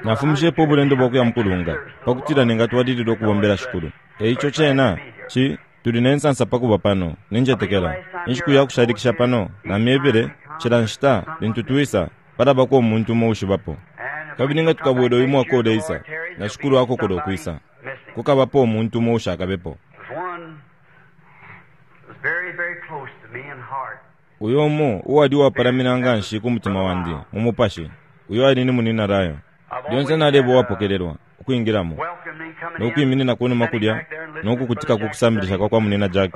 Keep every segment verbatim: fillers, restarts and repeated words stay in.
Nafumishepo ubulendo bwakuya mukulunga, pakutila Ningatwalilila ukubombela Shikulu. Eico cena, ci, tuli nensansa pakuba pano, Nincetekela. Inshiku yakushalikisha pano, Namyebele, cila nshita, lintu twisa, palabako umuntu umo uushibapo. Kabili nga tukabwela uyu mwaka uleisa, na Shikulu akokola ukwisa, kukabapo umuntu umo uushakabepo. Uyo umo uwali uwapalamina nganshi ku mutima wandi, mu mupashi, uyo ali ni Munina Lyle. Lyonse naleba uwapokelelwa, ukwingilamo, no kwiminina kunuma kulya, no kukutika ku kusambilisha kwa kwa Munina Jack,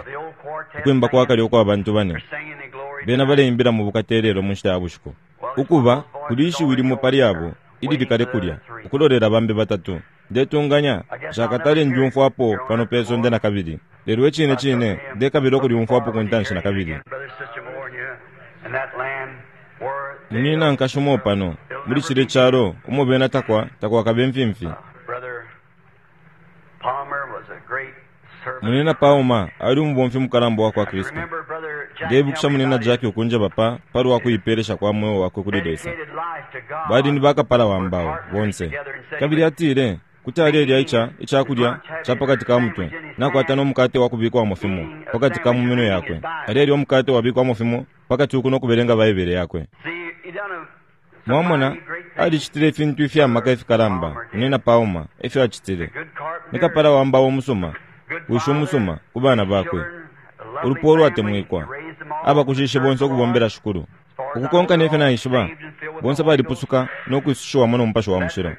ukwimba kwa kale ukwa bantu bane. Bena baleimbila mu bukata ilelo mu nshita ya bushiku. Ukuba, kuli ishiwi limo pali abo, ilili kale kulya, ukulolela bambi batatu. Ndetunganya, nshakatale ndyumfwapo pano pe sonde nakabili. Lelo icine cine, ndekabila ukulyumfwapo ku ntanshi nakabili. Munina nkashi umo pano, muli cilye calo, umo bena takwa, takwakabe imfimfi. Munina Palmer ali umubomfi mukalamba uwakwa Kristu. Ndeibukisha Munina Jack ukunjeba pa, palwa kuipelesha kwa mweo wakwe kuli Lesa. Bali ni bakapala wa mbao, bonse. Kabili atile, kuti alelya ica, icakulya ca pakati ka mutwe, nakwata no mukate wa kubikwamo fimo pakati ka mu minwe yakwe. Alelya umukate wabikwamo fimo pakati uku no kubelenga Baibele yakwe. Mwamona, alicitile ifintu ifya maka ifikalamba, Munina Palmer, efyo acitile. Ni kapala wa mbao umusuma, wishi umusuma, ku bana bakwe. Ulupwa ulwatemwikwa. Abakushishe bonse ukubombela Shikulu. Ukukonka nefyo naishiba, bonse balipusuka no kwisushiwamo no Mupashi wa Mushilo.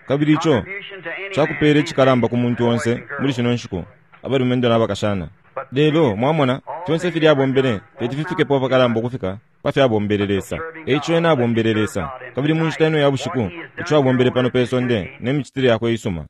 Kabili ico cakupela icikalamba ku muntu onse muli shino nshiku, abalumendo na bakashana. Lelo, mwamona, fyonse filya abombele teti fifikepo apakalamba ukufika pa fyo abombele Lesa. Eico ena abombele Lesa. Kabili mu nshita ino ya bushiku, ico abombele pano pe sonde ne micitile yakwe iisuma,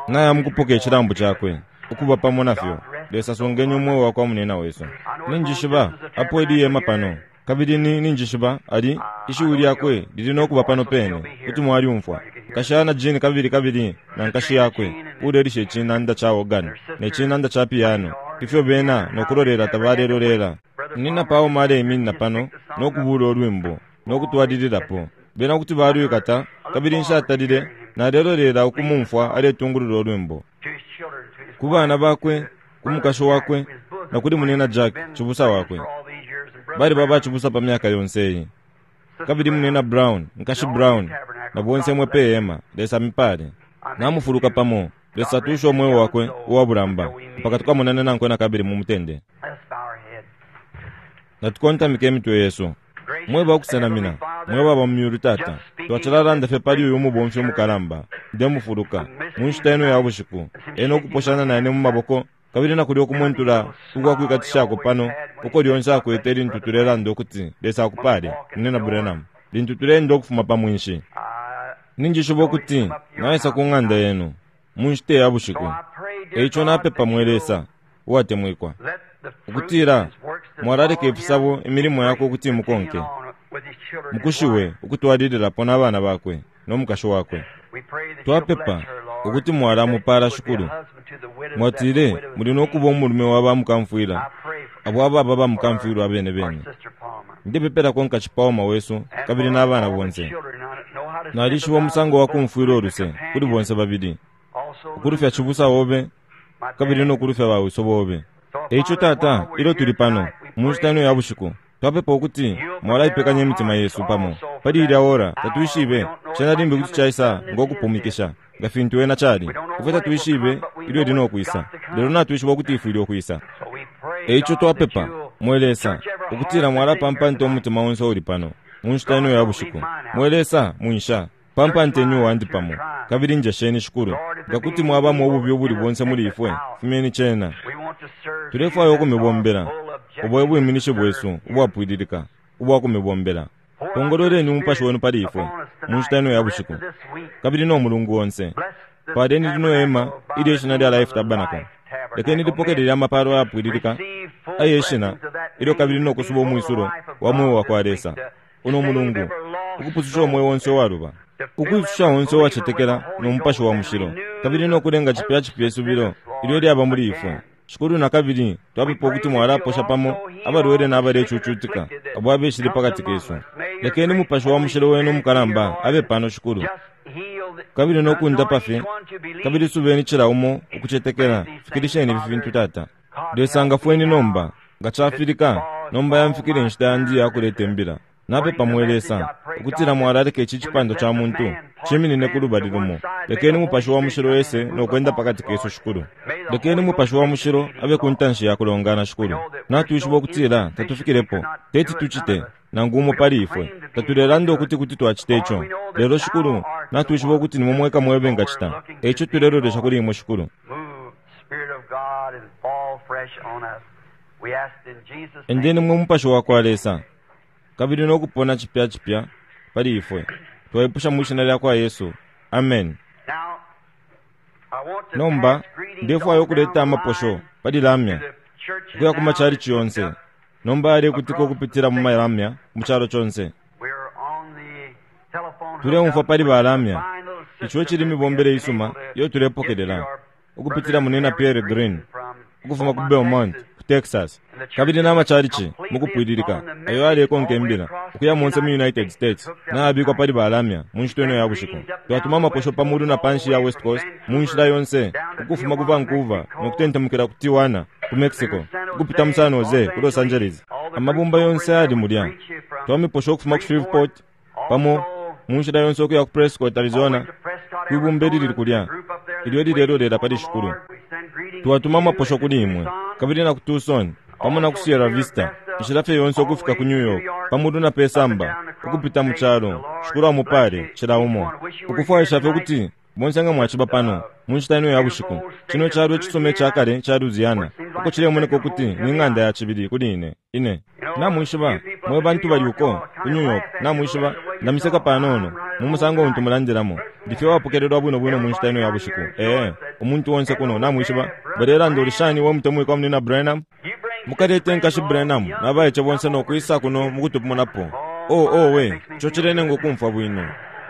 naya mukupoka icilambu cakwe, ukuba pamo nafyo. Lesa sungeni umweo wakwa munena wesu. Ninjishiba apo ili hema pano. Kabili ni, Ninjishiba, ali, ishiwi lyakwe lili nokuba pano pene, kuti mwalyumfwa. Nkashana Jean kabili kabili na nkashi yakwe, uulelisha icinanda ca organ ne cinanda ca piano, ifyo bena nokulolela tabalelolela. Nina Palmer aleiminina pano nokubula ulwimbo, nokutwalililapo. Bena kuti balwikata, kabili nshatalile nalelolela ukumumfwa aletungulula ulwimbo. Ku bana bakwe, ku mukashi wakwe, na kuli Munina Jack, cibusa wakwe. Baliba bacibusa pa myaka yonse iyi. Kabili Munina Brown, Nkashi Brown, na bonse mwe pe hema, Lesa amipale. Namufuluka pamo. Lesa atushe umweo wakwe uwa bulamba, mpaka tukamonane nankwe nakabili mu mutende. Natukontamike imitwe yesu. Mwe bakusenamina, mwe baba mu myulu Tata, twacilalanda fye pali uyu mubomfi umukalamba. Ndemufuluka, mu nshita ino ya bushiku, ena ukuposhana naine mu maboko, kabili nakulya ukumwentula ukwa kwikatishako pano, uko lyonse akwete lintu tulelanda ukuti Lesa akupale, Munina Branham, lintu tuleenda ukufuma pa mwinshi. Ninjishiba ukuti naisa ku ng'anda yenu mu nshita ya bushiku. Eico napepa, mwe Lesa uwatemwikwa, ukutila mwalaleka ifisabo imilimo yakwe ukuti mukonke, mukushiwe ukutwalililapo na bana bakwe no mukashi wakwe. Twapepa ukuti mwalamupala, Shikulu. Mwatile muli nokuba umulume wa ba mukamfwila, abo ababa ba mukamfwilwa abene bene. Ndepepelako Nkashi Palmer wesu kabili na bana bonse. Nalishiba umusango wa kumfwila uluse kuli bonse babili, ukulufya cibusa obe kabili no kulufya bawiso bobe. Eico, Tata, ilyo tuli pano mu nshita ino ya bushiku, twapepa ukuti mwalaipekanya imitima yesu pamo pali ilya ora. Tatwishibe, cena limbi kuti caisa ngo kupumikisha, nga fintu ena cali. Ifwe tatwishibe ilyo ili no kwisa, lelo natwishiba ukuti ifwile ukwisa. Eico twapepa, mwe Lesa, ukutila mwalapampanta umutima onse uuli pano mu nshita ino ya bushiku. Mwe Lesa, mwinsha pampanteni uwandi pamo, kabili njesheni, Shikulu. Nga kuti mwabamo ububi ubuli bonse muli ifwe, fumyeni cena. Tulefwaya ukumibombela. Ubo ebwiminishi bwesu ubwapwililika ubwa kumibombela. Pongololeni Umupashi wenu pali ifwe mu nshita ino ya bushiku, kabili no mulungu onse. Paleni lino hema ilyo ishina lya Life Tabernacle. Lekeni lipokelele amapalo ayapwililika aye shina ilyo, kabili no kusuba umwisulo wa mweo wa kwa Lesa uno mulungu, ukupususha umweo onse uwaluba, ukwisusha onse uwacetekela no Mupashi wa Mushilo, kabili no kulenga cipya cipya isubilo ilyo lyaba muli ifwe. Shikulu, nakabili twapepa ukuti mwalaposha pamo abalwele na abalecucutika abo abeshile pakati kesu. Lekeni Mupashi wa Mushilo wenu umukalamba abe pano, Shikulu, Kabili no kundapa fye, kabili subeni cila umo ukucetekela. Fikilisheni ifi fintu, Tata. Lesa ngafweni nomba, nga cafilika, nomba yamfikile inshita yandi yakuleta imbila. Napepa mwe Lesa, ukutila mwalaleka ici cipando ca muntu ciminine ku lubali lumo. Lekeni Mupashi wa Mushilo ese no kwenda pakati kesu, Shikulu. Lekeni Mupashi wa Mushilo abe ku ntanshi ya kulongana, Shikulu. Natwishiba ukutila tatufikilepo, teti tucite nangu umo pali ifwe. Tatulelanda ukuti kuti twacita ico. Lelo, Shikulu, natwishiba ukuti nimwe mweka mwebe ngacita. Eico tulelolesha kuli imwe, Shikulu. Endeni mwe Mupashi wa kwa Lesa, kabili no kupona cipya cipya pali ifwe. Twaipusha mu shina lya kwa Yesu. Amen. Nomba ndefwaya ukuleta amaposho pali lamya ukuya ku machalichi yonse. Nomba yalekutika ukupitila mu malamya mu calo conse. Tuleumfwa pali balamya. Ico cili mibombele isuma iyo tulepokelela ukupitila munena Pierre Green ukufuma ku Beaumont ku Texas, kabili na machalichi mukupwililika ayo alekonka imbila ukuya monse mu United States nayabikwa pali balamya mu nshita ino ya bushiku. Twatuma amaposho pa mulu na panshi ya West Coast mu nshila yonse ukufuma ku Vancouver no kutentemukila ku Tijuana ku Mexico ukupita mu San Jose ku Los Angeles. Amabumba yonse ali mulya. Twamiposha ukufuma ku Shreveport pamo mu nshila yonse ukuya ku Prescott, Arizona, kwibumba ilili kulya ilyo lilelolera pali Shikulu. Twatuma amaposho kuli imwe kabili na ku Tucson pamo na ku Sierra Vista, inshila fye yonse ukufika ku New York pamutu na pesamba ukupita mu calo. Shikulu amupale cila umo. Ukufwaisha fye ukuti bonse nga mwaciba pano mu nshita ino ya bushiku. Cino calo icisuma icakale ca Louisiana, uko cilemoneka ukuti ni ng'anda ya cibili kuli ine ine. Namwishiba mwe bantu bali uko ku New York, namwishiba ndamiseka panono mu musango untu mulandilamo. Ndifye wapokelelwa bwino bwino mu nshita ino ya bushiku. Ee, umuntu onse kuno namwishiba balelanda uli shani we mutemwikwa munina Branham. Mukalete nkashi Branham nabaice bonse no kwisa kuno mukutupumunapo. Oh, oh we, ico cilenenga ukumfwa bwino.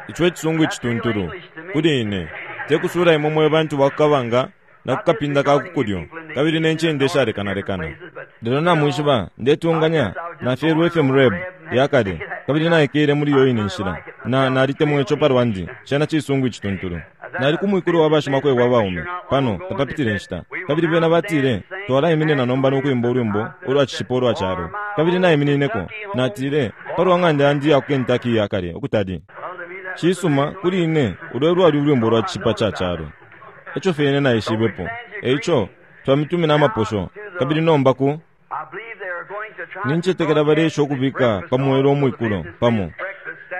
Ico ecisungu icituntulu kuli ine. Tekusula imwe mwe bantu bakukabanga na kukapinda ka kukulyo kabili ne ncende ishalekanalekana. Lelo namwishiba ndetunganya nafyelwe fye mu Reb yakale kabili naikele muli iyo ine nshila. Na nalitemwa ico palwandi, cena cisungu icituntulu. Nali ku mwikulu wa bashimakwebo abaume pano tapapitile nshita, kabili bena batile twalaiminina nomba no kwimba ulwimbo ulwa cishipo ulwa calo. Kabili naiminineko natile palwa ng'anda yandi ya ku Kentucky yakale ukutali. Cisuma kuli ine ulwe lwali ulwimbo lwa cishipa ca calo. Eco fye ine naishibepo. Eico twamitumina amaposho kabili nomba ku nincetekela balesha ukubika pamwelo umwikulo pamo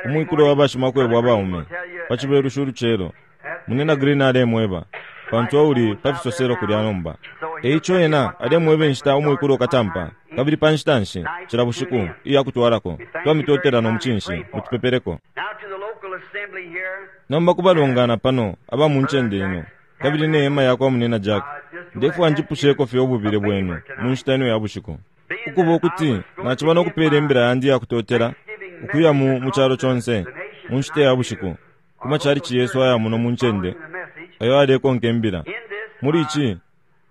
umwikulo wa bashimakwebo abaume pa cibelushi ulucelo. Munena Green alemweba pantu auli pa fisoselo kulya nomba. Eico ena alemweba inshita umwikulo ukatampa kabili pa nshita nshi cila bushiku iya kutwalako. Twamitotela no mucinshi mutupepeleko. Nomba kubalongana pano aba mu ncende ino kabili ne hema yakwa munena Jack, ndefwa njipusheko fye ububile bwenu mu nshita ino ya bushiku. Ukuba ukuti naciba no kupela imbila yandi ya kutotela ukuya mu mu calo conse mu nshita ya bushiku ku machalichi yesu aya muno mu ncende ayo alekonka imbila. Muli ici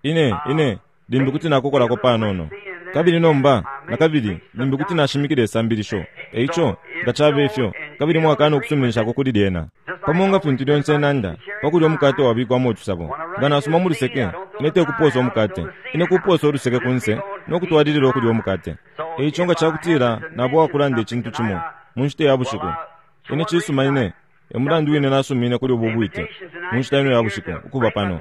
ine ine limbi kuti nakokolako panono kabili nomba nakabili limbi kuti nashimikila isambilisho. Eico nga cabe ifyo kabili mwakana okusuminishako kuli lyena pamo nga fintu lyonse nanda pakulya umukate wabikwamo utusabo. Nga nasuma mu luseke ine tekuposa umukate, ine kuposa uluseke kunse no kutwalilila okulya umukate. Eico nga cakutila nabo wakulanda icintu cimo mu nshita ya bushiku ine cisuma ine emulandu wine nasumine kuli ubu bwite mu nshita ino ya bushiku ukuba pano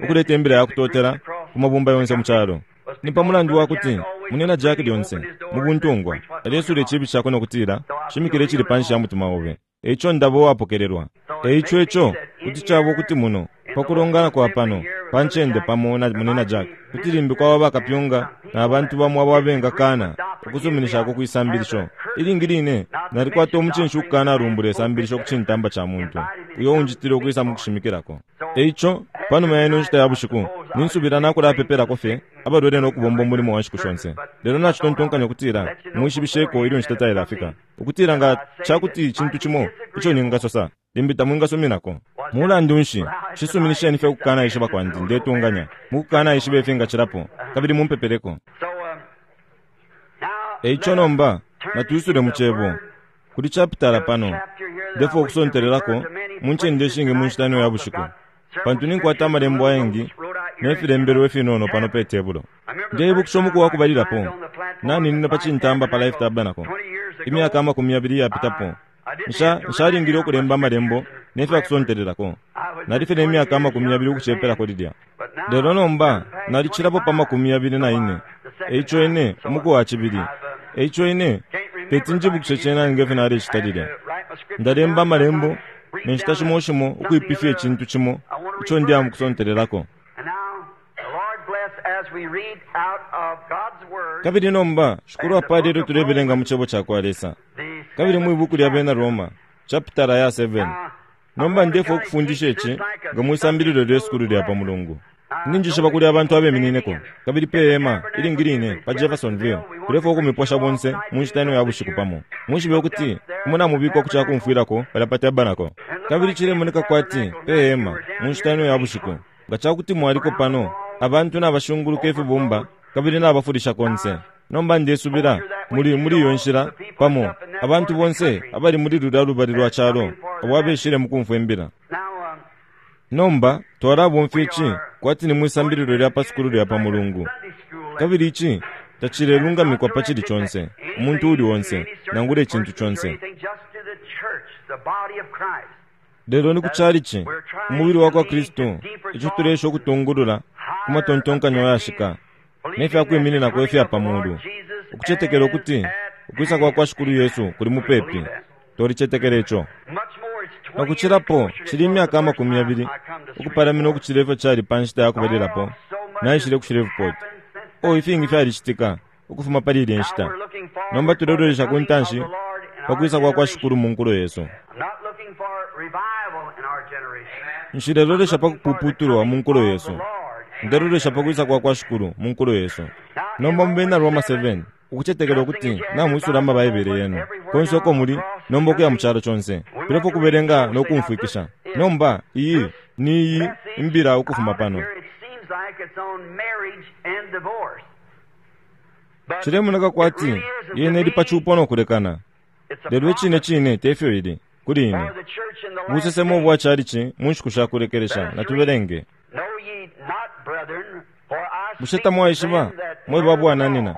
ukuleta imbila ya kutotela ku mabumba yonse mu calo. Ni pa mulandu wa kuti munena Jack lyonse mu buntungwa alesula icibi cakwe no kutila shimikile icili panshi ya mutima obe. Eico ndabo wapokelelwa. Eico ico kuti caba ukuti muno pakulongana kwa pano pa ncende pamo na munena Jack kuti limbi kwaba bakapyunga na bantu bamo abo abengakana ukusuminishako kwisambilisho. Ilingi line nalikwata umucinshi ukukana alumbula isambilisho ku cintamba ca muntu uyo unjitile ukwisa mu kushimikilako. Eico panuma ya ino nshita ya bushiku ninsubila nakulapepelako fye abalwele no kubomba umulimo wa nshiku shonse. Lelo nacitontonkanya ukutila mwishibisheko ilyo nshita tailafika ukutila nga cakuti icintu cimo ico ningasosa limbi tamwingasuminako. Mulandu nshi cisuminisheni fye ukukana ishiba kwandi ndetunganya mukukana ishiba ifingacilapo kabili mumpepeleko. Eico nomba natwisule mu cebo Kuli chapitala pano ndefwaya ukusontelelako mu ncende ishingi mu nshita ino ya bushiku, pantu ninkwata amalembo ayengi ne filembelwe ifinono pano pe tebulo. Ndeibukisha umuku wa kubalilapo naninine pa cintamba pa Life Tabernacle imyaka amakumi yabili iyapitapo. Nsha nshalingile ukulemba amalembo ne fya kusontelelako. Nali fye ne myaka amakumi yabili ukucepelako lilya, lelo nomba nalicilapo pa makumi yabili na ine. Eico ine umuku wa cibili, eico ine teti njibukishe cena nge fyo nalecita lilya. Ndalemba amalembo ne nshita shimo shimo ukwipifya icintu cimo ico ndi amukusontelelako. Kabili nomba Shikulu apale ilyo tulebelenga mu cebo cakwa Lesa, kabili mwi buku lya bena Roma chapitala ya seven. Nomba ndefwaya ukufundisha ici nga mwisambililo lye sukulu lya pa Mulungu. Ninjishiba kuli abantu abeminineko kabili pe hema ilingi line pa Jeffersonville. Tulefwaya ukumiposha bonse mu nshita ino ya bushiku pamo. Mwishibe ukuti imwe namubikwa ku cakumfwilako palya pa tabernacle. Kabili cilemoneka kwati pe hema mu nshita ino ya bushiku, nga cakuti mwaliko pano, abantu nabashunguluka ifibumba kabili nabafulisha konse. Nomba ndesubila muli muli iyo nshila pamo abantu bonse abali muli lulya lubali lwa calo abo abeshile mukumfwa imbila. Nomba twalabomfya ici kwati ni mwisambililo lya pa sukulu lya pa Mulungu, kabili ici tacilelungamikwa pa cili conse, umuntu uli onse, nangula icintu conse. Lelo ni ku chalichi, umubili wa kwa Kristu, ico tulesha ukutungulula ku matontonkanyo ayashika ne fya kwimininako ifya pa mulu, ukucetekela ukuti ukwisa kwa kwa Shikulu Yesu kuli mupepi. Twalicetekela ico. Nakucilapo cili imyaka amakumi yabili ukupalamina ukucila ifyo cali pa nshita ya kubalilapo naishile ku Shreveport. Oh, ifingi fyalicitika ukufuma pali ilya nshita. Nomba tulelolesha ku ntanshi pa kwisa kwa kwa Shikulu mu nkulo yesu. Nshilelolesha pa kupuputulwa mu nkulo yesu, ndelolesha pa kwisa kwa kwa Shikulu mu nkulo yesu. Nomba mu bena Roma seven, ukucetekela ukuti namwisula amabaibele yenu konse uko muli nomba ukuya mu calo conse, tulefwaya ukubelenga no kumfwikisha. Nomba iyi ni iyi imbila ukufuma pano. Cilemoneka kwati yene ili pa cupo no kulekana, lelo icine cine tefyo ili kuli ine. Busesemo bwa chalichi mu nshiku sha kulekelesha. Natubelenge. Bushe tamwaishiba mwe babwananina,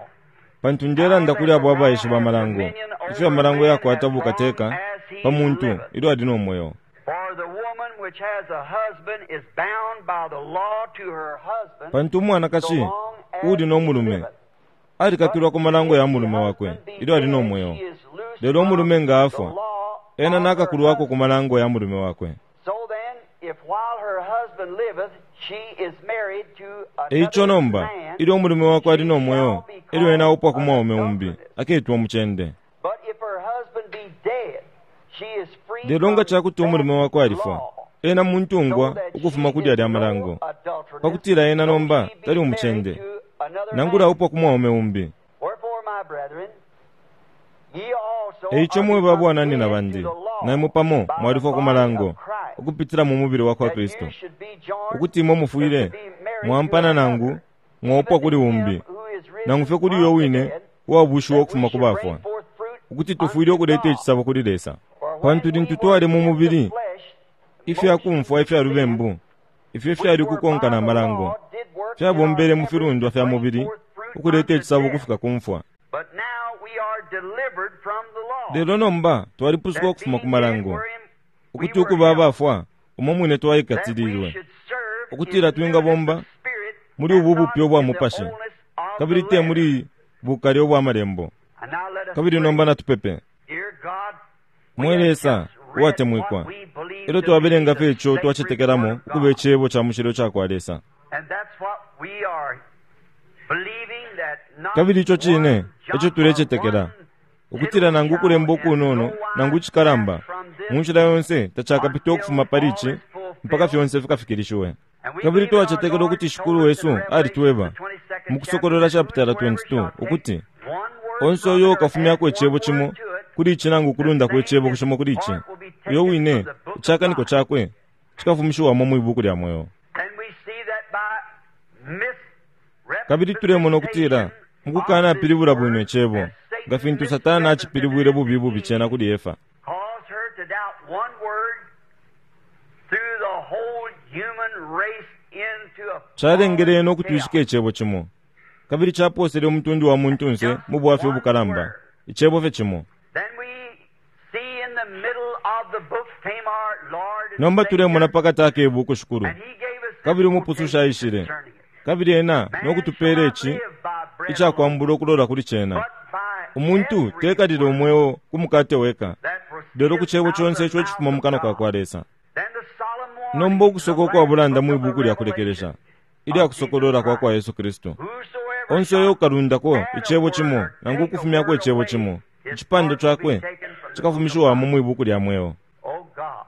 pantu ndelanda kuli abo abaishiba amalango, ifyo amalango yakwata bukateka pa muntu ilyo ali no mweo. Pantu umwanakashi uli no mulume alikakilwa ku malango ya mulume wakwe ilyo ali no mweo, lelo umulume nga afwa, ena nakakulwako ku malango ya mulume wakwe. Eico nomba ilyo umulume wakwe ali no mweo, elyo ena aupwa ku mwaume umbi, aketwa umucende. Lelo nga cakuti umulume wakwe alifwa, ena muntungwa ukufuma kuli alya malango, pakutila ena nomba tali umucende, nangula aupwa ku mwaume umbi. Eico mwe babwananina bandi, naimwe pamo mwalifwa ku malango ukupitila mu mubili wa kwa Kristu, ukuti imwe mufwile mwampana nangu mwaupwa kuli umbi, nangu fye kuli uyo wine uwabushiwa ukufuma ku bafwa, ukuti tufwile ukuleta icisabo kuli Lesa. Pantu lintu twali mu mubili, ifya kumfwa ifya lubembu, ifyo fyali kukonka na malango, fyabombele mu filundwa fya mubili ukuleta icisabo ukufika ku mfwa. Lelo nomba twalipusuka ukufuma ku malango, ukuti ukuba abafwa umo mwine twaikatililwe, ukutila twingabomba muli ubu bupya ubwa mupashi, kabili te muli bukale ubwa malembo. Kabili nomba natupepe. Mwe Lesa uwatemwikwa, ilyo twabelenga fye ico twacetekelamo ukuba icebo ca mushilo cakwa Lesa, kabili ico cine eco tulecetekela, ukutila nangu ukulemba ukunono nangu icikalamba mu nshila yonse tacakapite ukufuma pali ici mpaka fyonse fikafikilishiwe. Kabili twacetekela ukuti Shikulu wesu alitweba mu Kusokolola chapitala twenty-two ukuti onse uyo ukafumyako icebo cimo kuli ici nangu ukulundako icebo cimo kuli ici, uyo wine icakaniko cakwe cikafumishiwamo mwi buku lya mweo. Kabili tulemona ukutila mukukanapilibula bwino icebo, Nga fintu Satana acipilibwile bubi bubi cena kuli Efa. Caused her to doubt one word through the whole human race into a Calengele ena ukutwishika icebo cimo. Kabili caposele umutundu wa muntunse mu bwafya ubukalamba. Icebo fye cimo. Then we see in the middle of the book came our Lord and Nomba tulemona Savior, pakati ake ibuku shikulu. and he gave us this Kabili umupususha quotation aishile. concerning it. Kabili ena Man no kutupeela shall not ici live by bread icakwambula ukulola kuli cena. but by Umuntu every tekalila word umweo ku mukate weka, that proceedeth lelo ku cebo out conse of ico the icifuma mu mouth kanwa of ka kwa God. Lesa. Then the solemn warning Nomba in ukusoka the ukwa last bulanda book mwi of the buku lya kulekelesha, Revelation ilya of Jesus kusokolola kwa kwa Christ. Yesu Kristu. Whosoever Onse uyo shall ukalundako add a icebo word cimo or nangu take a ukufumyako word icebo away, cimo, his icipando part will be cakwe taken from the book of cikafumishiwamo life. mwi buku lya mweo. O God,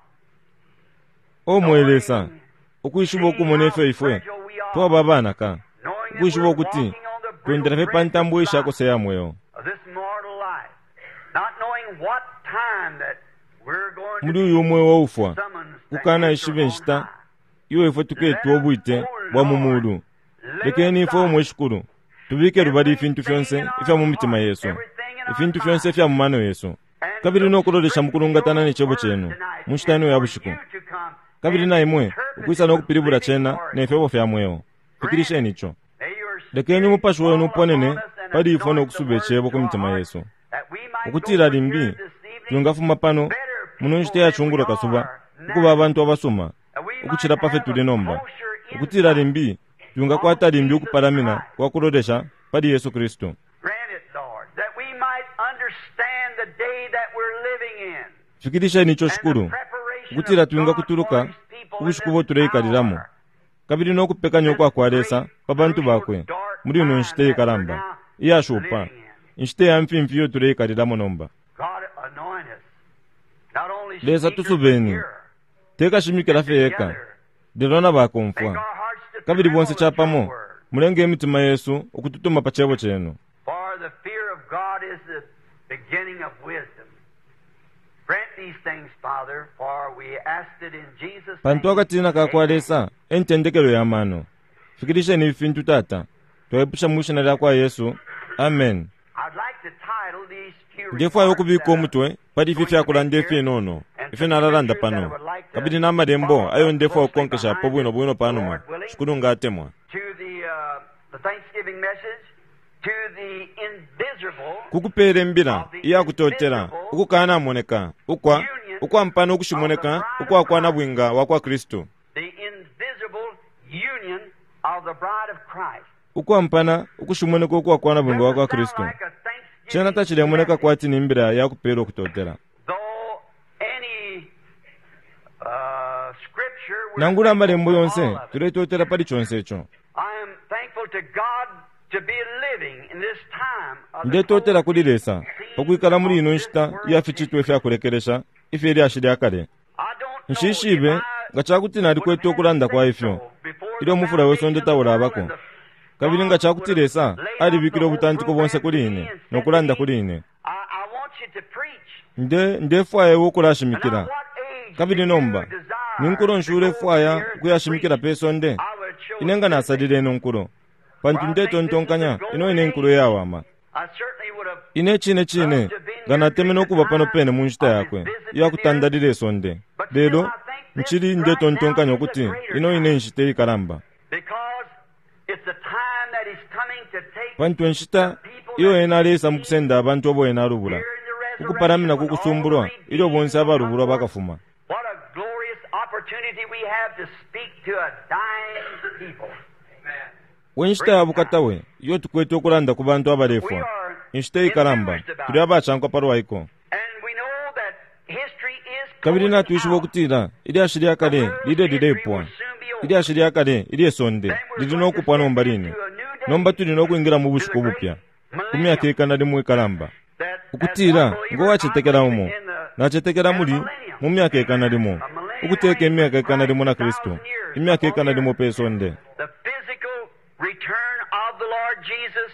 O mwe Lesa, knowing, ukwishiba seeing ukumona how ifyo ifwe fragile we are, twaba abanaka, knowing that ukwishiba we're ukuti walking on the twendela brittle fye pa bridge of ntambo life, ishakose ya mweo. of this mortal life, not knowing what time that we're going to Muli be uyu mweo waufwa, summoned to kukana enter ishiba on inshita high. iyo ifwe tuketwa Let us, ubwite O bwa mu Lord, mulu. lay Lekeni ifwe aside umwe shikulu tubike lubali ifintu everything fyonse in our ifya mu mitima heart, yesu, everything in our ifintu fyonse mind, ifya mu mano yesu, and kabili look no kulolesha mu straight to kulungatana your ne cebo word cenu tonight mu nshita and ino ya for bushiku. you to come Kabili and na imwe interpret ukwisa it no with kupilibula living cena ne oracles. fyebo fya mweo. Grant Fikilisheni ico. May your Lekeni Spirit umupashi wenu fall uponene upon us and pali ifwe no anoint the kusuba word icebo to ku our mitima hearts, yesu. that we might go Ukutila from limbi here this evening twingafuma pano better muno people nshita ya than we chungulo kasuba are ukuba now, abantu abasuma that we might ukucila pa fye have tuli a nomba. kosher Ukutila insight limbi on twingakwata limbi Jesus ukupalamina Christ. kwa kulolesha pali Yesu Kristu. Grant it, Lord, that we might understand the day that we're living in Fikilisheni ico and the shikulu preparation ukutila of God for twingakutuluka His people in ubushiku this bo tuleikalilamo hour, kabili no kupekanya this ukwa kwa Lesa great, pa bantu crucial, bakwe dark muli ino time nshita that we're ikalamba now iyashupa, living in. inshita ya mfimfi iyo tuleikalilamo nomba. God anoint us, not only Lesa speakers but tusubeni, hearers, tekashimikila and fye eka, together lelo na make bakomfwa. our hearts to Kabili bonse tremble at your capamo word. mulenge imitima yesu ukututuma pa cebo cenu. For the fear of God is the beginning of wisdom. Grant these things, Father, for we ask it in Jesus' Pantu name. akatina ka kwa Amen. Lesa e ntendekelo ya mano. Fikilisheni ifi fintu Tata. Twaipusha mu shina lya kwa Yesu. Amen. I'd like to title these few Ndefwaya remarks ukubika that I'm umutwe pali ifi going to fya make kulanda here ifinono and ifyo some nalalanda scriptures that I pano would like to kabili na malembo follow ayo up ndefwaya closely ukukonkeshapo behind bwino it, bwino the panuma Lord willing, shikulu nga atemwa. to the, uh, the Thanksgiving message, to the invisible Kukupeela imbila of the iyakutotela invisible ukukanamoneka ukwa union ukwampana of the ukushimoneka bride of ukwa kwa Christ. nabwinga wa kwa Kristu. The invisible union of the bride of Christ. Ukwampana ukushimoneka ukwa kwa nabwinga wa Doesn't kwa sound Kristu. like a Cena Thanksgiving tachilemoneka message, kwati ni imbila yakupela ukutotela. though any uh, scripture we're Nangula thankful amalembo for all yonse of it. tuletotela pali chonse ico. I am thankful to God to be living in this time of the Ndetotela kuli closing Lesa scenes pakwikala muli of ino this nshita iya world's ficitwe history. ifyakulekelesha ifye lyashi lya kale. I don't know if Nshishibe I nga cakuti would have nalikwete had to ukulanda kwa say ifyo so before ilyo the umufula we sonde foundation of the world taulabako. and the Kabili nga God would cakuti have Lesa laid out the alibikile whole ubutantiko bonse program to kuli me ine and no said to kulanda me, kuli ine. I, I want you to preach. Nde ndefwaya iwe And now ukulashimikila. what age Kabili do you nomba ni desire nkulo to nshi go to the ulefwaya earth to ukuyashimikila preach? pe sonde? I would Ine chose nga this nasalile age. ino nkulo. For Pantu I think this is the ndetontonkanya ino golden ine nkulo age. iyawama. I certainly would have Ine cine cine loved to have been nga here during natemene the ukuba pano time pene mu nshita of his yakwe visit to the earth. iyakutandalila isonde. But still, Lelo I think this nchili right now ndetontonkanya is a ukuti greater ino ine time nshita ikalamba. because it's the time that he's coming to take Pantu inshita the people iyo that ena he's aleisa mu redeemed kusenda abantu abo ena alubula here in the ukupalamina resurrection ku when all the kusumbulwa ilyo redeemed bonse will come abalubulwa forth. bakafuma. What a glorious opportunity we have to speak to a dying people. We nshita ya Great bukata time. we iyo tukwete ukulanda ku bantu We abalefwa. are Inshita ikalamba enthused about tuli it. abacankwa palwa iko. And we know that history is Kabili closing natwishiba out. ukutila ilyashi lya The kale world's lile history lilepwa. will soon be over. Ilyashi lya kale ilye sonde Then we're lili going no to kupwa step nomba line. into a new Nomba day, tuli no kwingila mu to the bushiku great bupya ku myaka millennium. ikana limo ikalamba. That as one Ukutila ngo believer, I wacetekela believe umo in the nacetekela in a muli mu millennium, myaka ikana limo a millennium ukuteka reign imyaka with ikana Christ, limo na a Kristu thousand years imyaka upon the ikana limo earth. pe sonde. The physical return of the Lord Jesus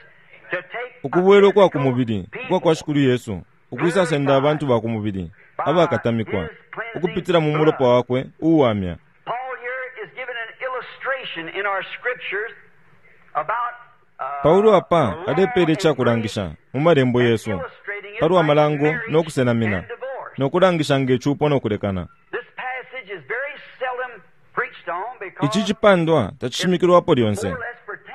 to take a Ukubwela ukwa ku physical mubili ukwa kwa people Shikulu Yesu ukwisasenda abantu glorified ba ku mubili by abakatamikwa his cleansing ukupitila mu mulopa blood. wakwe uuwamya. Paul here is given an illustration in our scriptures about Paulo apa alepele icakulangisha mu malembo yesu palwa malango no kusenamina no kulangisha ngecupo no kulekana. Ici cipandwa tacishimikilwapo lyonse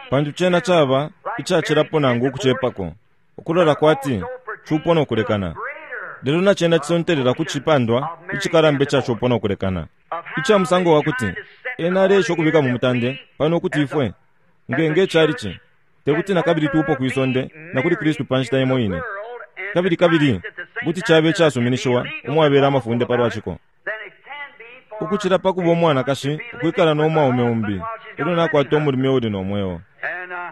pantu cena caba icacilapo nangu ukucepako ukulola kwati cupo no kulekana. Lelo na cena cisontelela ku cipandwa icikalamba ica cupo no kulekana ica musango wa kuti ena aleesha ukubika mu mutande pano ukuti ifwe ngenge calici tekuti na kabili tupo kwisonde na kuli Kristu pa nshita imo ine kabili kabili kuti cabe icasuminishiwa umwabela amafunde palwa ciko ukucila pa kuba umwanakashi ukwikala n'omwaume umbi elyo nakwata umulume uli nomweo.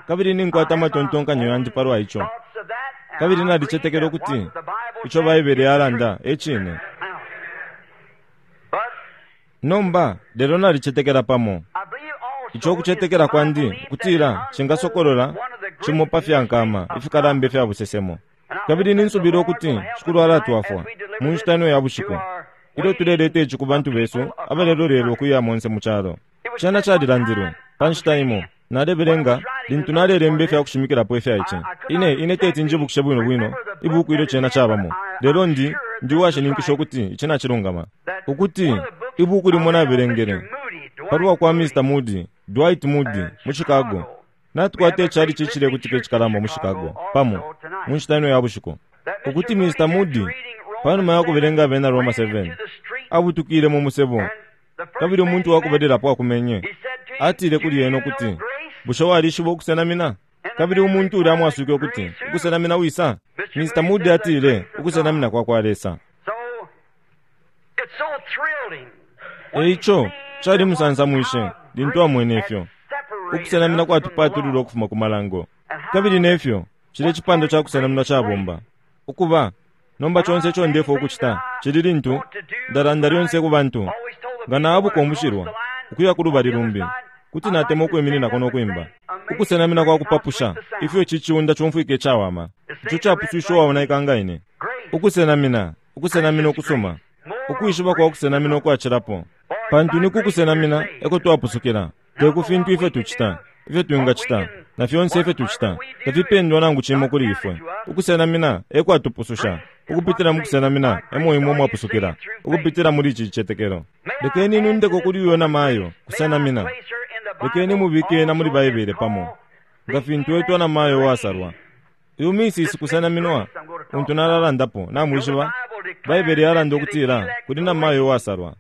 Kabili ninkwata amatontonkanyo yandi palwa ico kabili nalicetekela ukuti ico Baibele yalanda e cine. Nomba lelo nalicetekela pamo ico kucetekela kwandi ukutila cingasokolola cimo pa fyankama ifikalamba ifya busesemo. Kabili ninsubila ukuti Shikulu alatwafwa mu nshita ino ya bushiku ilyo tuleleta ici ku bantu besu abalelolelwa ukuya monse mu calo. Cena calilandilwe pa nshita imo nalebelenga lintu nalelemba ifya kushimikilapo ifya ici. Ine ine teti njibukishe bwino bwino ibuku ilyo cena cabamo, lelo ndi ndi uwashininkisha ukuti ici nacilungama ukuti ibuku limo nabelengele palwa kwa Mister Moody, Dwight Moody mu Chicago. Natukwata icali cicilekutika icikalamba mu Chicago pamo mu nshita ino ya bushiku ukuti Mister Moody panuma ya kubelenga abena Roma seven abutukile mu musebo kabili umuntu wakubelelapo akumenye atile kuli ena ukuti bushe walishiba ukusenamina? Kabili umuntu ulya amwaswike ukuti ukusenamina wisa? Mister Moody atile ukusenamina kwa kwa Lesa. Eico cali musansamwishe lintu amwene ifyo ukusenamina kwatupatulula ukufuma ku malango. Kabili nefyo cile cipando ca kusenamina cabomba ukuba nomba conse ico ndefo ukucita cili lintu ndalanda lyonse ku bantu nga naabuka umushilwa ukuya ku lubali lumbi kuti natema ukwimininako nokwimba ukusenamina kwa kupapusha ifyo ici ciunda cumfwike icawama ico capuswisha uwaonaika nga ine. Ukusenamina ukusenamina ukusuma ukwishiba kwa kusenamina ukwacilapo pantu ni kukusenamina eko twapusukila te ku fintu ifyo tucita ifyo twingacita na fyonse ifyo tucita tafipendwa nangu cimo kuli ifwe. Ukusenamina ekwatupususha ukupitila mu kusenamina emo imwe mwapusukila ukupitila muli ici cicetekelo. Lekeni nundeko kuli uyo na mayo kusenamina. Lekeni mubike na muli Baibele pamo nga fintu etwa na mayo wasalwa. Uyu misisi kusenaminwa untu nalalandapo namwishiba Baibele yalanda ukutila kuli na mayo wasalwa.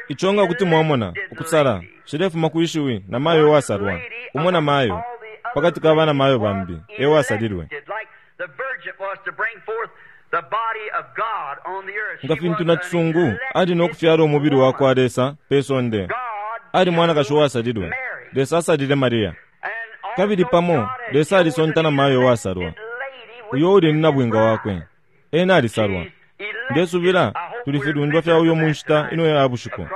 Ico nga kuti mwamona ukusala cilefuma kwishiwi na mayo wasalwa umo na mayo pakati ka bana mayo bambi e wasalilwe. Nga fintu na cisungu ali nokufyala umubili wa kwa Lesa pe sonde ali mwanakashi wasalilwe. Lesa asalile Maria kabili pamo Lesa alisonta na mayo wasalwa uyo uli ni nabwinga wakwe ena alisalwa. Ndesubila tuli filundwa fya uyo mu nshita ino ya bushiku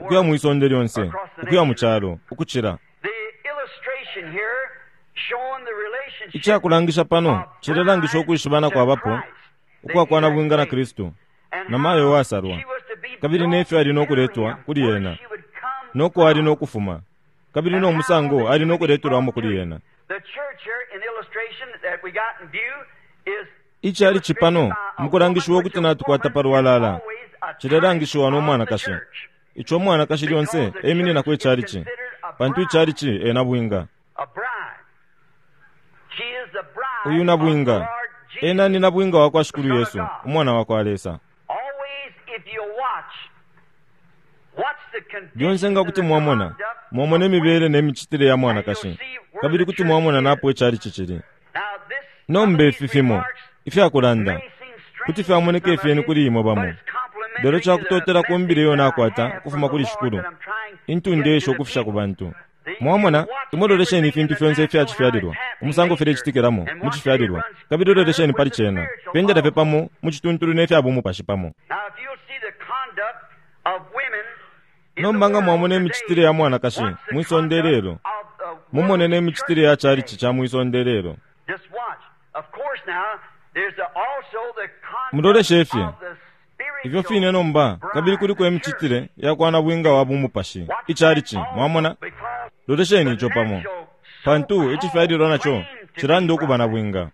ukuya mwisonde lyonse ukuya mu calo ukucila. Icakulangisha pano cilelangisha ukwishibana kwabapo ukwakwa nabwinga na Kristu na mayo wasalwa kabili nefyo ali nokuletwa kuli ena noko ali nokufuma kabili no musango ali nokuletwelwamo kuli ena. Icali cipano mukulangishiwa ukuti natukwata palwalala cilelangishiwa n'omwanakashi ico omwanakashi lyonse emininako icalici pantu icalici ena bwinga. Uyu nabwinga ena ni nabwinga wa kwa Shikulu Yesu umwana wa kwa Lesa. Lyonse nga kuti mwamona mwamona imibele n'emicitile ya mwanakashi kabili kuti mwamona napo icalici cili. Nomba ifi fimo ifyakulanda kuti fyamoneka ifyeni kuli imwe bamo lelo cakutotela kumbile iyo nakwata ukufuma kuli Shikulu intundu esho ukufisha ku bantu. Mwamona imwe lolesheni ifintu fyonse ifyacifyalilwa umusango filecitikilamo mu cifyalilwa kabili lolesheni pali cena pendela fye pamo mu cituntulu nefya bumupashi pamo. Nomba nga mwamona imicitile ya mwanakashi mwisonde lelo mumone n'emicitile ya calici ca mwisonde lelo. Muloleshe fye ifyo fine nomba kabili kuliko emicitile ya kwa nabwinga wa bumupashi icalici mwamona Lolesheni ico pamo, pantu icifyalilwa naco cilanda ukuba na bwinga.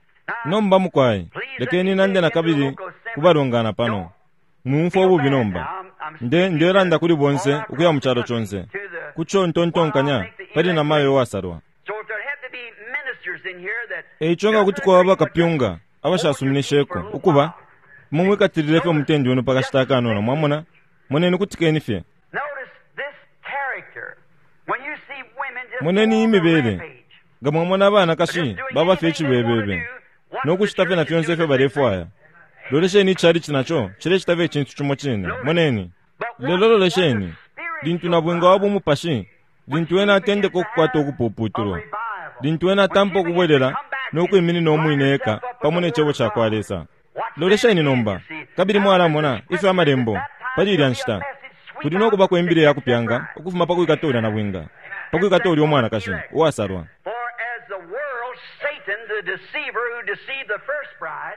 Nomba mukwai, lekeni nande nakabili kubalongana pano. Mwumfwa ububi nomba. Nde ndelanda kuli bonse ukuya mu calo conse. Kucho ntontonkanya pali na mayo wasalwa. Eico nga kuti kwaba bakapyunga abashasuminisheko ukuba mumwikatilile fye umutendi wenu pakashita akanono, mwamona? Moneni kutikeni fye. Moneni imibele. Nga mwamona abanakashi baba fye icibebebe no kucita fye na fyonse ifyo balefwaya. Lolesheni ichalichi naco cilecita fye icintu cimo cine. Moneni. Lelo lolesheni lintu nabwinga wa bumupashi, lintu ena atendeka ukukwata ukupuputulwa, lintu ena atampa ukubwelela no kwiminina umwine eka pamo ne cebo cakwa Lesa. Lolesheni nomba, kabili mwalamona ifyo amalembo pali ilya nshita kuli no kuba kwembile ya kupyanga ukufuma pa kwikata ulya nabwinga, pa kwikata ulya umwanakashi uwasalwa.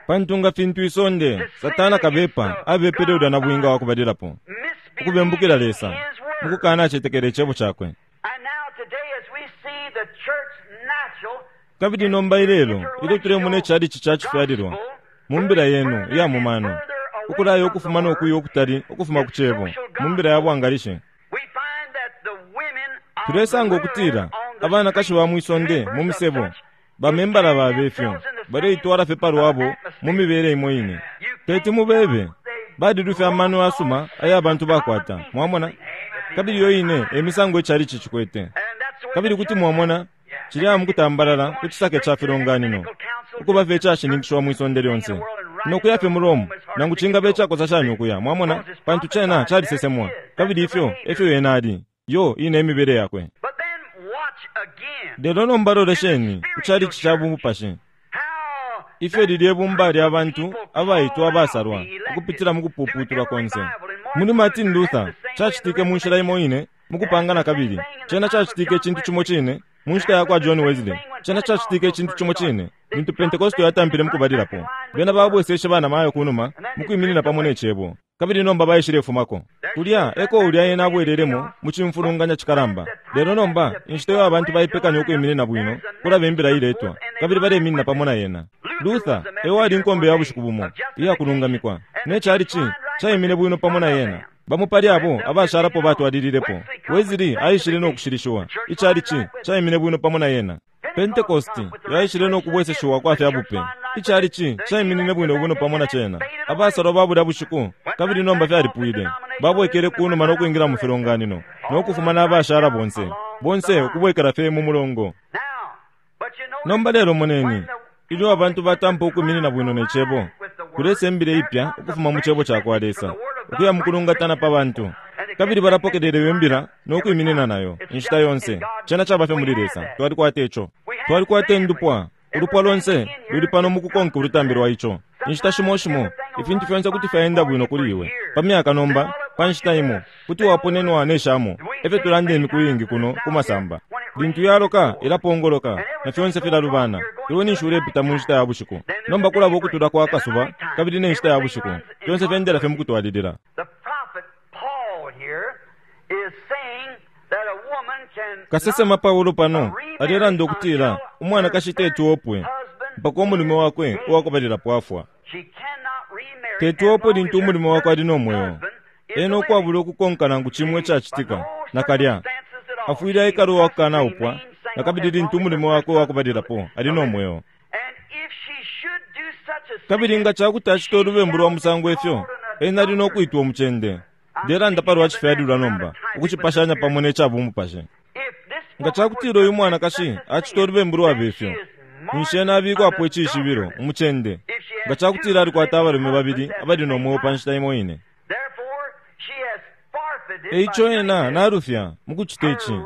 Pantu nga fintu isonde Satana kabepa abepele ulya nabwinga wakubalilapo ukubembukila Lesa mukukana acetekele icebo cakwe. Kabili nomba ilelo ilyo tulemona ichalichi cacifyalilwa mu mbila yenu iya mumano, ukulaya ukufuma nokuya ukutali ukufuma ku cebo mu mbila ya bwangalishi, tulesanga ukutila abanakashi ba mwisonde mu misebo bamembala babefyo baleitwala fye palwabo mu mibele imo ine. Teti mubebe balilufya amano asuma aya bantu bakwata, mwamona? Kabili yo ine emisango ichalichi cikwete. Kabili kuti mwamona cilya mukutambalala ku cisake ca filonganino ukuba fye icashininkishiwa mwisonde lyonse nokuya fye mu Rome, nangu cingaba icakosa shani ukuya, mwamona? Pantu cena calisesemwa, kabili ifyo efyo yena ali, yo ine imibele yakwe. Lelo nomba lolesheni ku chalichi ca bumupashi, ifyo lilye ibumba lya bantu abaitwa abasalwa ukupitila mu kupuputulwa konse. Muli Martin Luther cacitike mu nshila imo ine mukupanga nakabili. Cena cacitike icintu cimo cine mu nshita yakwa John Wesley. Cena cacitike icintu cimo cine lintu Pentecost yatampile mukubalilapo. Bena babweseshe bana mayo kunuma mukwiminina pamo ne cebo, kabili nomba baishilefumako kulya eko ulya ena abwelelemo mu cimfulunganya cikalamba. Lelo nomba inshita iyo abantu baipekanya ukwiminina bwino kulaba imbila iletwa, kabili baleminina pamo na yena. Luther ewali inkombe ya bushiku bumo iyakulungamikwa, ne chalichi caimine bwino pamo na yena. Bamo pali abo abashalapo batwalililepo. Wesley aishile no kushilishiwa, ichalichi caimine bwino pamo na yena. Pentecost yaishile no kubweseshiwa kwa fya bupe, ichalichi caiminine bwino bwino pamo na cena. Abasalwa babulya bushiku kabili nomba fyalipwile, babwekele kunuma no kwingira mu filonganino no kufuma n'abashala bonse bonse ukubwekela fye mu mulongo. Nomba lelo moneni ilyo abantu batampa ukwiminina bwino ne cebo, kulesa imbila ipya ukufuma mu cebo cakwa Lesa ukuya mukulungatana pa bantu, kabili balapokelele imbila no kwiminina nayo inshita yonse. Cena caba fye muli Lesa. Twalikwata ico, twalikwata indupwa, ulupwa lonse luli pano mukukonka ulutambi lwa ico. Inshita shimo shimo ifintu fyonse kuti fyaenda bwino kuli iwe pa myaka nomba pa nshita imo kuti waponenwa ne shamo. Efyo tulanda imiku iingi kuno ku masamba, lintu yaloka ilapongoloka na fyonse filalubana. Iwe ninshi ulepita mu nshita ya bushiku, nomba kulaba ukutula kwa kasuba kabili ne nshita ya bushiku, fyonse fyendela fye mukutwalilila. Kasesema Paulo pano alelanda ukutila umwanakashi teti opwe mpaka umulume wakwe uwakubalilapo afwa. Teti opwe lintu umulume wakwe ali no mweo, ena ukwabula ukukonka nangu cimwe icacitika nakalya afwile aikala uwakukana upwa nakabili lintu umulume wakwe uwakubalilapo ali no mweo. Kabili nga cakuti acita ulubembu lwa musango ifyo, ena ali no kwitwa umucende. Ndelanda palwa cifyalilwa nomba ukucipashanya pamo ne cabumupashi. Nga cakutila uyu mwanakashi acita ulubembu lwaba ifyo, ninshi ena abikwapo icishibilo umucende, nga cakutila alikwata abalume babili abali no mweo pa nshita imo ine. Eico ena nalufya mukucita ici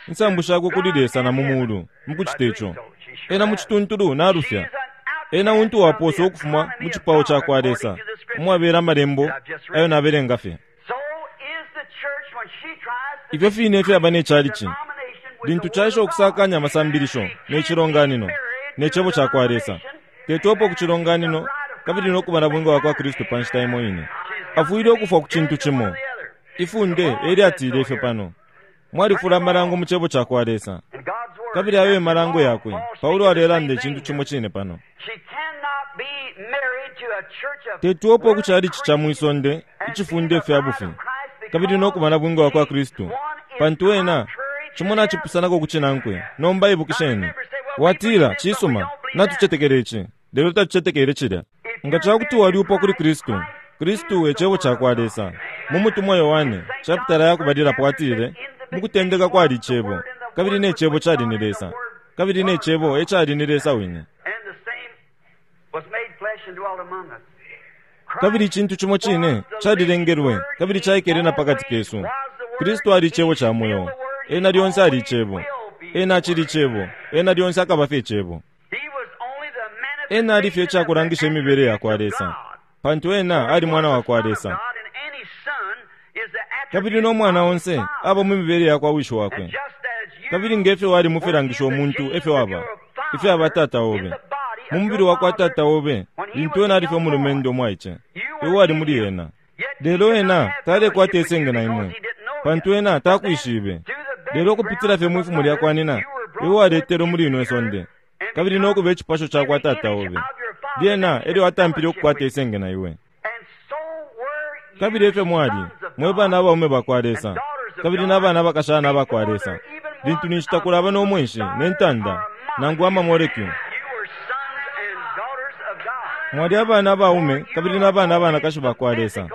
insambu shakwe kuli Lesa na mu mulu mukucita ico. Ena mu cituntulu nalufya. Ena untu waposa ukufuma mu cipao cakwa Lesa umwabela amalembo ayo nabelenga fye. Ifyo fine fyaba ne chalichi lintu caisha ukusakanya amasambilisho ne cilonganino ne cebo cakwa Lesa. Tetopo ku cilonganino kabili no kuba na bwinga wakwa Kristu pa nshita imo ine. Afwile ukufwa ku cintu cimo. Ifunde elyatile ifyo pano. Mwalifula amalango mu cebo cakwa Lesa, kabili ayo emalango yakwe. Paulo alelanda icintu cimo cine pano. Tetuopo ukuchalichi cha mwisonde icifunde fya bufi, kabili nokuba na bwinga wakwa Kristu, pantu ena cimo nacipusanako kucinankwe. Nomba ibukisheni, watila cisuma, natucetekele ici, lelo tatucetekele cilya. Nga cakuti waliupwa kuli Kristu, Kristu e cebo cakwa Lesa. Mu mutumwa Yohane chapitala yakubalilapo atile, mukutendeka kwali icebo, kabili ne cebo cali ni Lesa, kabili ne cebo e cali ni Lesa wine. Kabili icintu cimo cine calilengelwe kabili caikele na pakati kesu. Kristu ali icebo ca mweo, ena lyonse ali icebo, ena acili icebo, ena lyonse akaba fye icebo. Ena ali fye icakulangisha imibele yakwa Lesa, pantu ena ali mwana wakwa Lesa. Kabili no mwana onse aba mu mibele yakwa wishi wakwe. Kabili ngefyo wali mufilangisha umuntu efyo aba, ifyo aba tata obe. Mu mubili wakwa tata obe, lintu ena ali fye umulumendo umwaice, iwe ali muli ena. Lelo ena talekwata isenge na imwe, pantu ena takwishibe. Lelo kupitila fye mwifumo lyakwa nina, iwe waletelwe muli ino isonde, kabili nokuba icipasho cakwa tata obe. Lyena elyo atampile ukukwata isenge na iwe. Kabili efyo mwali, mwe bana abaume bakwa Lesa, kabili n'abana abakashana abakwa Lesa. Lintu ninshi takulaba n'omwenshi n'entanda nangu amamolekyu. Mwali abana abaume kabili n'abana abanakashi bakwa Lesa,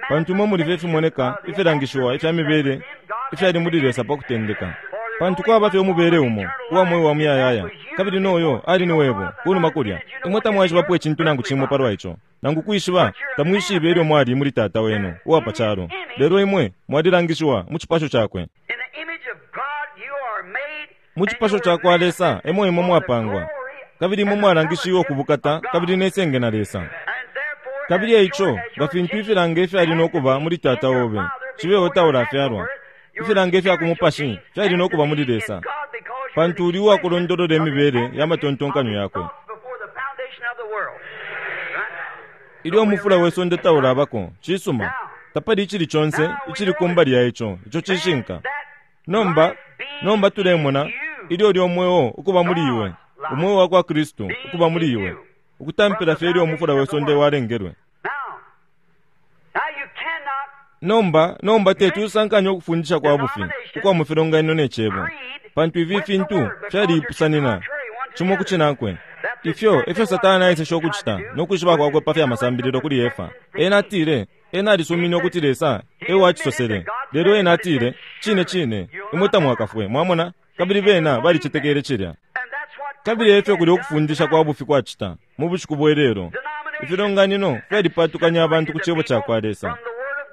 pantu imwe muli fye ifimoneka ifilangishiwa ifya mibele ifyali muli Lesa pa kutendeka. Pantu kwaba fye umubele umo uwa mweo wa muyayaya, kabili noyo ali ni webo kunuma kulya. Imwe tamwaishibapo icintu nangu cimo palwa ico, nangu kwishiba tamwishibe ilyo mwali muli tata wenu uwa pa calo. Lelo imwe mwalilangishiwa mu cipasho cakwe. Mu cipasho cakwa Lesa emo imwe mwapangwa, kabili imwe mwalangishiwe kubukata kabili nesenge na Lesa. Kabili eico nga fintu ifilanga ifyali nokuba muli tata obe cibeho taulafyalwa, ifilanga ifya kumupashi fyali nokuba muli Lesa, pantu uli uwakulondolola imibele ya matontonkanyo yakwe. Ilyo umufula we sonde taulabako, cisuma, tapali icili conse icili kumbali ya ico, ico cishinka. Nomba, nomba tulemona ilyo lyo mweo ukuba muli iwe, umweo wakwa Kristu ukuba muli iwe, ukutampila fye ilyo umufula we sonde walengelwe. Nomba, nomba tetusankanya ukufundisha kwa bufi ukwa mufilonganino ne cebo, pantu ifi fintu fyalipusanina cimo kucinankwe. Ifyo efyo Satana aeseshe ukucita nokwishiba kwakwe pa fya masambililo kuli Efa. Ena atile, ena alisumine ukuti Lesa ewacisosele, lelo ena atile, cine cine imwe tamwakafwe, mwamona? Kabili bena balicetekele cilya. Kabili efyo kuli ukufundisha kwa bufi kwacita mu bushiku bwe lelo. Ifilonganino fyalipatukanya abantu ku cebo cakwa Lesa.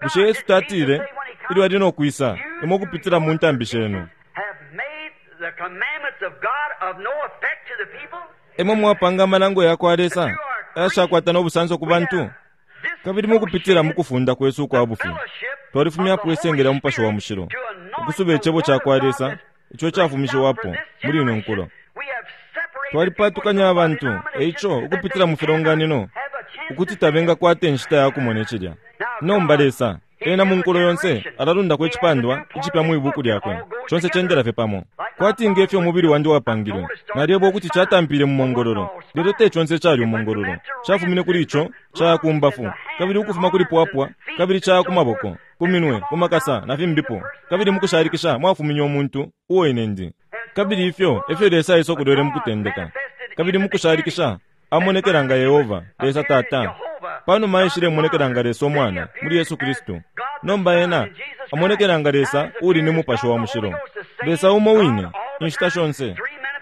Bushe Yesu tatile ilyo ali nokwisa imwe ukupitila mu ntambi shenu, imwe mwapanga amalango yakwa Lesa ayashakwata n'obusanso ku bantu? Kabili mukupitila mukufunda kwesu ukwa bufi twalifumyapo isenge lya mupashi wa mushilo, ukusuba icebo cakwa Lesa ico cafumishiwapo muli ino nkulo. Twalipatukanya abantu eico ukupitila mu filonganino ukuti tabengakwata inshita ya kumona icilya. Nomba Lesa ena mu nkulo yonse alalundako icipandwa icipya mu ibuku lyakwe, conse cendela fye pamo. Kwati ngefyo umubili wandi wapangilwe, nalyebwa ukuti catampile mu mongololo, lelo te conse cali umongololo. Cafumine kuli ico caya ku mbafu, kabili ukufuma kuli pwapwa, kabili caya ku maboko, ku minwe, ku makasa na fimbipo. Kabili mukushalikisha mwafuminye umuntu uo ine ndi. Kabili ifyo efyo Lesa aisa okulwele mukutendeka, kabili mukushalikisha amonekela nga Yehova Lesa Tata. Panuma aishile monekela nga Lesa Umwana muli Yesu Kristu. Nomba ena amonekela nga Lesa uli ni mupashi wa mushilo, Lesa umo wine inshita shonse,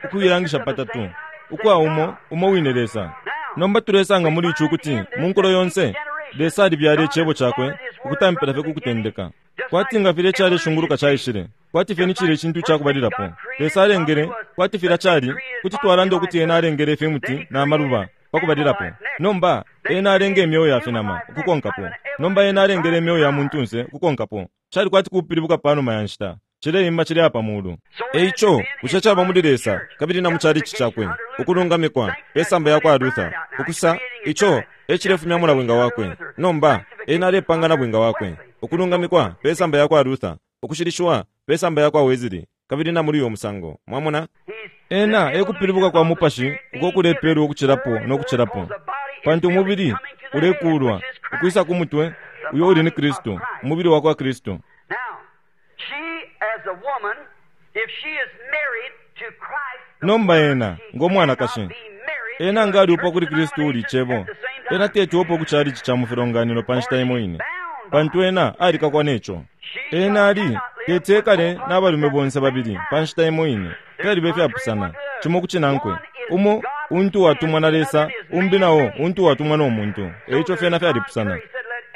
ukuilangisha patatu ukwa umo umo wine Lesa. Nomba tulesanga muli ici ukuti mu nkulo yonse Lesa alibyala icebo cakwe ukutampila fye kukutendeka. Kwati nga filya icaleshunguluka caishile, kwati fye ni cilya icintu icakubalilapo Lesa alengele, kwati filya cali, kuti twalanda ukuti ena alengele ifimuti na maluba pakubalilapo. Nomba ena alenge imyeo ya finama ukukonkapo. Nomba ena alengele imyeo ya muntunse ukukonkapo. Cali kwati kupilibuka panuma ya nshita, cileimba cili apa mulu. Eico bushe caba muli Lesa kabili na mu chalichi cakwe ukulungamikwa pesamba yakwa Luther, ukusa ico ecilefumya mulabwinga wakwe. Nomba ena alepanga na bwinga wakwe ukulungamikwa pesamba yakwa Luther, ukushilishiwa Pesamba yakwa Wesley, kabili na muli uyo musango. Mwamona? Ena ekupilibuka kwa mupashi uko kulepelwa ukucilapo no kucilapo, pantu umubili ulekulwa ukwisa ku mutwe uyo uli ni Kristu, umubili wa kwa Kristu. Nomba ena ngo mwanakashi, ena nga aliupwa kuli Kristu uli Cebo, ena tetiupo ku chalichi cha mufilonganino pa nshita imo ine, pantu ena alikakwa neco. Ena ali teti ekale n'abalume bonse babili pa nshita imo ine, fyaliba ifyapusana cimo ku cinankwe. Umo untu watumwa na Lesa, umbi nao untu watumwa no muntu. Eico fyena fyalipusana.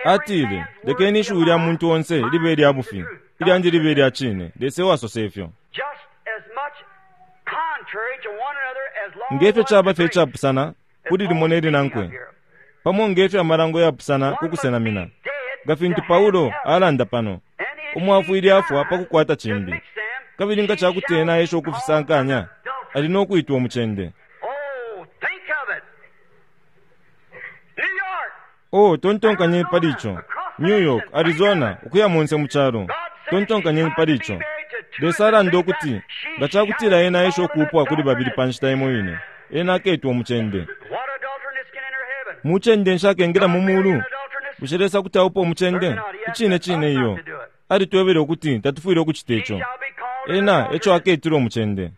Atile, lekeni ishiwi lya muntu onse libe lya bufi, ilyandi libe lya cine. Lesa ewasosa ifyo. Ngefyo caba fye icapusana kuli limo ne linankwe, pamo ngefyo amalango yapusana ku kusenamina, nga fintu Paulo alanda pano, umwafwile afwa pa kukwata cimbi, kabili nga cakuti ena aesha ukufisankanya, ali no kwitwa umucende. Oh, tontonkanyeni pali ico. New York, Arizona, ukuya monse mu calo, tontonkanyeni pali ico. Lesa alanda ukuti nga cakutila ena aesha ukuupwa kuli babili pa nshita imo ine, ena aketwa umucende. Mucende nshakengela mu mulu. Bushe Lesa kuti aupa umucende? Icine cine iyo. Alitwebele ukuti tatufwile ukucita ico. Ena eco aketilwe umucende.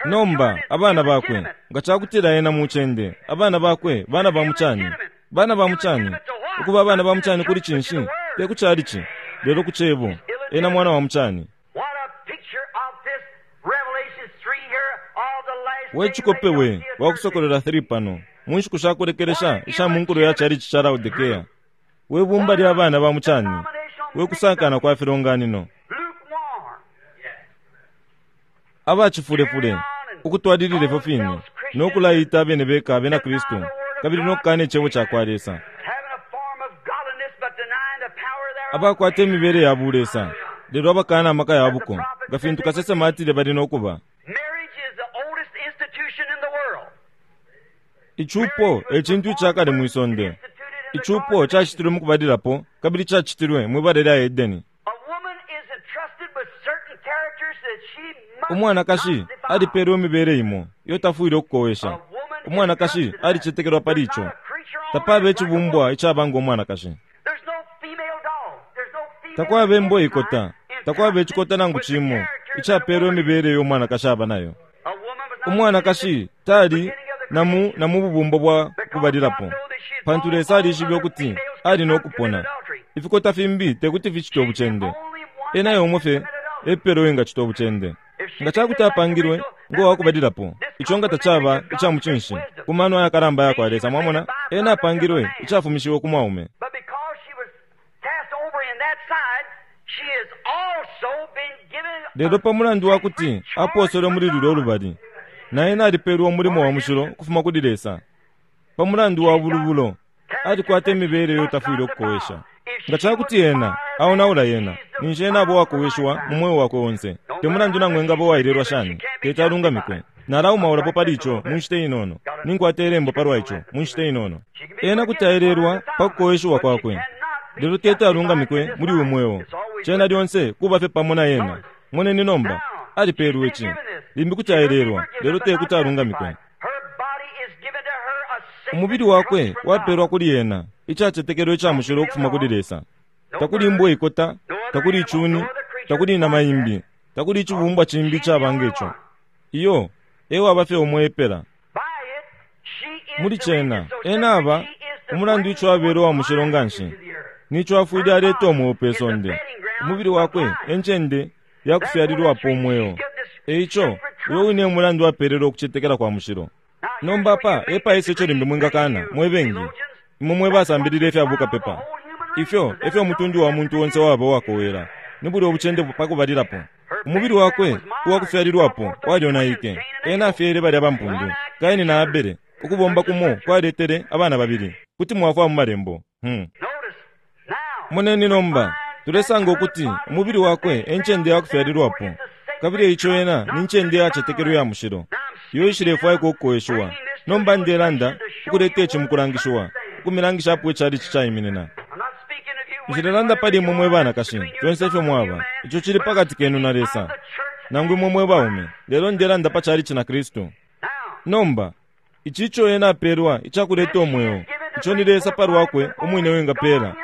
Nomba abana bakwe, nga cakutila ena mucende, abana bakwe bana ba mucani. Bana ba mucani. Ukuba abana ba mucani kuli cinshi? Te ku chalichi, lelo ku Cebo. Ena mwana wa mucani. We chikope we wakusokolola three pano mu nshiku shakulekelesha isha munkulo ya chalichi cha Laodikea. We bumba lya bana ba mucani, we kusankana kwa filonganino, abachifulefule ukutwalilile fyo fine no kulaita abene beka abena Kristu, kabili no kukana icebo ca kwa Lesa, abakwata imibele ya bulesa lelo abakana amaka ya buko, nga fintu kasesema atile bali no kuba. Icupo e cintu icakale mwisonde. Icupo cacitilwe mu kubalilapo kabili cacitilwe mwibala lya Edeni. Umwanakashi alipelwe imibele imo iyo tafwile ukukowesha. Umwanakashi alicetekelwa pali ico. Tapaba icibumbwa icaba ngo mwanakashi. Takwaba imbwa ikota, takwaba icikota nangu cimo icapelwe imibele iyo umwanakashi aba nayo. Umwanakashi tali namu na mu bubumbo bwa kubalilapo, pantu Lesa alishibe ukuti ali no kupona. Ifikota fimbi tekuti ficite ubucende. Ena yomo fye epelo engacita ubucende. Nga cakuti apangilwe ngo wakubalilapo, ico nga tacaba ica mucinshi ku mano ayakalamba yakwa Lesa. Mwamona, ena apangilwe icafumishiwe ku mwaume. Lelo pa mulandu wakuti aposelwe muli lulyo lubali, na ena alipelwe umulimo wa mushilo ukufuma kuli Lesa. Pa mulandu wa bulubulo, alikwata imibele iyo tafwile ukukowesha. Nga cakuti ena aonaula yena, ninshi ena abo wakoweshwa mu mweo wakwe onse. Te mulandu nangu engaba wailelwa shani, teti alungamikwe. Nalaumaulapo pali ico mu nshita inono. Ninkwata ilembo palwa ico mu nshita inono. Ena kuti aelelwa pa kukoweshiwa kwakwe, lelo teti alungamikwe muli uyu mweo. Cena lyonse kuba fye pamo na ena. Moneni nomba, alipelwe ici. Limbi kuti aelelwa, lelo tekuti alungamikwe. Umubili wakwe wapelwa kuli ena icacetekelo ica mushilo ukufuma kuli Lesa. Takuli imbwa ikota, takuli icuni, takuli inama imbi, takuli icibumbwa cimbi icaba ngeco. Iyo ewaba fye umwe epela. Muli cena ena aba umulandu ico abele wa mushilo nganshi, nico afwile aleta umweo pe sonde. Umubili wakwe encende yakufyalilwapo umweo. Eico uyo wine umulandu apelele ukucetekela kwa mushilo. Nomba apa epaisa ico limbi mwingakana mwe bengi imwe mwe basambilile ifya bukapepa. Ifyo efyo umutundu wa muntu onse waba uwakowela, ni bulya ubucende pakubalilapo. Umubili wakwe uwakufyalilwapo walyonaike. Ena afyele balya bampundu, Kaini na Abele. Ukubomba kumo kwaletele abana babili. Kuti mwafwa mu malembo. Hmm. Moneni nomba, tulesanga ukuti umubili wakwe encende yakufyalilwapo, kabili eico ena ni ncende yacetekelwe ya mushilo iyo ishilefwaikwa ukukoweshiwa. Nomba ndelanda ukuleta ici mukulangishiwa, ukumilangisha apo icalichi caiminina. Nshilelanda pali imwe mwe banakashi, fyonse ifyo mwaba, ico cili pakati kenu na Lesa, nangu imwe mwe baume, lelo ndelanda pa chalichi na Kristu. Nomba, ici ico ena apelwa icakuleta umweo, ico ni Lesa palwakwe umwine wingapela.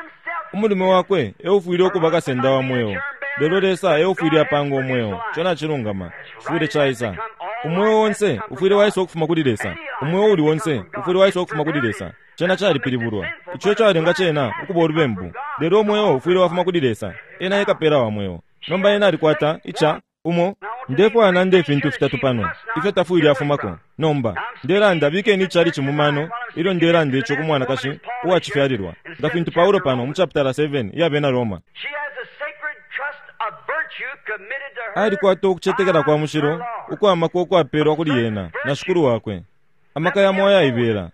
Umulume wakwe eufwile ukuba kasenda wa mweo, lelo Lesa eufwile apanga umweo. Ico nacilungama, cifwile caisa. Umweo onse ufwile waisa ukufuma kuli Lesa. Umweo uli onse ufwile waisa ukufuma kuli Lesa. Cena calipilibulwa. Ico ecalenga cena ukuba ulubembu. Lelo umweo ufwile wafuma kuli Lesa. Ena ekapela wa mweo. Nomba ena alikwata ica umo. Ndefwaya nande ifintu fitatu pano ifyo tafwile afumako. Nomba ndelanda bikeni ichalichi mu mano ilyo ndelanda ico ku mwanakashi uwacifyalilwa, nga fintu Paulo pano mu chapitala seven iya bena Roma. Alikwata ukucetekela kwa mushilo ukwamaka ukwapelwa kuli yena na shikulu wakwe, amaka yamo ayaibela.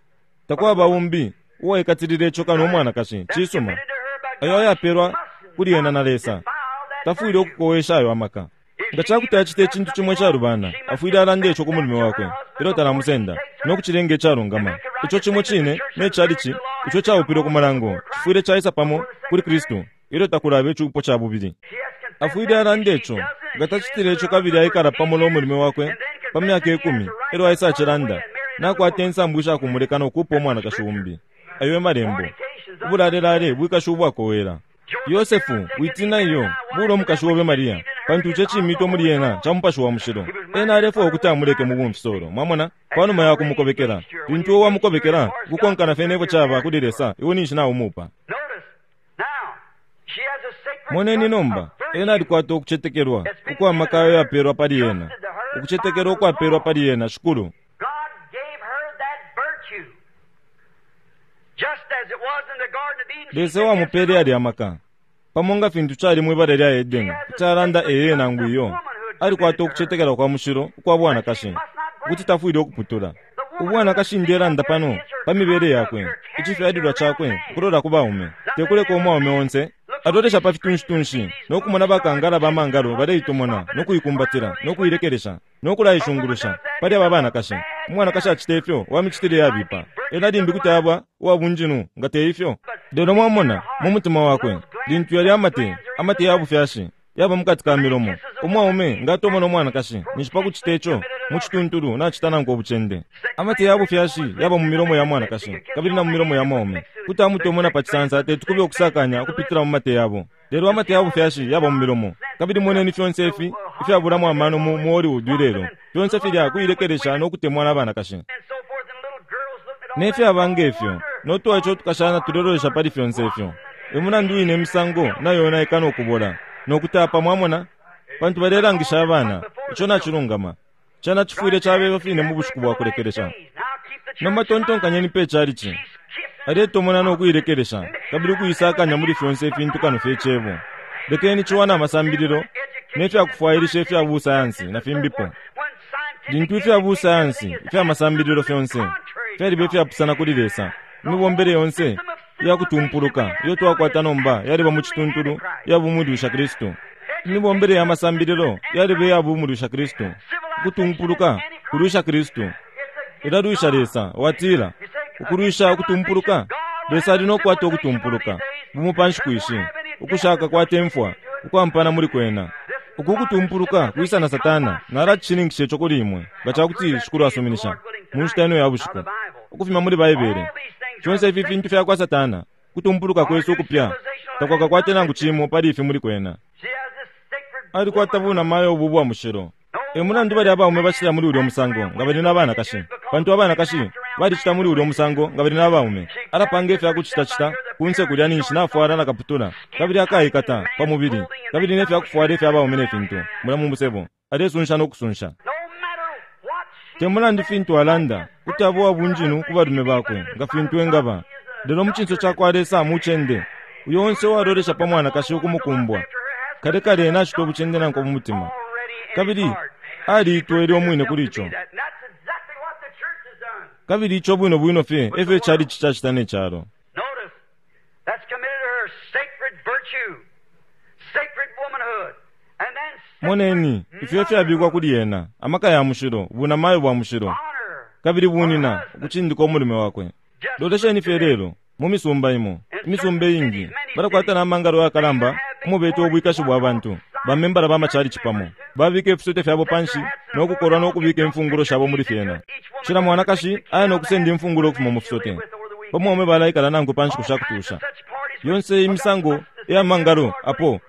Takwaba umbi uwaikatilile ico kano umwanakashi. Cisuma, ayo ayapelwa kuli yena na Lesa, tafwile ukukowesha ayo amaka. Nga cakuti acita icintu cimwe icalubana, afwile alanda ico ku mulume wakwe ilyo talamusenda, no kucilenga icalungama. Ico cimo cine ne chalichi ico caupilwe ku malango cifwile caisa pamo kuli Kristu ilyo takulaba icupo ca bubili. Afwile alanda ico. Nga tacitile ico kabili aikala pamo no mulume wakwe pa myaka ikumi, elyo aisa acilanda, nakwata insambu ishakumuleka no kuupa umwanakashi umbi. Ayo e malembo. Ubulalelale bwikashi ubwakowela. Yosefu, witina iyo, bula umukashi obe Maria, pantu ico cimito muli ena ca mupashi wa mushilo. Ena alefwaya ukuti amuleke mu bumfisolo, mwamona, panuma ya kumukobekela. Lintu uwe wamukobekela, ukukonkana fye nefyo caba kuli Lesa, iwe ninshi naumupa. Moneni nomba, ena alikwata ukucetekelwa ukwamaka ayo yapelwa pali ena, ukucetekelwa ukwapelwa pali ena, Shikulu. Lesa wamupele ali amaka pamo nga fintu cali mwibala lya Edeni, kuti alanda eye nangu iyo. Alikwata ukucetekela kwa mushilo ukwa bwanakashi, ukuti tafwile ukuputula. Ubwanakashi ndelanda pano pa mibele yakwe, icifyalilwa cakwe ukulola ku baume, tekuleka umwaume onse alolesha pa fitunshi-tunshi no kumona bakangala ba mangalo baleitomona no kuikumbatila no kuilekelesha no kulaishungulusha pali aba banakashi. Umwanakashi acita ifyo wamicitile yabipa, ena limbi kuti aba uwabunjinu nga te ifyo. Lelo mwamona mu mutima wakwe, lintu yali amate, amate ya bufyashi yaba mukati ka milomo. Umwaume nga atomona umwanakashi ninshi pa kucita ico mu cituntulu nacita nankwe ubucende. Amate ya bufyashi yaba mu milomo ya mwanakashi kabili na mu milomo ya mwaume. Kuti amutomona pa cisansa teti kube ukusakanya ukupitila mu mate yabo. Lelo amate ya bufyashi yaba mu milomo. Kabili moneni fyonse ifi ifyabulamo amano mu Hollywood ilelo, fyonse filya kuilekelesha no kutemwa na banakashi nefyaba ngefyo, no twaico tukashana tulelolesha pali fyonse ifyo. Emulandu wine imisango nayonaika no kubola no kutapa, mwamona, pantu balelangisha abana. Ico nacilungama. Cena cifwile cabeba fine mu bushiku bwa kulekelesha. Nomba tontonkanyeni pe chalichi aletomona no kuilekelesha kabili ukuisakanya muli fyonse ifintu kano fye cebo. Lekeni ciwa na masambililo nefyakufwailisha ifya busayansi na fimbipo. Lintu ifya busayansi ifya masambililo fyonse fyaliba ifyapusana kuli Lesa, imibombele yonse iyakutumpuluka iyo twakwata nomba yaliba mu cituntulu iyabumulwisha Kristu. Imibombele ya masambililo yaliba iyabumulwisha Kristu. Ukutumpuluka kulwisha Kristu, ilalwisha Lesa. Watila ukulwisha ukutumpuluka, Lesa ali nokukwata ukutumpuluka bumo pa nshiku ishi, ukushaka kwatemfwa ukwampana muli kwena. Uku kutumpuluka kwisa na Satana nalacishininkisha ico kuli imwe nga cakuti Shikulu asuminisha mu nshita ino ya bushiku, ukufuma muli Baibele. Fyonse ifi fintu fyakwa Satana, kutumpuluka kwesu ukupya takwakakwate nangu cimo pali ifi muli kwena. Alikwata bunamayo ubu bwa mushilo. Emulandu bali abaume bacita muli ulya musango nga bali na banakashi, pantu abanakashi balicita muli ulya musango nga bali na baume. Alapanga ifyakucitacita kunse kulya ninshi nafwala na kaputula, kabili akaikata pa mubili, kabili nefyakufwala ifya baume ne fintu mulya mu musebo, alesunsha no kusunsha. Temulandu fintu alanda kuti aba uwabunjinu ku balume bakwe nga fintu engaba, lelo mu cinso cakwa Lesa mucende. Uyo onse uwalolesha pa mwanakashi ukumukumbwa kale kale nacita ubucende nankwe mu mutima, kabili aliitwele umwine kuli ico. Kabili ico bwino bwino fye efyo icalichi cacita ne calo. Moneni ifyo fyabikwa kuli ena, amaka ya mushilo, bunamayo bwa mushilo, kabili bunina ukucindika umulume wakwe. Lolesheni fye lelo, Mu misumba imo, imisumba iingi, balakwata na mangalo yakalamba umubeta ubwikashi bwa bantu. Bamembala ba machalichi pamo babika ifisote fyabo panshi nokukolwa nokubika imfungulo shabo muli fyena. Cila mwanakashi aya nokusenda imfungulo ukufuma mu fisote. Pamwaume balaikala nankwe pa nshiku shakutusha. Yonse imisango iya mangalo apo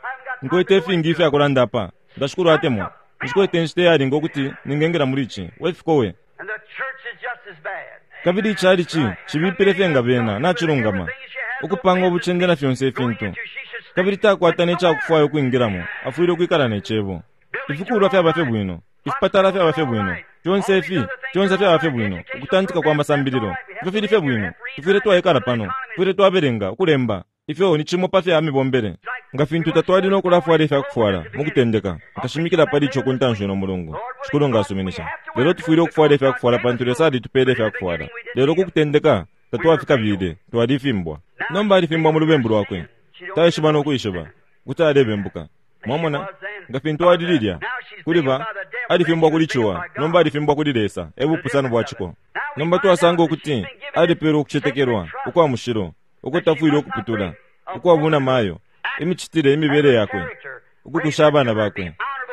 nkwete ifingi ifyakulanda apa. Nga Shikulu atemwa, nshikwete inshita iyalinga ukuti ningengela muli ici. Wefikowe. Kabili ichalichi cibipile fye nga bena nacilungama ukupanga ubucende na fyonse ifintu. Kabili takwata necakufwaya ukwingilamo, afwile ukwikala ne cebo. Ifikulwa fyaba fye bwino, ifipatala fyaba fye bwino, fyonse ifi, fyonse fyaba fye bwino, ukutantika kwa masambililo, ifyo fili fye bwino. Tufwile twaikala pano, tufwile twabelenga, ukulemba. Ifyo ni cimo pa fya mibombele. Nga fintu tatwali nokulafwala ifyakufwala mu kutendeka, nkashimikila pali ico ku ntanshi no mulungu. Shikulu nga asuminisha. Lelo tufwile ukufwala ifyakufwala pantu Lesa alitupele ifyakufwala. Lelo ku kutendeka tatwafikabile, twalifimbwa. Nomba alifimbwa mu lubembu lwakwe. Taishiba nokuishiba kuti alebembuka. Mwamona, nga fintu ali lilya kuli ba alifimbwa kuli ciwa, nomba alifimbwa kuli Lesa. E bupusano bwa ciko. Nomba twasanga ukuti alipelwa ukucetekelwa ukwa mushilo, ukutafwile ukuputula, ukwabuna mayo, imicitile imibele yakwe, ukukusha abana bakwe,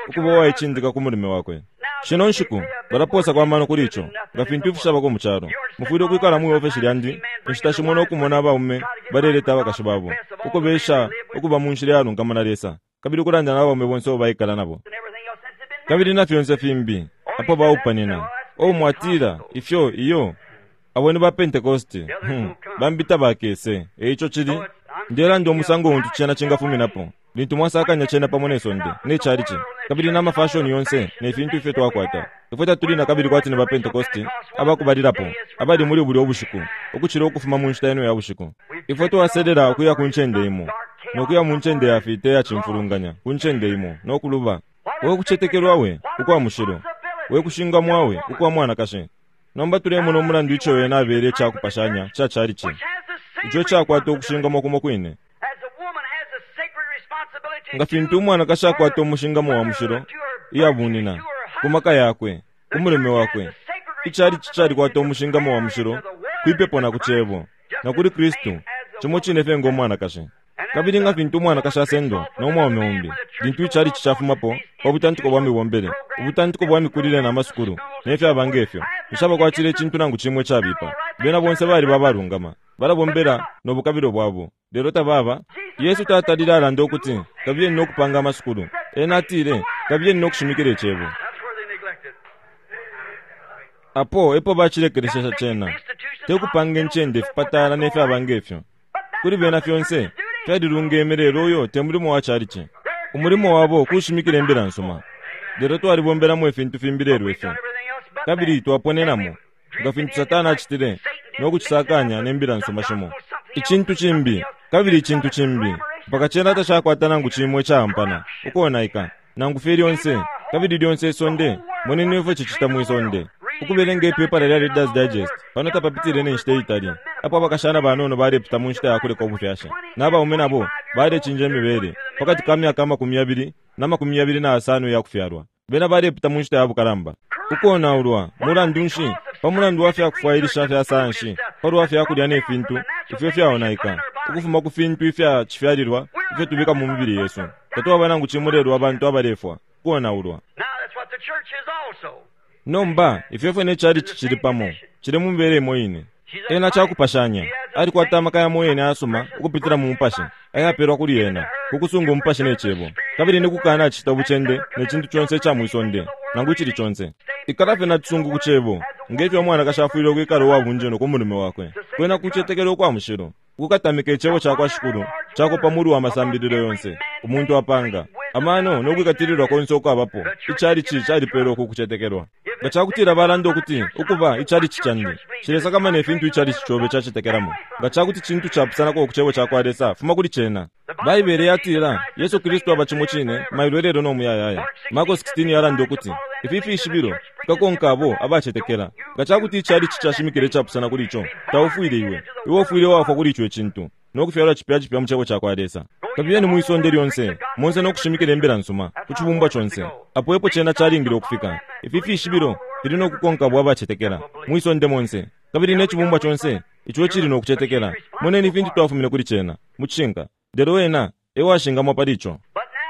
ukuba uwaicindika ku mulume wakwe. Shino nshiku balaposa kwa mano kuli ico, nga fintu ifishabako mu calo. Mufwile ukwikala mwi ofesi lyandi inshita shimo nokumona abaume baleleta abakashi babo, ukubesha ukuba mu nshila iyalungama na Lesa, kabili ukulanda na abaume bonse abo baikala nabo. Kabili na fyonse fimbi apo baupanina. O mwatila ifyo iyo abo ni ba Pentecoste, hmm, bambita bakese. Eico cili ndelanda umusango untu cena cingafuminapo lintu mwasakanya cena pamo ne sonde ne chalichi kabili na mafashoni yonse ne fintu ifyo twakwata. Ifwe tatuli na kabili kwati ni ba Pentecoste abakubalilapo abali muli bulya ubushiku ukucila ukufuma mu nshita ino ya bushiku. Ifwe twaselela ukuya ku ncende imo nokuya mu ncende ya fita ya cimfulunganya ku ncende imo nokuluba. We kucetekelwa we ukwa mushilo, we kushingamwa we ukwa mwanakashi. Nomba tulemona umulandu ico wena abele icakupashanya ca chalichi ico cakwata ukushingamwa kumo kwine. Nga fintu umwanakashi akwata umushingamo wa mushilo iyabunina ku maka yakwe ku mulume wakwe, ichalichi calikwata umushingamo wa mushilo kwipepo na ku cebo na kuli Kristu, cimo cine fye ngo mwanakashi. Kabili nga fintu umwanakashi asendwa no mwaume umbi lintu ichalichi cafumapo pa butantiko bwa mibombele, ubutantiko bwa mikulile na masukulu ne fyaba ngefyo, nshabakwatile icintu nangu cimwe cabipa. Bena bonse bali babalungama, balabombela no bukabilo bwabo, lelo tababa. Yesu tatalile alanda ukuti kabiyeni nokupanga amasukulu. Ena atile kabiyeni nokushimikila icebo. Apo epo bacilekelesha cena, tekupanga incende ifipatala ne fyaba ngefyo. Kuli bena fyonse fyalilungeme, lelo uyo te mulimo wa chalichi. Umulimo wabo kushimikila imbila nsuma. Lelo twalibombelamo ifintu fimbi lelo ifyo, kabili twaponenamo nga fintu Satana acitile nokucisakanya ne mbila nsuma shimo. Icintu cimbi kabili icintu cimbi mpaka cena tacakwata nangu cimwe icampana ukonaika nangu fye lyonse kabili lyonse isonde. Moneni ifyo cicita mwi sonde. Ukubelenga ipepala lya Reader's Digest pano tapapitile ne nshita iitali apo abakashana banono balepita mu nshita ya kuleka ubufyashi, n'abaume nabo balecinja imibele pakati ka myaka amakumi yabili na makumi yabili na asano iya kufyalwa. Bena balepita mu nshita ya bukalamba ukonaulwa. Mulandu nshi? Pa mulandu wa fyakufwailisha fya sayansi palwa fyakulya ne fintu ifyo fyaonaika ukufuma ku fintu ifya cifyalilwa ifyo tubika mu mibili yesu. Tatwaba nangu cimo lelo abantu abalefwa kuonaulwa. Nomba ifyo fye ne chalichi cili pamo cili mu mibele imo ine. Ena cakupashanya alikwata amaka yamo yene ayasuma ukupitila mu mupashi ayapelwa kuli ena kukusunga umupashi ne cebo, kabili ni kukana acita ubucende ne cintu conse ica mwisonde nangu icili conse. Ikala fye nacisungu ku cebo ngefyo umwanakashi afwile ukwikala uwabunjeno ku mulume wakwe. Kwena kucetekela ukwa mushilo ukukatamika icebo ca kwa Shikulu cakopa muli wa masambililo yonse umuntu apanga amano nokwikatililwa konse ukwabapo. Ichalichi calipelwa uku kucetekelwa. Nga cakutila balanda ukuti ukuba ichalichi candi cilesakamana ifintu ichalichi cobe cacetekelamo, nga cakuti cintu capusanako ku cebo ca kwa Lesa, fuma kuli cena. Baibele yatila Yesu Kristu aba cimo cine mailo lelo no muyayaya. Marko sixteen yalanda ukuti ifi fishibilo fikakonka abo abacetekela. Nga cakuti ichalichi cashimikile icapusana kuli ico, taufwile iwe. Iwe ufwile wafwa kuli ico icintu nokufyalwa cipya cipya mu cebo ca kwa Lesa. Kabiyeni mwisonde lyonse monse nokushimikila imbila nsuma ku cibumbwa conse. Apo epo cena calingile ukufika. Ifi fishibilo fili nokukonka abo abacetekela mwisonde monse, kabili ne cibumbwa conse Ico cili no kucetekela. Moneni ifintu twafumine kuli cena mucishinka, lelo ena ewashingamwa pali ico.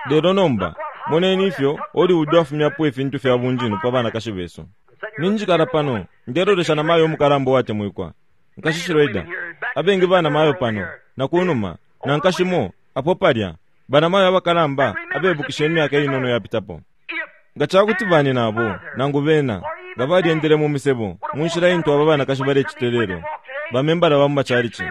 Lelo nomba moneni ifyo Hollywood afumyapo ifintu fya bunjinu pa banakashi besu. Ninjikala pano ndelolesha na mayo umukalamba uwatemwikwa nkashi Schroeder, abengi bana mayo pano na kunuma na nkashimo apo palya bana mayo abakalamba abebukisha imyaka inono yapitapo. Nga cakuti bani nabo nangu bena nga balyendele mu misebo mu nshila intu aba banakashi balecita lelo, bamembala ba mu macalici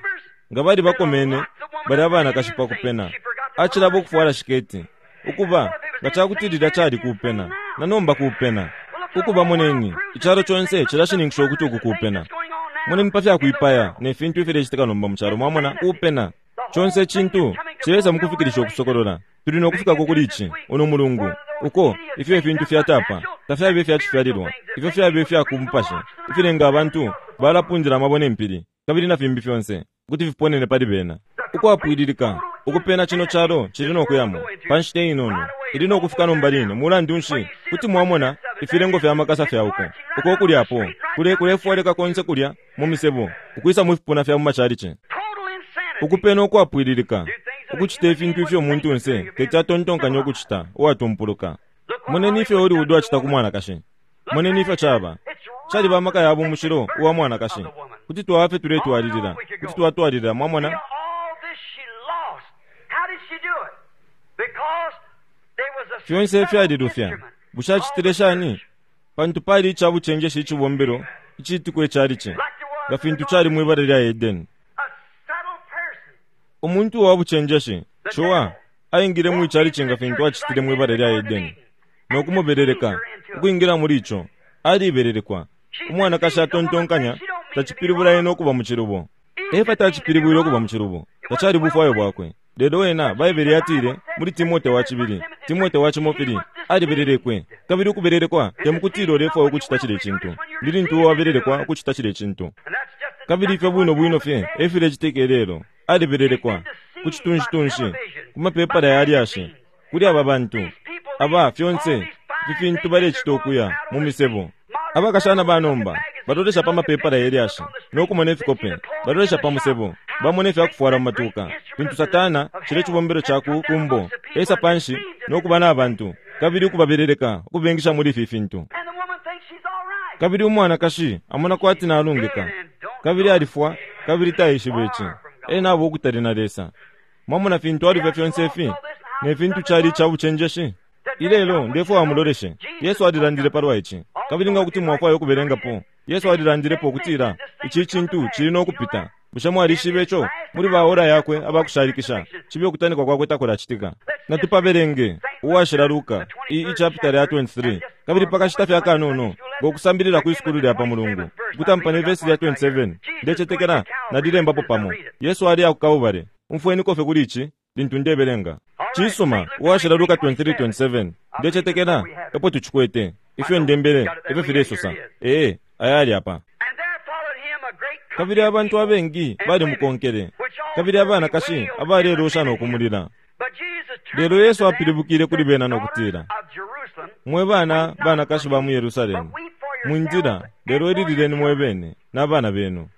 nga bali bakomene bali abanakashi pa kupena acilabo ukufwala shiketi ukuba nga cakuti lilya cali kupena na nomba kupena ukuba. Moneni icalo conse cilashininkisha ukuti uku kupena. Moneni pa fyakuipaya ne fintu ifilecitika nomba mu calo, mwamona kupena conse icintu cilesa mukufikilisha ukusokolola. Tuli no kufikako kuli ici uno mulungu uko ifyo ifintu fyatapa tafyabe ifyacifyalilwa, ifyo fyabe ifyakumupasha ifilenga abantu balapundila amabwe ne mpili kabili na fimbi fyonse ukuti fiponene pali bena. Ukwapwililika ukupena cino calo cili no kuyamo pa nshita inono ili no kufika nomba line. Mulandu nshi kuti mwamona ifilengo fya makasa fya uko uko kulyapo kule kulefwaleka konse kulya mu misebo ukwisa mu fipuna fya mu macalici. Ukupena ukwapwililika ukucita ifintu ifyo umuntu nse teti atontonkanya ukucita uwatumpuluka. Moneni ifyo Hollywood acita ku mwanakashi. Moneni ifyo caba caliba amaka ya bumushilo uwa mwanakashi. Kuti twaba fye tuletwalilila, kuti twatwalilila, mwamona. Fyonse ifyalilufya. Bushe acitile shani? Pantu pali icabucenjeshi icibombelo iciitiko icalici nga fintu cali mwibala lya Edeni. Umuntu wa bucenjeshi Showa aingile mu icalici nga fintu acitile mwibala lya Edeni no kumubeleleka ukwingila muli ico. Alibelelekwa. Umwanakashi atontonkanya tacipilibula ena ukuba mu cilubo. Efa tacipilibwile ukuba mu cilubo, tacali bufwayo bwakwe. Lelo ena Baibele yatile muli Timote wa cibili, Timote wa cimopili, alibelelekwe. Kabili ukubelelekwa temukutila ulefwaya ukucita cile cintu, ndi lintu wabelelekwa ukucita cile cintu. Kabili ifyo bwino bwino fye efilecitika lelo. Alibelelekwa ku citunshi-tunshi, ku mapepala ya lyashi, kuli aba bantu aba fyonse ifi fintu balecita ukuya mu misebo. Abakashana banomba balolesha pa mapepala ya lyashi no kumona ifikope, balolesha pa musebo, bamona ifyakufwala mu matuka. Fintu Satana cile cibombelo ca ku kumbo esa panshi no kuba na bantu kabili ukubabeleleka ukubengisha muli ifi fintu. Kabili umwanakashi amona kwati nalungika kabili alifwa kabili taishiba ici. Ena abo ukutali na Lesa. Mwamona fintu alifya fyonse ifi ne fintu cali ica bucenjeshi. Ilelo ndefwaya muloleshe. Yesu alilandile palwa ici, kabili nga kuti mwafwaya ukubelengapo. Yesu alilandilepo ukutila ici cintu cili no kupita. Bushe mwalishiba ico? Muli ba ora yakwe abakushalikisha cibe ukutanikwa kwakwe takulacitika. Natupabelenge uwashila Luka iyi chapter ya twenty-three kabili pakashita fya kanono ngokusambilila ku isukulu lya pa mulungu ukutampa ne verse ya twenty-seven ndecetekela nalilembapo pamo. Yesu ali akukabubale umfweni kofe kuli ici lintu ndebelenga. Cisuma uwashila Luka twenty-three twenty-seven ndecetekela epo tucikwete ifyo ndembele ifyo filesosa. Ee ayali apa. Kabili abantu abengi bali mukonkele kabili abanakashi abalelosha no kumulila. Lelo Yesu apilibukile kuli bena no kutila, mwe bana banakashi ba mu Yerusalemu, mwindila lelo ililileni mwe bene n'abana benu.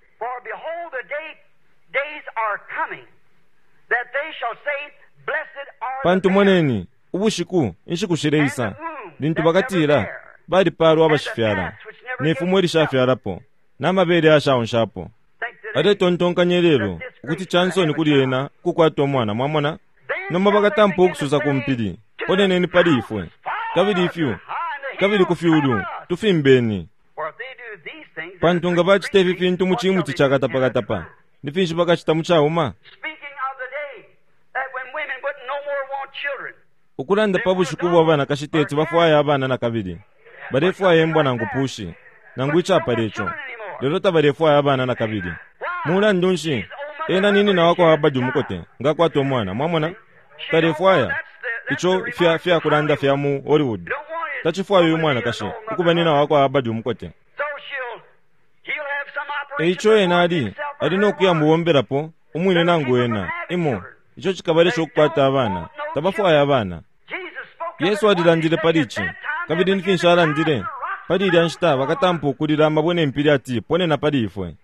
Pantu moneni ubushiku inshiku shileisa lintu bakatila balipalwa abashifyala ne fumo ilishafyalapo n'amabele ashaonshapo. Aletontonkanya lelo ukuti chansoni kuli ena kukwata umwana, mwamona. Nomba bakatampa ukususa ku mpili, poneneni pali ifwe kabili ifyu kabili ku fyulu tufimbeni. Pantu nga bacita ifi fintu mu cimuti ca katapakatapa, ni finshi bakacita mu cauma? Ukulanda pa bushiku bwa banakashi teti bafwaya abana na kabili, balefwaya imbwa nangu pushi nangu icapala ico, lelo tabalefwaya abana na kabili. Mulandu nshi ena nini na wako abadi umukote ngakwata umwana, mwamona. Talefwaya ico fya fya kulanda fya mu Hollywood. Tacifwaya uyu mwanakashi ukuba nina wako abadi umukote. Eico ena ali ali no kuya mubombelapo umwine nangu ena imo ico cikabalesha ukukwata abana. Tabafwaya abana. Yesu alilandile pali ici kabili ni finshi alandile pali ilya nshita bakatampa ukulila amabwe ne mpili ati ponena pali ifwe.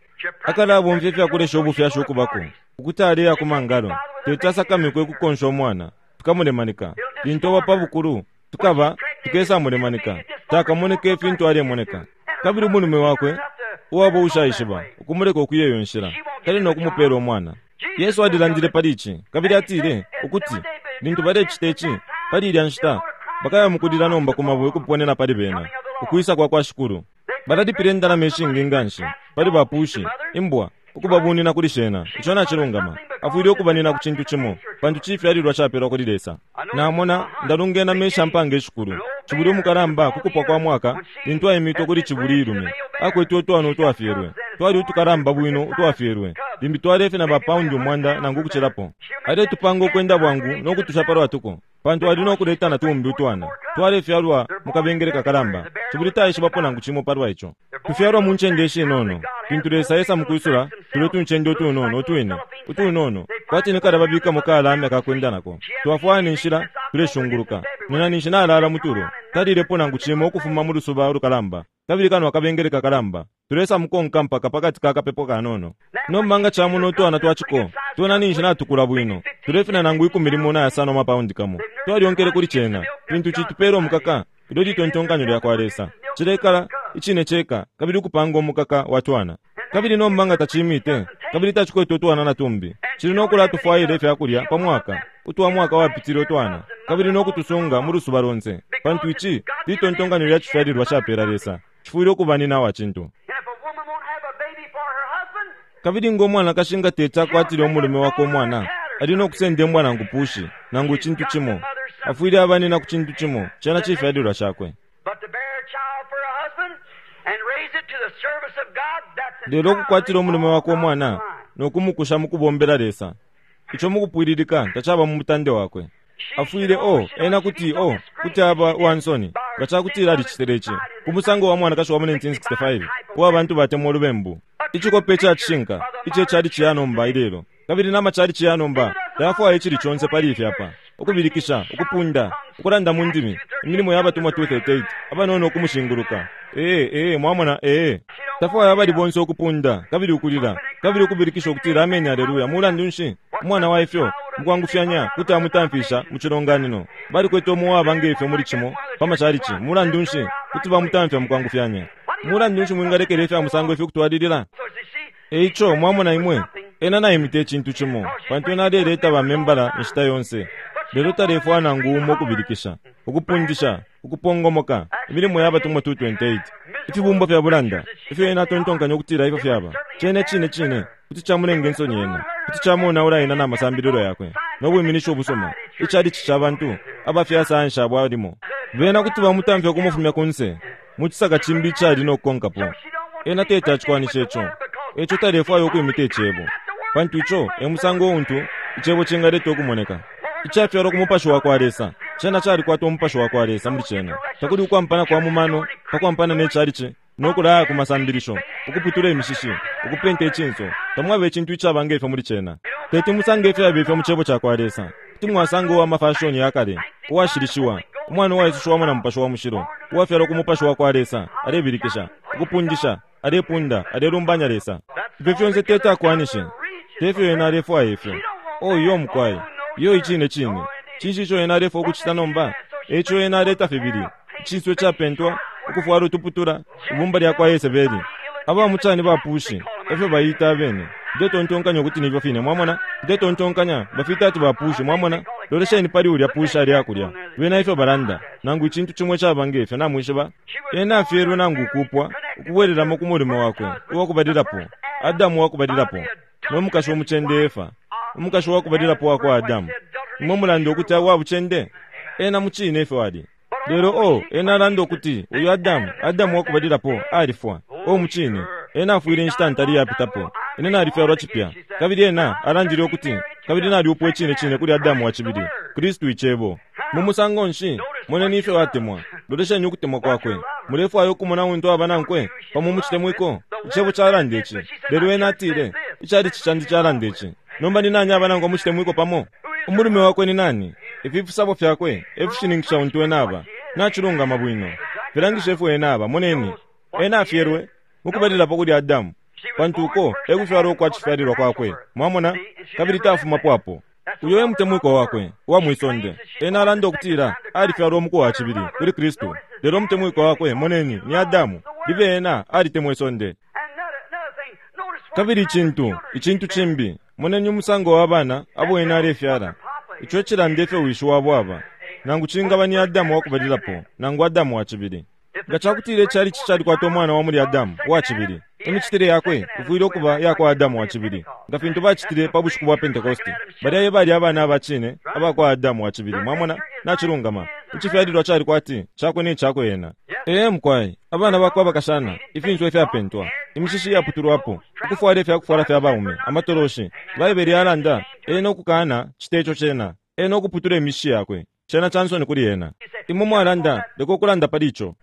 Akalabomfya ifyakulesha ubufyashi ukubako, ukuti aleya ku mangalo, teti asakamikwe kukonsha umwana, tukamulemanika. Lintu aba pa bukulu, tukaba tukesamulemanika, takamoneke ifintu alemoneka. Kabili umulume wakwe uwaba ushaishiba, ukumuleka ukuya iyo nshila, tali no kumupela umwana. Yesu alilandile pali ici, kabili atile ukuti lintu balecita ici pali ilya nshita, bakaya mukulila nomba ku mabwe ukuponena pali bena, ukwisa kwa kwa Shikulu. Balalipila indalama ishingi nganshi pali bapushi, imbwa, ukubabunina kuli shena. Ico nacilungama. Afwile ukubanina ku cintu cimo, pantu cifyalilwa capelwa kuli Lesa. Namona ndalungena mesha mpanga ishikulu. Cibuli umukalamba kukupwa kwa mwaka, lintu aimitwe kuli cibuli ilume, akwete utwana utwafyelwe. Twali utukalamba bwino utwafyelwe, limbi twalefe na bapaundi umwanda nangu ukucilapo. Aletupanga ukwenda bwangu no kutusha palwatuko, pantu ali no kuleta na tumbi utwana. Twalefyalwa mu kabengele kakalamba, cibuli taishibapo nangu cimo palwa ico. Tufyalwa mu ncende ishinono, fintu Lesa esa mukwisula tulo tuncende utunono utwine utunono, kwati ni kala babikamo kalame akakwenda nako. Twafwaya ni nshila tuleshunguluka, nena ninshi nalala mutulo, talilepo nangu cimo ukufuma mu lusuba ulukalamba, kabili kano akabengele kakalamba. Tulesa mukonka mpaka pakati ka kapepo kanono. Nomba nga chamuno utwana twaciko, twena ninshi natukula bwino, tulefina nangu ikumi limo na yasano amapaundi kamo. Twalyonkele kuli cena, fintu citupela omukaka, ilyo litontonkanyo lya kwa Lesa. Cilekala icine ceka, kabili ukupanga omukaka wa twana. Kabili nomba nga tacimite, kabili tacikwete utwana na tumbi, cili no kulatufwaila ifyakulya pa mwaka, utwa mwaka wapitile utwana, kabili no kutusunga mu lusuba lonse, pantu ici litontonkanyo lya cifyalilwa capela Lesa. Cifwile ukubanina wa cintu. Kabili ngo mwanakashi nga teti akwatile umulume wakwe umwana, ali no kusenda imbwa nangu pushi, nangu icintu cimo. Afwile abanina ku cintu cimo, cena cifyalilwa cakwe. Lelo ukukwatila umulume wakwe umwana no kumukusha mu kubombela Lesa, ico mukupwililika tacaba mu mutande wakwe. Afwile o ena kuti o kuti aba uwansoni nga cakutila alicitile ici ku musango wa mwanakashi wa mu nineteen sixty-five uwa bantu batemwa ulubembu. Icikope ica cishinka ico cali ciyanomba ilelo, kabili n'amacali ciyanomba tayafwaya icili conse pali ifi apa, ukubilikisha, ukupunda, ukulanda mu ndimi, imilimo ya batumwa two thirty-eight, abanono ukumushinguluka. Ee, ee, mwamona, ee. Tafwaya abali bonse ukupunda, kabili ukulila, kabili ukubilikisha ukutila ameni aleluya. Mulandu nshi umwana wa ifyo mukwangufyanya kuti amutamfisha mu cilonganino? Balikwete umuwaba ngefyo muli cimo pa macalici. Mulandu nshi kuti bamutamfya mukwangufyanya? Mulandu nshi mwingalekela ifya musango ifyo kutwalilila? Eico mwamona imwe, ena naimite icintu cimo, pantu ena aleleta bamembala inshita yonse. Lelo talefwaya nangu umo ukubilikisha, ukupundisha, ukupongomoka, imilimo ya batumwa two twenty-eight. Ifibumba fya bulanda, ifyo ena atontonkanya ukutila ifyo fyaba, cene cine cine, kuti camulenga insoni ena, kuti camonaula ena n'amasambililo yakwe, no bwiminisho ubusuma, icalici ca bantu, abafyasansha bwalimo. Bena kuti bamutamfya ukumufumya kunse, mu cisaka cimbi icali no kukonkapo. Ena teti acikwanisha ico, eco talefwaya ukwimita icebo, pantu ico e musango untu icebo cingaleta ukumoneka. Icafyalwa ku mupashi wa kwa Lesa, cena calikwata umupashi wa kwa Lesa muli cena. Takuli ukwampana kwa mumano, pakwampana ne calici, no kulaya ku masambilisho, ukuputula imishishi, ukupenta icinso, tamwaba icintu icaba ngefyo muli cena. Teti musange ifyaba ifyo mu cebo ca kwa Lesa. Kuti mwasanga uwa mafashoni ya kale, uwashilishiwa, umwana uwaisushiwamo na mupashi wa mushilo, uwafyalwa ku mupashi wa kwa Lesa, alebilikisha, ukupundisha, alepunda, alelumbanya Lesa. Ifyo fyonse teti akwanishe, tefyo ena alefwaya ifyo. O iyo mukwai, iyo icine cine. Cinshi ico ena alefwaya ukucita nomba? Eco ena aleta fibili, icinso icapentwa, ukufwala utuputula, ibumba lya kwa Yesebeli. Aba mucani bapushi, efyo bayita abene. Ndetontonkanya ukuti nifyo fine, mwamona? Ndetontonkanya bafita ati bapushi, mwamona? Lolesheni pali ulya pusha ali akulya. Bena ifyo balanda, nangu icintu cimwe caba ngefyo namwishiba. Ena afyelwe nangu ukupwa, ukubwelelamo ku mulimo wakwe, uwakubalilapo, Adamu wakubalilapo, no mukashi omucende Efa, umukashi wakubalilapo wakwa Adamu. Imwe mulanda ukuti wabucende? Ena mucine ifyo ali. Lelo o, ena alanda ukuti uyu Adamu, Adamu wakubalilapo, alifwa. O mucine, ena afwile inshita ntali yapitapo. Ine nalifyalwa cipya. Kabili ena alandile ukuti, kabili naliupwa icine cine kuli Adamu wa cibili, Kristu icebo. Mu musango nshi, moneni ifyo atemwa. Lolesheni ukutemwa kwakwe. Mulefwaya ukumona untu aba nankwe, pamo mucitemwiko. Icebo calanda ici. Lelo ena atile, icalici candi calanda ici. Nomba ni nani aba nankwe mucitemwiko pamo? Umulume wakwe ni nani? Ifi fisabo fyakwe efishininkisha untu ena aba. Nacilungama bwino. Filangisha ifyo ena aba. Moneni, ena afyelwe mukubalilapo kuli Adamu, Pantu uko e kufyalwa ukwa cifyalilwa kwakwe. Mwamona? Kabili tafumapo apo. Uyo e mutemwikwa wakwe uwa mwisonde. Ena alanda ukutila alifyalwa umuku wa cibili kuli Kristu. Lelo umutemwikwa wakwe, moneni, ni Adamu. Libe ena alitemwa isonde. Kabili icintu, icintu cimbi, moneni umusango wa bana abo ena alefyala. Ico cilanda ifyo wishi wabo aba. Nangu cingaba ni Adamu wakubalilapo, nangu Adamu wa cibili. Nga cakutila icalici calikwata umwana wa muli Adamu wa cibili, imicitile yakwe ifwile ukuba ya kwa Adamu wa cibili, nga fintu bacitile pa bushiku bwa Pentekoste. Balya e bali abana aba cine aba kwa Adamu wa cibili. Mwamona? Nacilungama. Icifyalilwa cali kwati cakwe ne cakwe ena. Ee mukwai, abana bakwe abakashana, ifinso ifyapentwa, imishishi iyaputulwapo, ukufwala ifyakufwala fya baume, amatoloshi. Baibele yalanda ena ukukana cita ico cena, ena ukuputula imishishi yakwe. Cena cansoni kuli ena. Imwe mwalanda, leka ukulanda pali ico.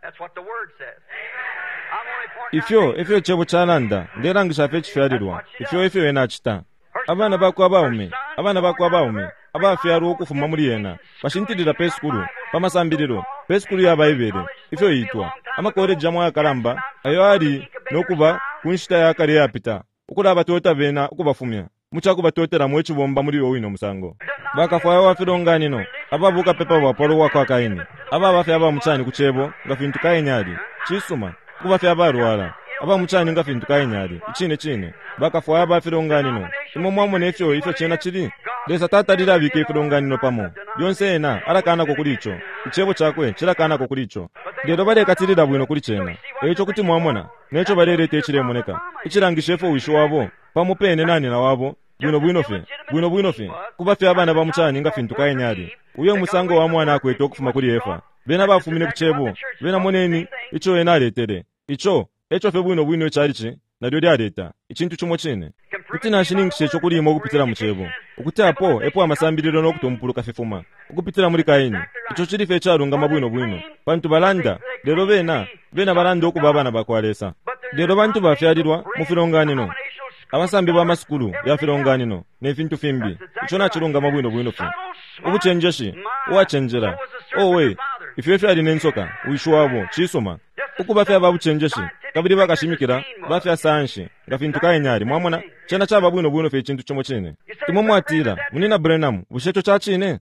Ifyo efyo icebo calanda, ndelangisha fye icifyalilwa. Ifyo efyo ena acita. Abana bakwe abaume, abana bakwe abaume, abafyalwa ukufuma muli ena, bashintilila pe sukulu, pa masambililo, pe sukulu ya Baibele, ifyo itwa, amakoleji amwe ayakalamba, ayo ali nokuba ku nshita ya kale yapita, ukulabatota bena ukubafumya, mucakubatotela icibomba muli uyo wine musango. Bakafwaya wa filonganino, ababuka pepa bwapalo bwa kwa Kaini, ababa fye abamucani ku cebo nga fintu Kaini ali, cisuma, ukuba fye abalwala, abamucani nga fintu Kaini ali, icine cine. Bakafwaya ba filonganino, imwe mwamona ifyo ifyo cena cili. Lesa tatalile abika ifilonganino pamo, lyonse ena alakanako kuli ico, icebo cakwe cilakanako kuli ico. Lelo balekatilila bwino kuli cena. Eico kuti mwamona, neco baleleta icilemoneka, icilangisha ifyo wishi wabo, pamo pene na nyina wabo, bwino bwino fye, bwino bwino fye, kuba fye abana ba mucani nga fintu Kaini ali. Uyo musango wa mwana akwete ukufuma kuli Efa. Bena bafumine ku cebo, bena moneni ico ena aletele. Ico, eco fye bwino bwino icalici, nalyo lyaleta, icintu cimo cine. Kuti nashininkisha ico kuli imwe ukupitila mu cebo. Ukuti apo epo amasambililo no kutumpuluka fifuma, ukupitila muli Kaini. Ico cili fye icalungama bwino bwino. Pantu balanda, lelo bena, bena balanda ukuba abana ba kwa Lesa. Lelo bantu bafyalilwa mu filonganino, abasambi ba masukulu ya filonganino ne fintu fimbi. Ico nacilungama bwino bwino fye. Ubucenjeshi, uwacenjela, owe, ifyo fyali ne nsoka, wishi wabo, cisuma. Ukuba fye ababucenjeshi, kabili bakashimikila, bafya sayansi, nga fintu Kaini ali. Mwamona, cena caba bwino bwino fye icintu cimo cine. Imwe mwatila, Munina Branham, bushe ico ca cine?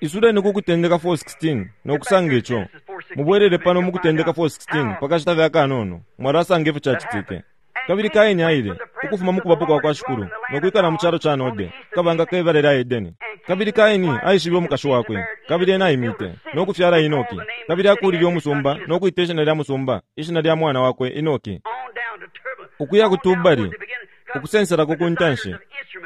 Isuleni ku Kutendeka four sixteen no kusanga ico. Mubwelele pano mu Kutendeka four sixteen pakashita fye akanono, mwalasanga ifyo cacitike. Kabili Kaini aile, ukufuma mu kubapo kwa kwa Shikulu, no kwikala mu calo ca Node, kabanga kebale lya Edeni. Kabili Kaini aishibe umukashi wakwe, kabili ena aimite, no kufyala Enoki. Kabili akulile umusumba, no kwita ishina lya musumba, ishina lya mwana wakwe Enoki. Ukuya ku Tubali, ukusenselako ku ntanshi,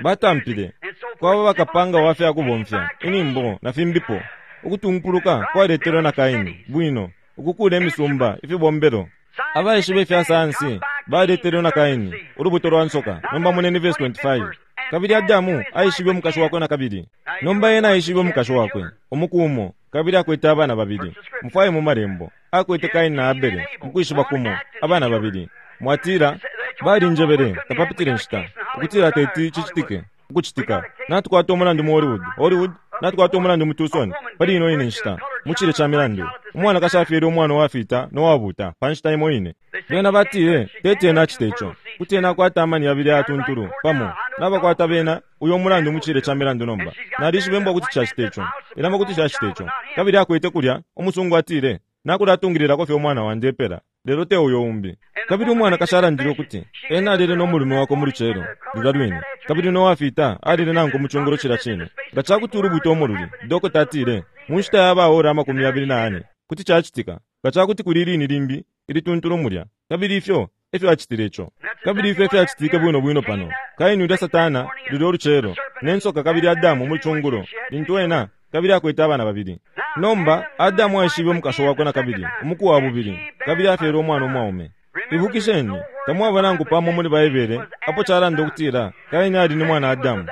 batampile, kwaba bakapanga wa fya kubomfya, inimbo na fimbipo. Ukutumpuluka kwaletelwe na Kaini, bwino, ukukula imisumba, ifibombelo. Abaishibe ifya sayansi baletelwe na Kaini, ulubuto lwa nsoka. Nomba moneni verse twenty-five. Kabili Adamu aishibe umukashi wakwe na kabili. Nomba ena aishibe umukashi wakwe, umuku umo, kabili akwete abana babili. Mufwaye mu malembo, akwete Kaini na Abele, mukwishiba kumo, abana babili. Mwatila, balinjebele, tapapitile nshita, ukutila teti cicitike, ukucitika. Natukwata umulandu mu Hollywood, Hollywood, natukwata umulandu mu Tucson, pali ino ine nshita, mu cile ca milandu. Umwana kashafyele umwana uwafita no wabuta, pa nshita imo ine. Bena batile, teti ena acite ico, kuti ena akwata amani yabili ayatuntulu, pamo, nabakwata bena, uyo mulandu mu cile ca milandu nomba. Nalishibe mbwa kuti cacite ico, ilama kuti cacite ico. Kabili akwete kulya, umusungu atile, nakulatungililako fye umwana wandi epela, lelo te uyo umbi. Kabili umwana kashalandile ukuti, ena alile no mulume wakwe mu lucelo, lulya lwine. Kabili no wafita alile nanku mu cungulo cila cine. Nga cakuti ulubuto umululi, dokota atile, mu nshita ya baora amakumi yabili na ane, kuti cacitika. Nga cakuti kuli ilini limbi, ilituntulu mulya. Kabili ifyo, efyo acitile ico. Kabili ifyo efyo acitike bwino bwino pano. Kaini ulya Satana, lulya ulucelo, ne nsoka kabili Adamu mu cungulo, lintu ena, kabili akwete abana babili. Nomba, Adamu aishibe umukashi wakwe na kabili, umuku wa bubili, kabili afyele umwana umwaume. Ibukisheni, tamwaba nangu pamo muli Baibele, apo calanda ukutila, Kaini ali ni mwana Adamu.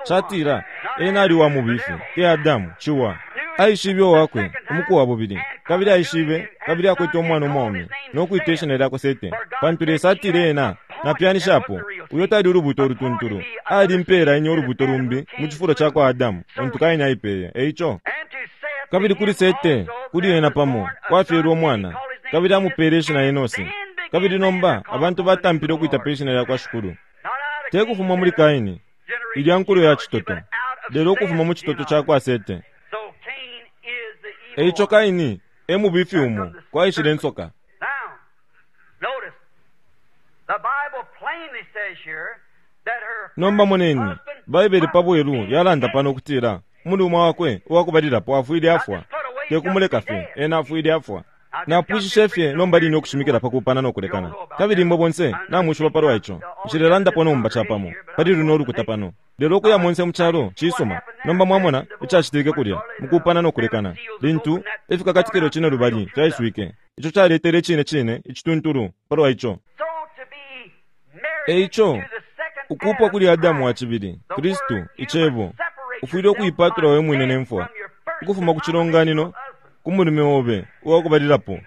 Catila, ena ali wa mubifi, te Adamu, ciwa. Aishibe wakwe, umuku wa bubili, kabili aishibe, kabili akwete umwana umwaume, no kwita ishina lyakwe Sete. Pantu Lesa atile ena, napyanishapo, uyo tali ulubuto ulutuntulu, ali mpela inye ulubuto lumbi, mu cifulo ca kwa Adamu, untu Kaini aipeye. Eico, kabili kuli Sete, kuli ena pamo, kwafyelwe umwana, kabili amupele ishina Enosi. Kabili nomba abantu batampile ukwita pe shina lyakwa Shikulu. Te kufuma muli Kaini, ilya nkulo ya citoto, lelo ukufuma mu citoto cakwa Sete. Eico Kaini e mubifi umo kwaishile insoka. Nomba moneni, Baibele pa bwelu yalanda pano ukutila umulume wakwe uwakubalilapo afwile afwa, te kumuleka fye, ena afwile afwa. Napwishishe fye nomba line ukushimikila pa kupana no kulekana. Kabili imwe bonse namwishiba palwa ico. Nshilelandapo nomba capamo pali luno ulukuta pano. Lelo ukuya monse mu calo cisuma. Nomba mwamona icacitike kulya mukupana no kulekana. Lintu ifikakatikilo cine lubali fyaiswike, ico caletele cine cine icituntulu palwa ico. Eico ukupwa kuli Adamu wa cibili, Kristu, icebo, ufwile ukuipatula we mwine ne mfwa, ukufuma ku cilonganino ku mulume obe uwakubalilapo,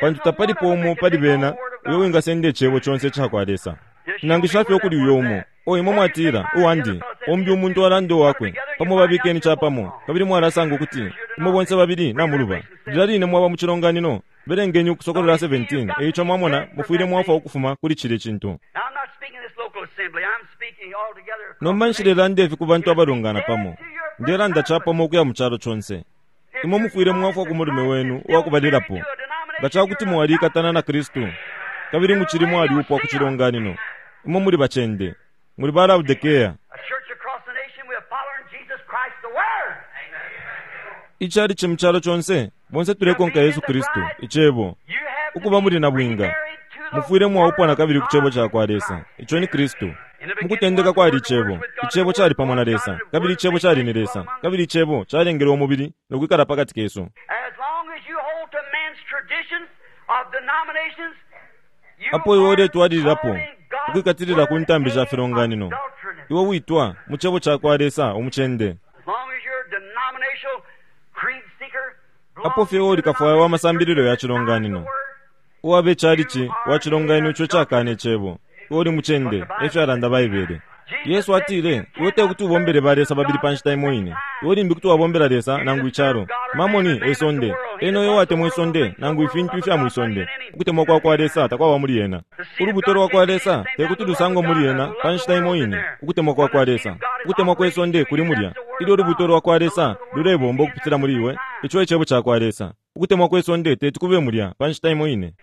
pantu tapalipo umo pali bena uyo wingasenda icebo conse icakwa Lesa. Nangisha fye ukuli uyo umo, o imwe mwatila uwandi, ombi umuntu alanda uwakwe, pamo babikeni capamo, kabili mwalasanga ukuti imwe bonse babili namuluba. Lilya line mwaba mu cilonganino, belengeni Ukusokolola seventeen. Eico mwamona mufwile mwafwa ukufuma kuli cile cintu. Nomba nshilelanda ifi ku bantu abalungana pamo, ndelanda capamo ukuya mu calo conse. Imwe mufwile mwafwa ku mulume wenu uwakubalilapo. Nga cakuti mwalikatana na Kristu, kabili mucili mwaliupwa ku cilonganino, imwe muli bacende, muli ba Laodikea. Icali mu calo conse, bonse tulekonka Yesu Kristu, icebo, ukuba muli na bwinga. Mufwile mwaupwa na kabili ku cebo cakwa Lesa, ico ni Kristu. Mukutendeka kwali icebo, icebo cali pamo na Lesa, kabili icebo cali ni Lesa, kabili icebo calengelwe umubili no kwikala pakati kesu. Apo iwe uletwalililapo ukwikatilila ku ntambi sha filonganino, iwe witwa mu cebo cakwa Lesa umucende. Apo fye uli kafwaya wa masambililo ya cilonganino, uwabe calici wa cilonganino ico cakana icebo, iwe uli mucende, efyo alanda Baibele. Yesu atile, iwe tekuti ubombele ba Lesa babili pa nshita imo ine. Iwe limbi kuti wabombela Lesa nangu icalo. Mamoni esonde, eno iwe watemwa isonde nangu ifintu ifya mwisonde. Ukutemwa kwa kwa Lesa takwaba muli ena. Ulubuto lwa kwa Lesa tekuti lusangwe muli ena pa nshita imo ine. Ukutemwa kwa kwa Lesa, ukutemwa kwesonde kuli mulya. Ilyo ulubuto lwa kwa Lesa lulebomba ukupitila muli iwe, ico icebo ca kwa Lesa. Ukutemwa kwesonde teti kube mulya pa nshita imo ine.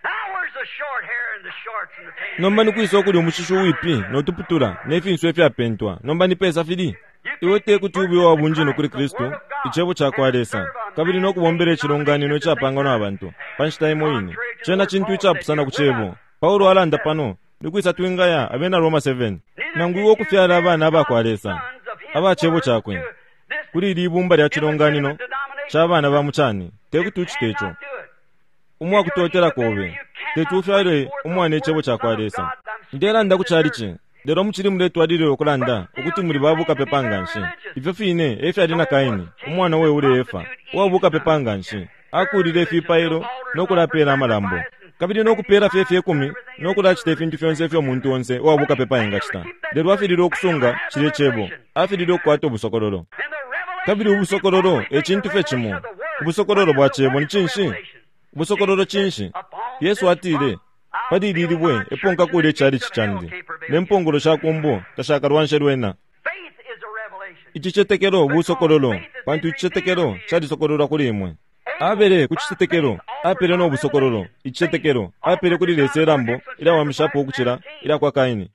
Nomba nikwisa ukuli umushishi uwipi notuputula ne finso ifyapentwa, nomba ni pesa fili. Iwe tekuti ube uwabunjino kuli Kristu, icebo cakwa Lesa, kabili no kubombela icilonganino icapangwa na bantu pa nshita imo ine. Cena cintu icapusana ku cebo. Paulo alanda pano, nikwisa twingaya abena Roma seven, nangu iwe ukufyala abana abakwa Lesa, aba cebo cakwe, kuli ili ibumba lya cilonganino ca bana ba mucani, tekuti ucite ico. Umwakutotela kobe, teti ufyale umwana icebo cakwa Lesa. Ndelanda ku calici, lelo mucili muletwalilila ukulanda ukuti muli babukapepa nganshi. Ifyo fine efyali na Kaini, umwana we ule Efa, uwabukapepa nganshi. Akulile ifipailo no kulapela amalambo, kabili no kupela fye fye kumi no kulacita ifintu fyonse ifyo umuntu onse uwabukapepa engacita. Lelo afilile ukusunga cile cebo, afilile ukukwata ubusokololo. Kabili ubusokololo e cintu fye cimo. Ubusokololo bwa cebo ni cinshi? Ubusokololo cinshi? Yesu atile, pali ili libwe epo nkakula icalici candi, ne mpongolo sha kumbo tashakalwanshe lwena. Icicetekelo busokololo, pantu icicetekelo calisokololwa kuli imwe. Abele ku cicetekelo apele no busokololo. Icicetekelo apele kuli Lesa ilambo ilyawamishapo ukucila ilya kwa Kaini.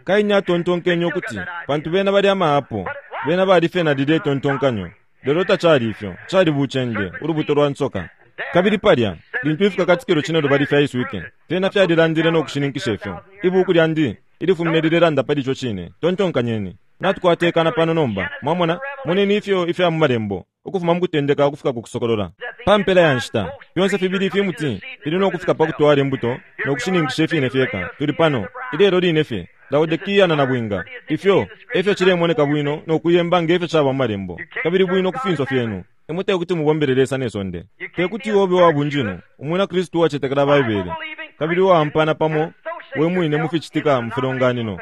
Kaini atontonkenye ukuti pantu bena bali amaapo, bena bali fye na lilye tontonkanyo. Lelo tacali ifyo, cali bucende, ulubuto lwa nsoka. Kabili palya, lintu ifikakatikilo cine lubali fyaiswike, fyena fyalilandile no kushininkisha ifyo. Ibuku lyandi ilifumine lilelanda pali ico cine. Tontonkanyeni. Natukwatekana pano nomba, mwamona, moneni ifyo ifya mu malembo, ukufuma mu kutendeka ukufika ku kusokolola. Pa mpela ya nshita, fyonse fibili ifimuti fili no kufika pa kutwala imbuto no kushininkisha ifine fyeka. Tuli pano, ilelo line fye, Laodikia na nabwinga. Ifyo, efyo cilemoneka bwino no kuyemba ngefyo caba mu malembo, kabili bwino ku finso fyenu. Imwe tekuti mubombele Lesa ne sonde. Tekuti obe uwabunjino, umwina Kristu uwacetekela Baibele, kabili uwaampana pamo we mwine muficitika mu filonganino.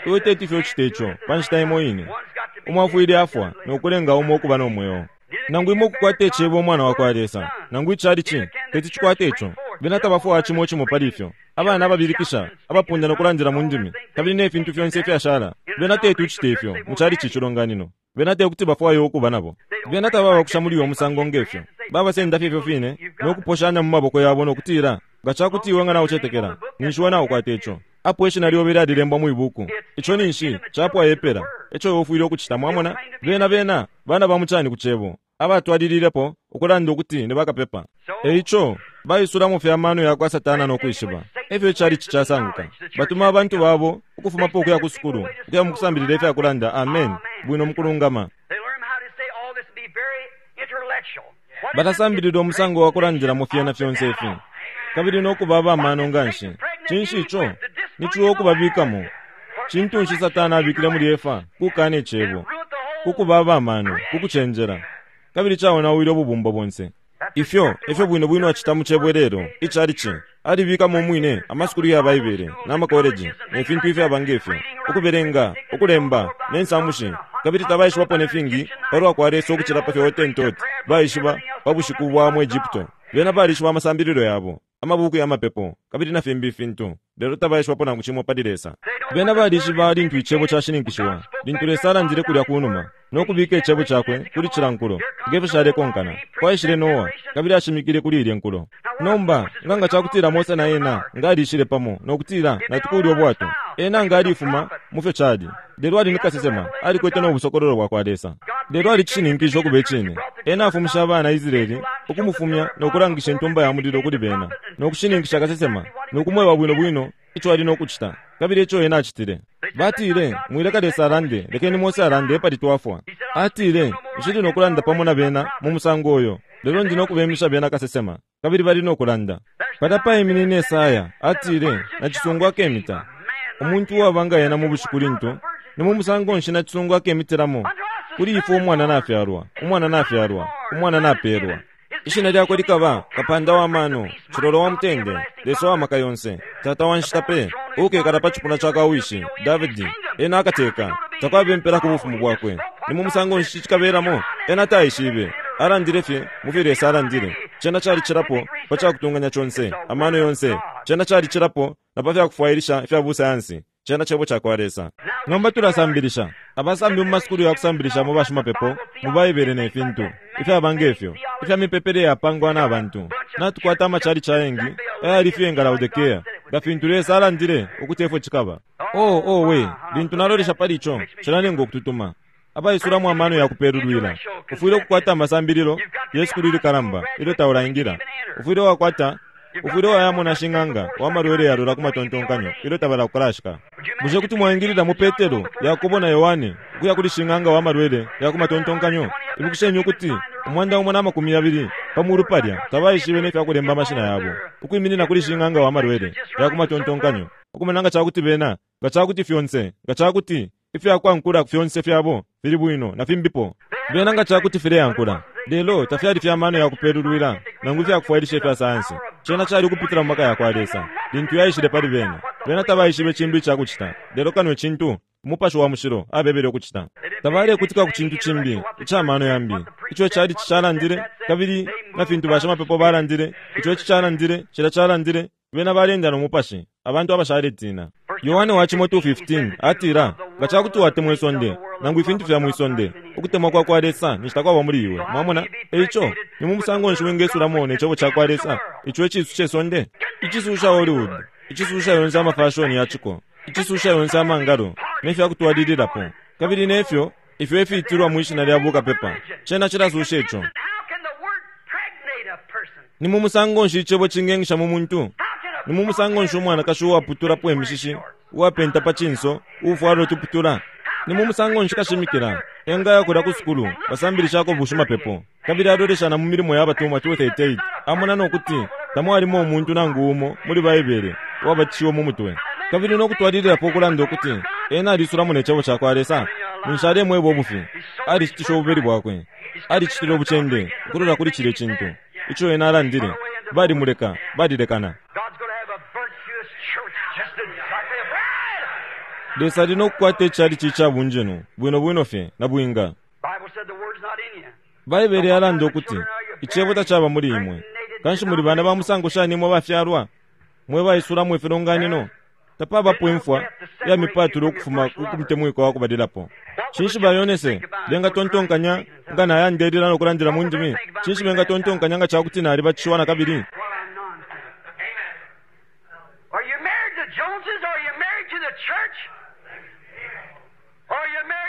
Iwe teti fye ucite ico pa nshita imo ine. Umo afwile afwa no kulenga umo ukuba no mweo. Nangu imwe ukukwata icebo umwana wa kwa Lesa, nangu icalici teti cikwate ico. Bena tabafwaya cimo cimo pali ifyo. Abana ababilikisha, abapunda no kulandila mu ndimi, kabili ne fintu fyonse ifyashala. Bena teti ucite ifyo mu chalichi icilonganino. Bena tekuti bafwaye ukuba nabo. Bena tababakusha muli uyo musango ngefyo. Babasenda fye ifyo fine no kuposhanya mu maboko yabo no kutila, nga cakuti iwe nga naucetekela, ninshi we naukwata ico. Apo ishina lyobe lyalilembwa mwi buku. Ico ninshi capwa epela. Eco iwe ufwile ukucita, mwamona? Bena bena bana ba mucani ku cebo, abatwalililepo ukulanda ukuti ni bakapepa. Eico baisulamo fye amano ya kwa Satana no kwishiba. Efyo icalichi casanguka. Batuma abantu babo ukufumapo ukuya ku sukulu, ukuya mu kusambilila ifya kulanda amen bwino mukulungama. Balasambilila umusango wa kulandilamo fyena fyonse ifi, kabili no kuba abamano nganshi. Cinshi ico? Ni ciwa ukubabikamo. Cintu nshi Satana abikile muli Efa? Kukana icebo, kukuba abamano, kukucenjela, kabili caonawile ububumbo bonse. Ifyo efyo bwino bwino acita mu cebo lelo, icalichi alibikamo umwine amasukulu ya Baibele n'amakoleji ne fintu ifyaba ngefyo, ukubelenga, ukulemba, ne nsamushi, kabili tabaishibapo ne fingi palwa kwa Lesa ukucila pa fyo Hottentot baishiba pa bushiku bwa mu Egypto. Bena balishiba amasambililo yabo, amabuku ya mapepo, kabili na fimbi ifintu, lelo tabaishibapo nangu cimo pali Lesa. Bena balishiba lintu icebo cashininkishiwa, lintu Lesa alandile kulya kunuma no kubika icebo cakwe kuli cila nkulo, ngefyo shalekonkana. Kwaishile Noa, kabili ashimikile kuli ilye nkulo. Nomba nga nga cakutila Mose na ena nga alishile pamo no kutila natukulye ubwato, ena nga alifuma mu fyo cali. Lelo ali ni kasesema, alikwete no busokololo bwa kwa Lesa. Lelo alicishininkishe ukuba icine. Ena afumisha abana Israeli ukumufumya no kulangisha intumba ya mulilo kuli bena, no kushininkisha kasesema, no kumweba bwino bwino ico ali no kucita, kabili ico ena acitile. Batile, mwileka Lesa alande, lekeni Mose alande epali twafwa. Atile, nshili no kulanda pamo na bena mu musango uyo, lelo ndi no kubemisha bena kasesema, kabili bali no kulanda. Palya paiminine Esaya, atile, nacisungu akemita. Umuntu uwaba nga ena mu bushiku lintu, ni mu musango nshi nacisungu akemitilamo? Kuli ifwe umwana nafyalwa, umwana nafyalwa, umwana napelwa. Ishina lyakwe likaba Kapanda wa mano, Cilolo wa mutende, Lesa wa maka yonse, Tata wa nshita pe, uukekala pa cipuna ca kwa wishi Davidi. Ena akateka, takwabe mpela ku bufumu bwakwe. Ni mu musango nshi cikabelamo? Ena taishibe. Alandile fye mu fyo Lesa alandile. Cena calicilapo pa cakutunganya conse, amano yonse. Cena calicilapo na pa fyakufwailisha ifya busayansi. Cena cebo ca kwa Lesa. Nomba tulasambilisha abasambi mu masukulu ya kusambilisha mu bashimapepo, mu Baibele ne fintu ifyaba ngefyo, ifya mipepele yapangwa na bantu. Natukwata amachalichi ayengi ayali fye nga Laodikea, nga fintu Lesa alandile ukuti efyo cikaba. Oh, oh we, lintu nalolesha pali ico, cilanenga ukututuma. Abaisulamo amano ya kupelulwila. Ufwile ukukwata amasambililo ye sukulu ilikalamba ilyo taulaingila. Ufwile wakwata ufwile wayamona shing'anga wa malwele yalola ku matontonkanyo ilyo tabala kukalashika. Bushe kuti mwaingilila mu Petero, Yakobo na Yohane ukuya kuli shing'anga wa malwele ya ku matontonkanyo? Ibukisheni ukuti umwanda umo na makumi yabili pa mulu palya tabaishibe ne fya kulemba amashina yabo, ukwiminina kuli shing'anga wa malwele ya ku matontonkanyo, ukumona nga cakuti bena, nga cakuti fyonse, nga cakuti ifyakwankula fyonse fyabo fili bwino na fimbipo. Bena nga cakuti fileyankula, lelo tafyali fya mano ya kupelulwila nangu ifyakufwailisha ifya sayansi. Cena cali ukupitila mu maka ya kwa Lesa lintu yaishile pali bena. Bena tabaishibe cimbi icakucita, lelo kano icintu Umupashi wa Mushilo abebele ukucita. Tabalekutika ku cintu cimbi ica mano yambi, ico cali calandile, kabili na fintu bashimapepo balandile, ico ici calandile, cila calandile. Bena balenda no mupashi, abantu abashaletina. Yohane wa cimo two fifteen atila, nga cakuti watemwa isonde nangu ifintu fya mwisonde, ukutemwa kwa kwa Lesa ninshi takwaba muli iwe. Mwamona? Eico ni mu musango nshi wingesulamo ne cebo ca kwa Lesa, ico icisu ce sonde, icisu ca Hollywood, icisu ca yonse amafashoni ya ciko, icisu ca yonse amangalo ne fya kutwalililapo, kabili nefyo ifyo ifiitilwa mwishina lya bukapepa. Cena cilasusha ico. Ni mu musango nshi icebo cingengisha mu muntu? Ni mu musango nshi umwanakashi uwaputulapo imishishi, uwapenta pa cinso, uufwala utuputula? Ni mu musango nshi kashimikila engaya kulya ku sukulu basambilishako bushimapepo, kabili alolesha na mu milimo ya batumwa two thirty-eight, amona no kuti tamwalimo umuntu nangu umo muli Baibele uwabatishiwe mu mutwe, kabili no kutwalililapo ukulanda ukuti ena alisulamo ne cebo ca kwa Lesa? Ninshi alemweba ubufi. Alicitisha ububeli bwakwe, alicitile ubucende ukulola kuli cilya cintu ico ena alandile. Balimuleka, balilekana. Lesa ali no kukwata icalichi ica bunjenu bwino bwino fye na bwinga. Baibele yalanda ukuti icebo tacaba muli imwe, Kanshi muli bana ba musango shani mwe bafyalwa, mwe baisulamo ifilonganino? Tapabapo imfwa ya mipatulo ukufuma ku mutemwiko wa kubalilapo. Cinshi bayonese bengatontonkanya nga nayandelila no kulandila mu ndimi? Cinshi bengatontonkanya nga cakuti nalibatishiwa na kabili?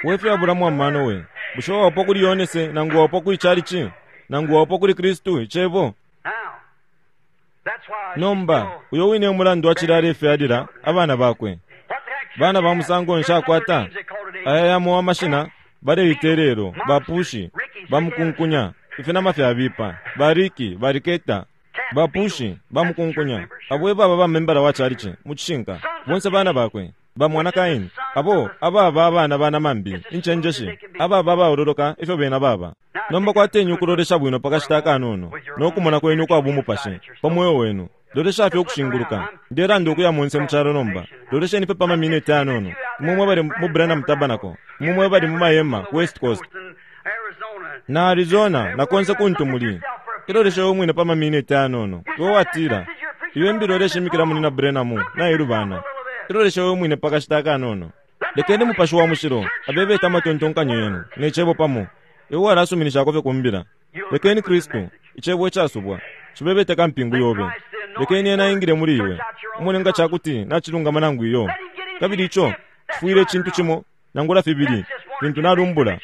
Wefyo abulamu amano we. Bushe wapo kuli Yonese nangu wapo kuli chalichi nangu wapo kuli Kristu icebo? Nomba uyo wine umulandu wacilale ifyalila abana bakwe. Bana ba musango nshakwata aya yamo amashina baleitelelo bapushi bamukunkunya ifinama fyabipa bariki bariketa bapushi bamukunkunya abo baba bamembala wa chalichi mucishinka bonse bana bakwe bamwana Kaini abo ababa abana bana mambi inchenjeshi ababa baololoka ifyo bena baba. Nomba kwatenyu ukulolesha bwino pakashita akanono nokumona kwenu kwa bumupashe pamoyo wenu. Lolesha fye okushinguluka ndelanda okuya munse muchalo nomba. Lolesheni pe pamamineti anono mumwe bali mu Branham Tabernacle, mumwe bali mu mahema ku West Coast na Arizona na konse kuntu muli. Ilolesha omwine pamamineti anono iwe watila iwe mbilolesha imikila muli na Branham na ilubana. Ilolesha omwine pakashita akanono. Lekeni mupashi wa mushilo abebeta amatontonkanyo yenu necebo pamo. Iwe walasuminishako fye kumbila. Lekeni Kristu icebo icasubwa chibebete kampingu yobe. Lekeni ena ingile muli iwe umone nga chakuti nachilungama nangu iyo. Kabili icho chifwile chintu chimo nangula fibili fintu nalumbula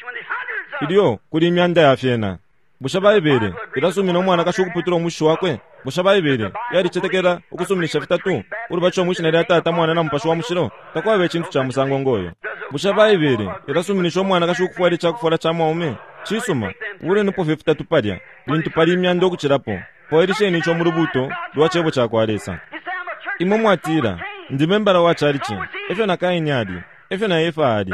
ilyo kuli imyanda ya fyena. Bushe Baibele ilasumina umwana kashi ukuputula umushi wakwe? Bushe Baibele yalicetekela ukusuminisha fitatu ulubacho omwishina lya Tata, Mwana na Mupashi wa Mushilo? Takwaba ichintu cha musango ngoyo. Bushe Baibele ilasuminisha umwana kashi ukufwala ichakufwala cha mwaume? Chisuma ulenipo fye fitatu palya lintu pali imyanda okuchilapo. Fwailisheni icho mu lubuto lwa chebo cha kwa Lesa. Imwe mwatila ndi membala wa chalichi, efyo na Kaini ali, efyo na Efa ali.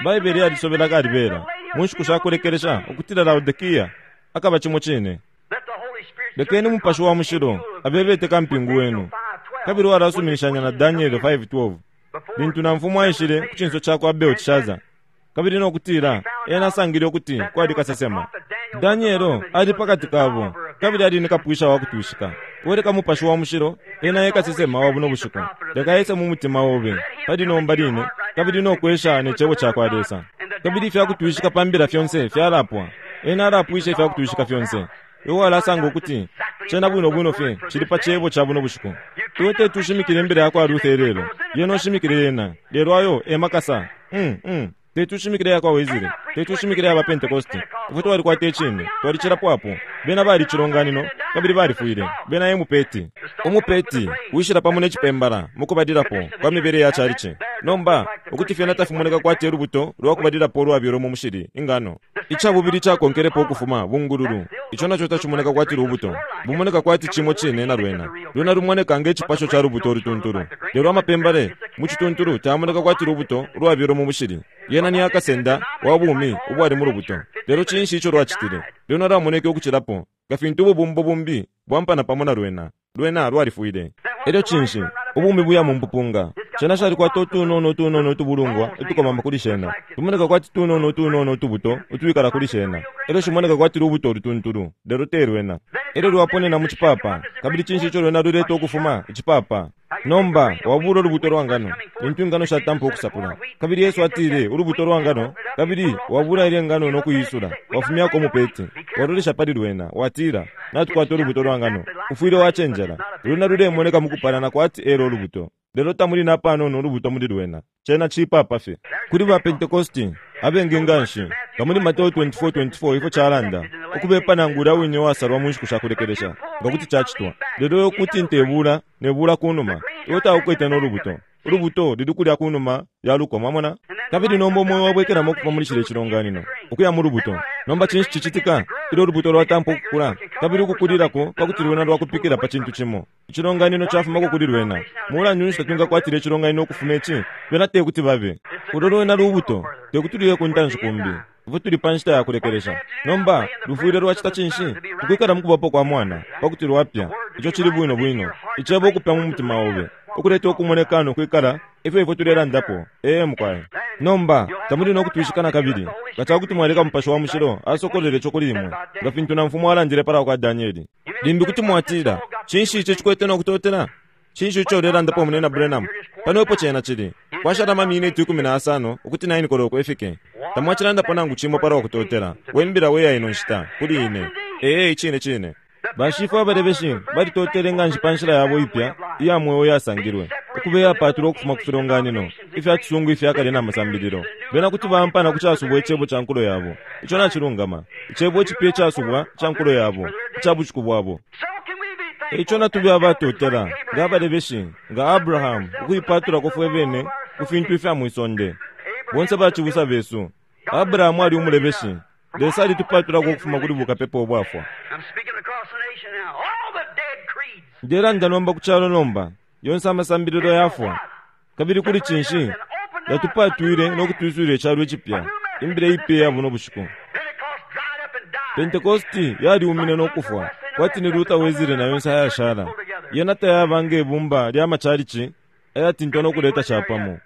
Baibele yalisobela kalibela mu nshiku shakulekelesha ukutila Laodikia akaba chimo chine. Lekeni mupashi wa mushilo abebete kampingu wenu. Kabili walasuminishanya na Daniel five twelve lintu na mfumu aishile ku chinso chakwa Belteshazzar. Kabili nokutila ena asangile ukuti kwali kasesema Danielo ali pakati kabo, kabili ali nikapwisha wa kutushika. Weleka mupashi wa mushilo ena yekasesema wa buno bushiku. Leka yese mu mutima obe pali nomba line, kabili nokwesha ne chebo cha kwa Lesa. Kabili ifyakutushika pambila fyonse fyalapwa. Ena alapwisha ifyakutushika fyonse. Iwe alasanga ukuti chena bwino bwino fye chili pa chebo cha buno bushiku. Iwe tetushimikile imbere yakwa Luther lelo, yena oshimikile yena lelo ayo emakasa. Mm mm tetushimikile yakwa Wesley, tetushimikile yaba Pentecost. Ifwe twalikwata icine twalichilapo apo. Bena bali chilonganino kabili balifwile. Bena emupeti umupeti wishila pamo nechipembala mukubadilapo kwa mibele ya chalichi. Nomba ukuti fyena tafimoneka kwati olubuto lwakubadilapo lwabyolo mu mushili ingano. Ichabubili chakonkelepo ukufuma bungululu icho nacho tachimoneka kwati lubuto bumoneka kwati chimo chine na lwena. Lwena lumoneka ngechipasho cha lubuto olutuntulu, lelo amapembale muchituntulu tamoneka kwati lubuto lwabyolo mu mushili. Yena ni akasenda wa bumi ubwali mu lubuto. Lelo chinshi icho lwachitile? Lwena lwamoneke ukuchilapo nga fintu ububumbo bumbi bwampana pamo na lwena. Lwena lwalifwile. Elyo chinshi ubumi buya mu mpupunga shena shalikwata utunono utunono utubulungwa utukomama kuli shena. Tumoneka kwati tunono utunono utubuto utuwikala kuli shena. Elyo shimoneka kwati lubuto olutuntulu, lelo te lwena. Elyo lwaponena mu chipapa, kabili chinshi icho lwena luleta ukufuma ichipapa? Nomba wabula olubuto lwa ngano lintu ingano shatampa okusapula. Kabili Yesu atile olubuto lwa ngano, kabili wabula ile ngano nokuyisula wafumyako umupeti walolesha pali lwena watila natukwata olubuto lwa ngano. Ufwile wachenjela lwena lulemoneka mukupalana kwati elo olubuto, lelo tamuli napanono olubuto muli lwena. Chena chipapa fye. Kuli ba Pentecosti abengi nganshi nga muli Mateo twenty-four twenty-four ifyo chalanda ukubepa nangula wine wasalwa mu nshiku shakulekelesha nga kuti chachitwa. Lelo kuti ntebula nebula kunuma iwe taukwete n'olubuto. Olubuto lili kulya kunuma yaluko mwamona. Kabili nomba omwoyo wabwekelamo okuva muli chile chilonganino okuya mu lubuto. Nomba chinshi chichitika ilyo olubuto lwatampa okukula kabili ukukulilako pakuti lwena lwakupikila pa chintu chimo. Ichilonganino chafumako kuli lwena. Mulandu nshi tatungakwatile ichilonganino okufuma ichi? Bena tekuti babe ulo lwena lubuto tekuti luye kuntanshi kumbi. Ifwe tuli pa nshita yakulekelesha. Nomba lufwile lwachita chinshi? Ukwikala mukubapo kwa mwana pakuti lwapya. Icho chili bwino bwino icebo okupya mu mutima obe. ukuleta ukumoneka no kwikala ifyo ifwe tulelandapo. Ee mukwai. Nomba tamuli no kutwishika na kabili nga cakuti mwaleka Mupashi wa Mushilo asokolole ico kuli imwe, nga fintu na mfumu alandile palwa kwa Danieli. Limbi kuti mwatila, cinshi ico cikwete no kutotela? Cinshi ico ulelandapo, Munena Branham? Pano epo cena cili. Kwashala amaminiti ikumi na asano ukuti nine koloko ifike. Tamwacilandapo nangu cimo palwa kutotela. We mbila we ya ino nshita kuli ine. Ee, icine cine. Bashifwe abalebeshi balitotele nganshi pa nshila yabo ipya iya mweo yasangilwe, ukuba iyapatulwa ukufuma ku filonganino ifya cisungu ifya kale na masambililo. Bena kuti baampana ku casubwa icebo ca nkulo yabo. Ico nacilungama. Icebo icipya icasubwa ca nkulo yabo, ica bushiku bwabo. Eico natube abatotela, nga abalebeshi, nga Abrahamu, ukuipatulako fwe bene ku fintu ifya mwisonde. Bonse bacibusa besu. Abrahamu ali umulebeshi. Lesa alitupatulako ukufuma kuli bukapepa ubwafwa. Ndelanda nomba ku calo nomba, yonse amasambililo yafwa. Kabili kuli cinshi, yatupatwile no kutwiswila icalo icipya, imbila ipya ya buno bushiku. Pentekosti yaliumine no kufwa, kwati ni Luther Wesley na yonse ayashala. Yena tayaba nge bumba lya macalici ayatintwa no kuleta capamo.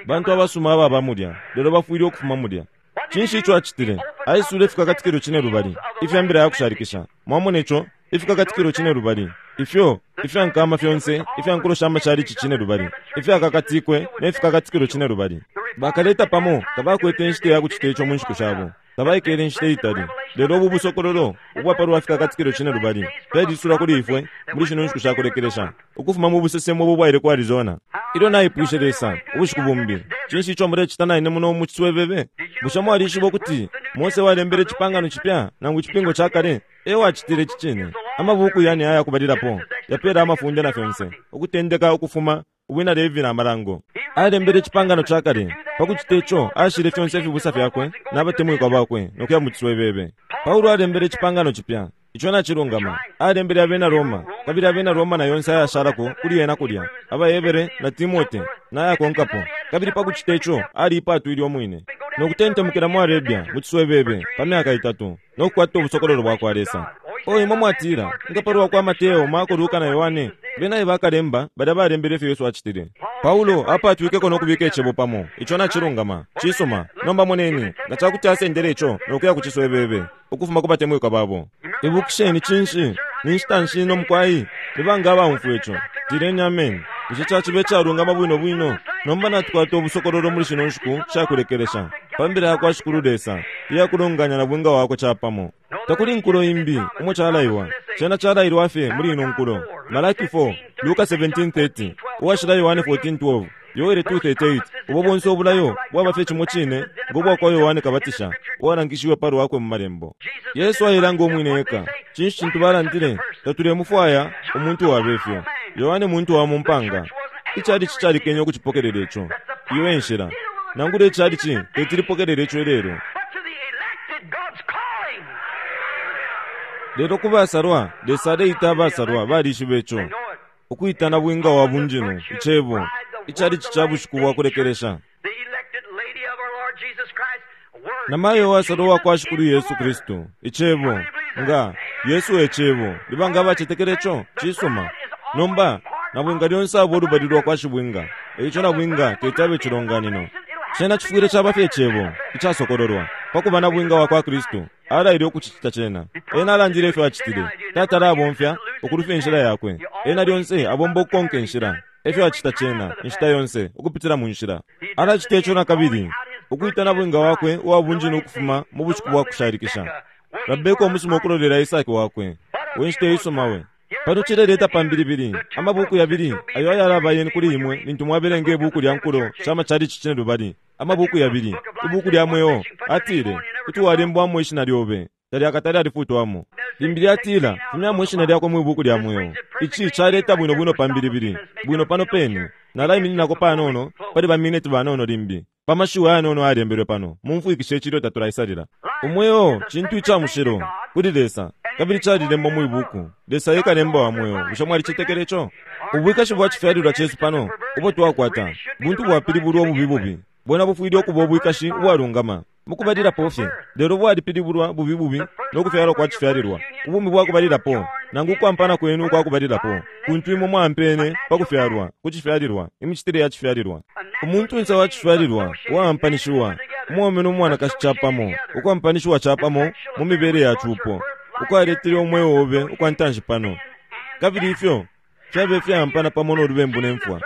Bantu abasuma ababa mulya, lelo bafwile ukufuma mulya. Cinshi ico acitile? Aisule ifikakatikilo cine lubali ifya mbila ya kushalikisha. Mwamona ico? Ifikakatikilo cine lubali ifyo ifya nkama fyonse ifya nkulo sha macalici cine lubali ifyakakatikwe ne fikakatikilo cine lubali. Bakaleta pamo tabakwete inshita ya kucita ico mu nshiku shabo. Tabaikele inshita itali. Lelo ubu busokololo ubwa palwa fikakatikilo cine lubali fyalisula kuli ifwe muli shino nshiku sha kulekelesha, ukufuma mu busesemo ubo bwaile ku Arizona. Ilyo naipwishe Lesa ubushiku bumbi, cinshi ico mulecita naine muno mu ciswebebe? Bushe mwalishiba ukuti Mose walembele icipangano cipya nangu icipingo ca kale? E wacitile ici cine. Amabuku yane aya kubalilapo yapela amafunde na fyonse, ukutendeka ukufuma Ubwina Levi na Amalango. Alembele icipangano ca kale. Pa kucita ico, ashile fyonse ifibusa fyakwe na batemwikwa bakwe no kuya mu ciswebebe. Paulo alembele icipangano cipya. Ico nacilungama. Alembele abena Roma, kabili abena Roma na yonse ayashalako kuli ena kulya, abaHebere na Timote na ayakonkapo. Kabili pa kucita ico, aliipatwile umwine no kutentemukila mu Arabia mu ciswebebe pa myaka itatu no kukwata ubusokololo bwa kwa Lesa. O imwe mwatila, nga palwa kwa Mateo, Marko, Luka na Yohane, bena e bakalemba balya balembele ifyo Yesu acitile. Paulo apatwikeko no kubika icebo pamo. Ico nacilungama. Cisuma. Nomba moneni, nga cakuti asendele ico no kuya ku ciswebebe ukufuma ku batemwikwa babo. Ibukisheni cinshi? Ni nshita nshi ino mukwai? Ni banga abaumfwa ico? Tileni ameni. Bushe caciba icalungama bwino bwino? Nomba natukwata ubusokololo muli shino nshiku shakulekelesha pa mbila ya kwa Shikulu Lesa iya kulonganya na bwinga wakwe capamo. Takuli nkulo imbi umo calaiwa. Cena calailwa fye muli ino nkulo. Malaki four, Luka seventeen thirty, uwashila Yohane fourteen twelve, Yoele two thirty-eight. Ubo bonse obulayo bwaba fye cimo cine ngo bwa kwa Yohane Kabatisha, uwalangishiwe pa lwakwe mu malembo. Yesu ailanga umwine eka. Cinshi cintu balandile? Tatulemufwaya umuntu wabefyo. Yohane muntu wa mu mpanga. Icalici calikenye ukucipokelela ico. Iyo e nshila. Nangula icalici tetilipokelela ico ilelo. Lelo ku basalwa, Lesa aleita abasalwa balishiba ico. Ukuitana bwinga wa bunjinu, icebo, icalici ca bushiku bwa kulekelesha. Na mayo wasalwa wa kwa Shikulu Yesu Kristu, icebo, nga Yesu e cebo, libanga abacetekele ico, cisuma. Nomba, na bwinga lyonse abo lubali lwa kwa shibwinga, eico na bwinga tetabe cilonganino. Cena cifwile caba fye icebo, icasokololwa, pa kuba na bwinga wa kwa Kristu. Alaile ukucicita cena. Ena alandile ifyo acitile. Tata alabomfya ukulufya inshila yakwe. Ena lyonse abomba ukukonka inshila. Efyo acita cena, inshita yonse, ukupitila mu nshila. Alacita ico na kabili, ukuita na bwinga wakwe uwa bunjinu ukufuma mu bushiku bwa kushalikisha. Rabeka umusuma ukulolela Isaki wakwe. We nshita isuma we. Pano cileleta pambilibili, amabuku yabili, ayo ayalaba yeni kuli imwe lintu mwabelenga ibuku lya nkulo sha macalici cine lubali. Amabuku yabili, ibuku lya mweo, atile, kuti walembwamo ishina lyobe, talyakatali alifutwamo. Limbi lyatila, fumyamo ishina lyakwe mu ibuku lya mweo. Ici caleta bwino bwino pambilibili, bwino pano pene. Nalaimininako panono, pali bamineti banono limbi. Pa mashiwi ayanono ayalembelwe pano, mumfwikishe icilyo tatulaisalila. Umweo, cintu ica mushilo, kuli Lesa, kabili calilembwa mu ibuku. Lesa e kalemba wa mweo. Bushe mwalicetekele ico? Ubwikashi bwa cifyalilwa cesu pano, ubo twakwata, buntu bwapilibulwa ububi bubi. Bwena bufwile ukuba ubwikashi ubwalungama. Mukubalilapo fye, lelo bwalipilibulwa bubi bubi no kufyalwa kwa cifyalilwa. Ubumi bwa kubalilapo, nangu kwampana kwenu kwa kubalilapo, kuntu imwe mwampene pa kufyalwa, ku cifyalilwa, imicitile ya cifyalilwa. Umuntu nse wa cifyalilwa uwaampanishiwa, umwaume no mwanakashi capamo, ukwampanishiwa capamo mu mibele ya cupo, ukwaletele umweo obe ukwantanshi pano. Kabili ifyo fyabe fyampana pamo no lubembu ne mfwa.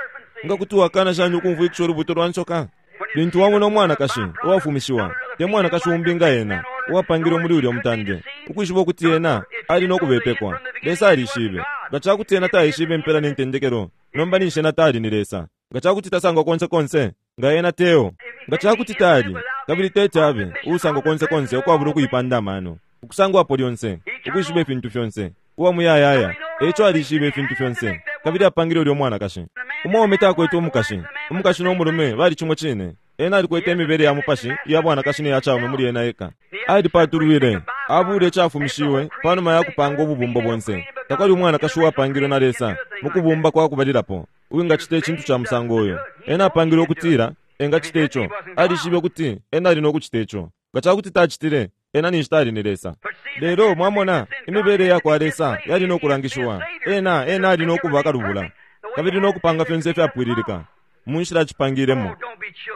Nga kuti wakana shani ukumvwikisha ulubuto lwa nsoka? Lintu wamona umwanakashi uwafumishiwa, te mwanakashi umbi nga ena, uwapangilwe muli ulya mutande, ukwishiba ukuti ena ali no kubepekwa. Lesa alishibe. Nga cakuti ena taishibe impela ne ntendekelo, nomba ninshi ena tali ni Lesa. Nga cakuti tasangwa konse konse, nga ena teo. Nga cakuti tali, kabili tete abe, uusangwa konse konse ukwabula ukuipanda amano, ukusangwapo lyonse, ukwishiba ifintu fyonse, uwa muyayaya, eco alishibe ifintu fyonse, kabili apangile ulya umwanakashi. Umwaume takwete umukashi, umukashi no mulume bali cimo cine. Ena alikwete imibele ya mupashi iya bwanakashi ne ya caume muli ena eka. Alipatulwile, abule icafumishiwe panuma ya kupanga ububumbo bonse. Takwali umwanakashi uwapangilwe na Lesa mu kubumba kwa kubalilapo uwingacita icintu ca musango uyo. Ena apangilwe ukutila engacita ico. Alishibe ukuti ena ali no kucita ico. Nga cakuti tacitile, ena ninshi tali ni Lesa. Lelo mwamona, imibele ya kwa Lesa yali no kulangishiwa. Ena ena ali no kuba kalubula, kabili no kupanga fyonse ifyapwililika mu nshila acipangilemo.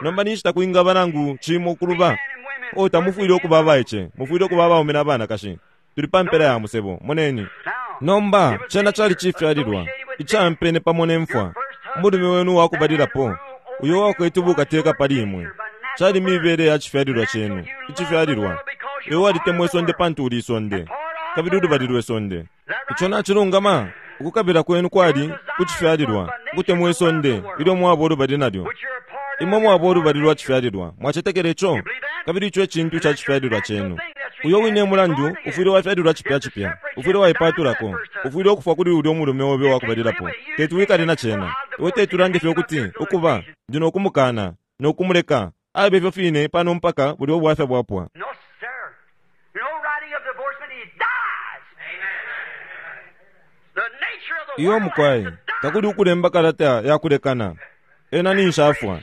Nomba ninshi takwingaba nangu cimo kuluba. O tamufwile ukuba abaice, mufwile ukuba abaume na banakashi. Tuli pa mpela ya musebo, moneni. Nomba cena cali cifyalilwa icampene pamo ne mfwa. Umulume wenu wakubalilapo, uyo wakwete ubukateka pali imwe, cali mibele ya cifyalilwa cenu, icifyalilwa. Iwe walitemwa isonde pantu uli isonde, kabili ulubali lwe sonde. Ico nacilungama. Ukukabila kwenu kwali ku cifyalilwa, ukutemwa isonde ilyo mwaba ulubali nalyo. Imwe mwaba ulubali lwa cifyalilwa, mwacetekela ico, kabili ico ecintu ca cifyalilwa cenu. Uyo wine mulandu ufwile wafyalilwa cipya cipya, ufwile waipatulako, ufwile ukufwa kuli ulya umulume obe wakubalilapo. Teti wikale na cena. Iwe teti ulande fye ukuti ukuba ndi no kumukana no kumuleka abe ifyo fine pano mpaka bulya ubwafya bwapwa. No, sir. No writing of divorcement, he dies. The nature of the Iyo world mukwai, has to die. takuli ukulemba kalata ya kulekana. Ena ninshi afwa.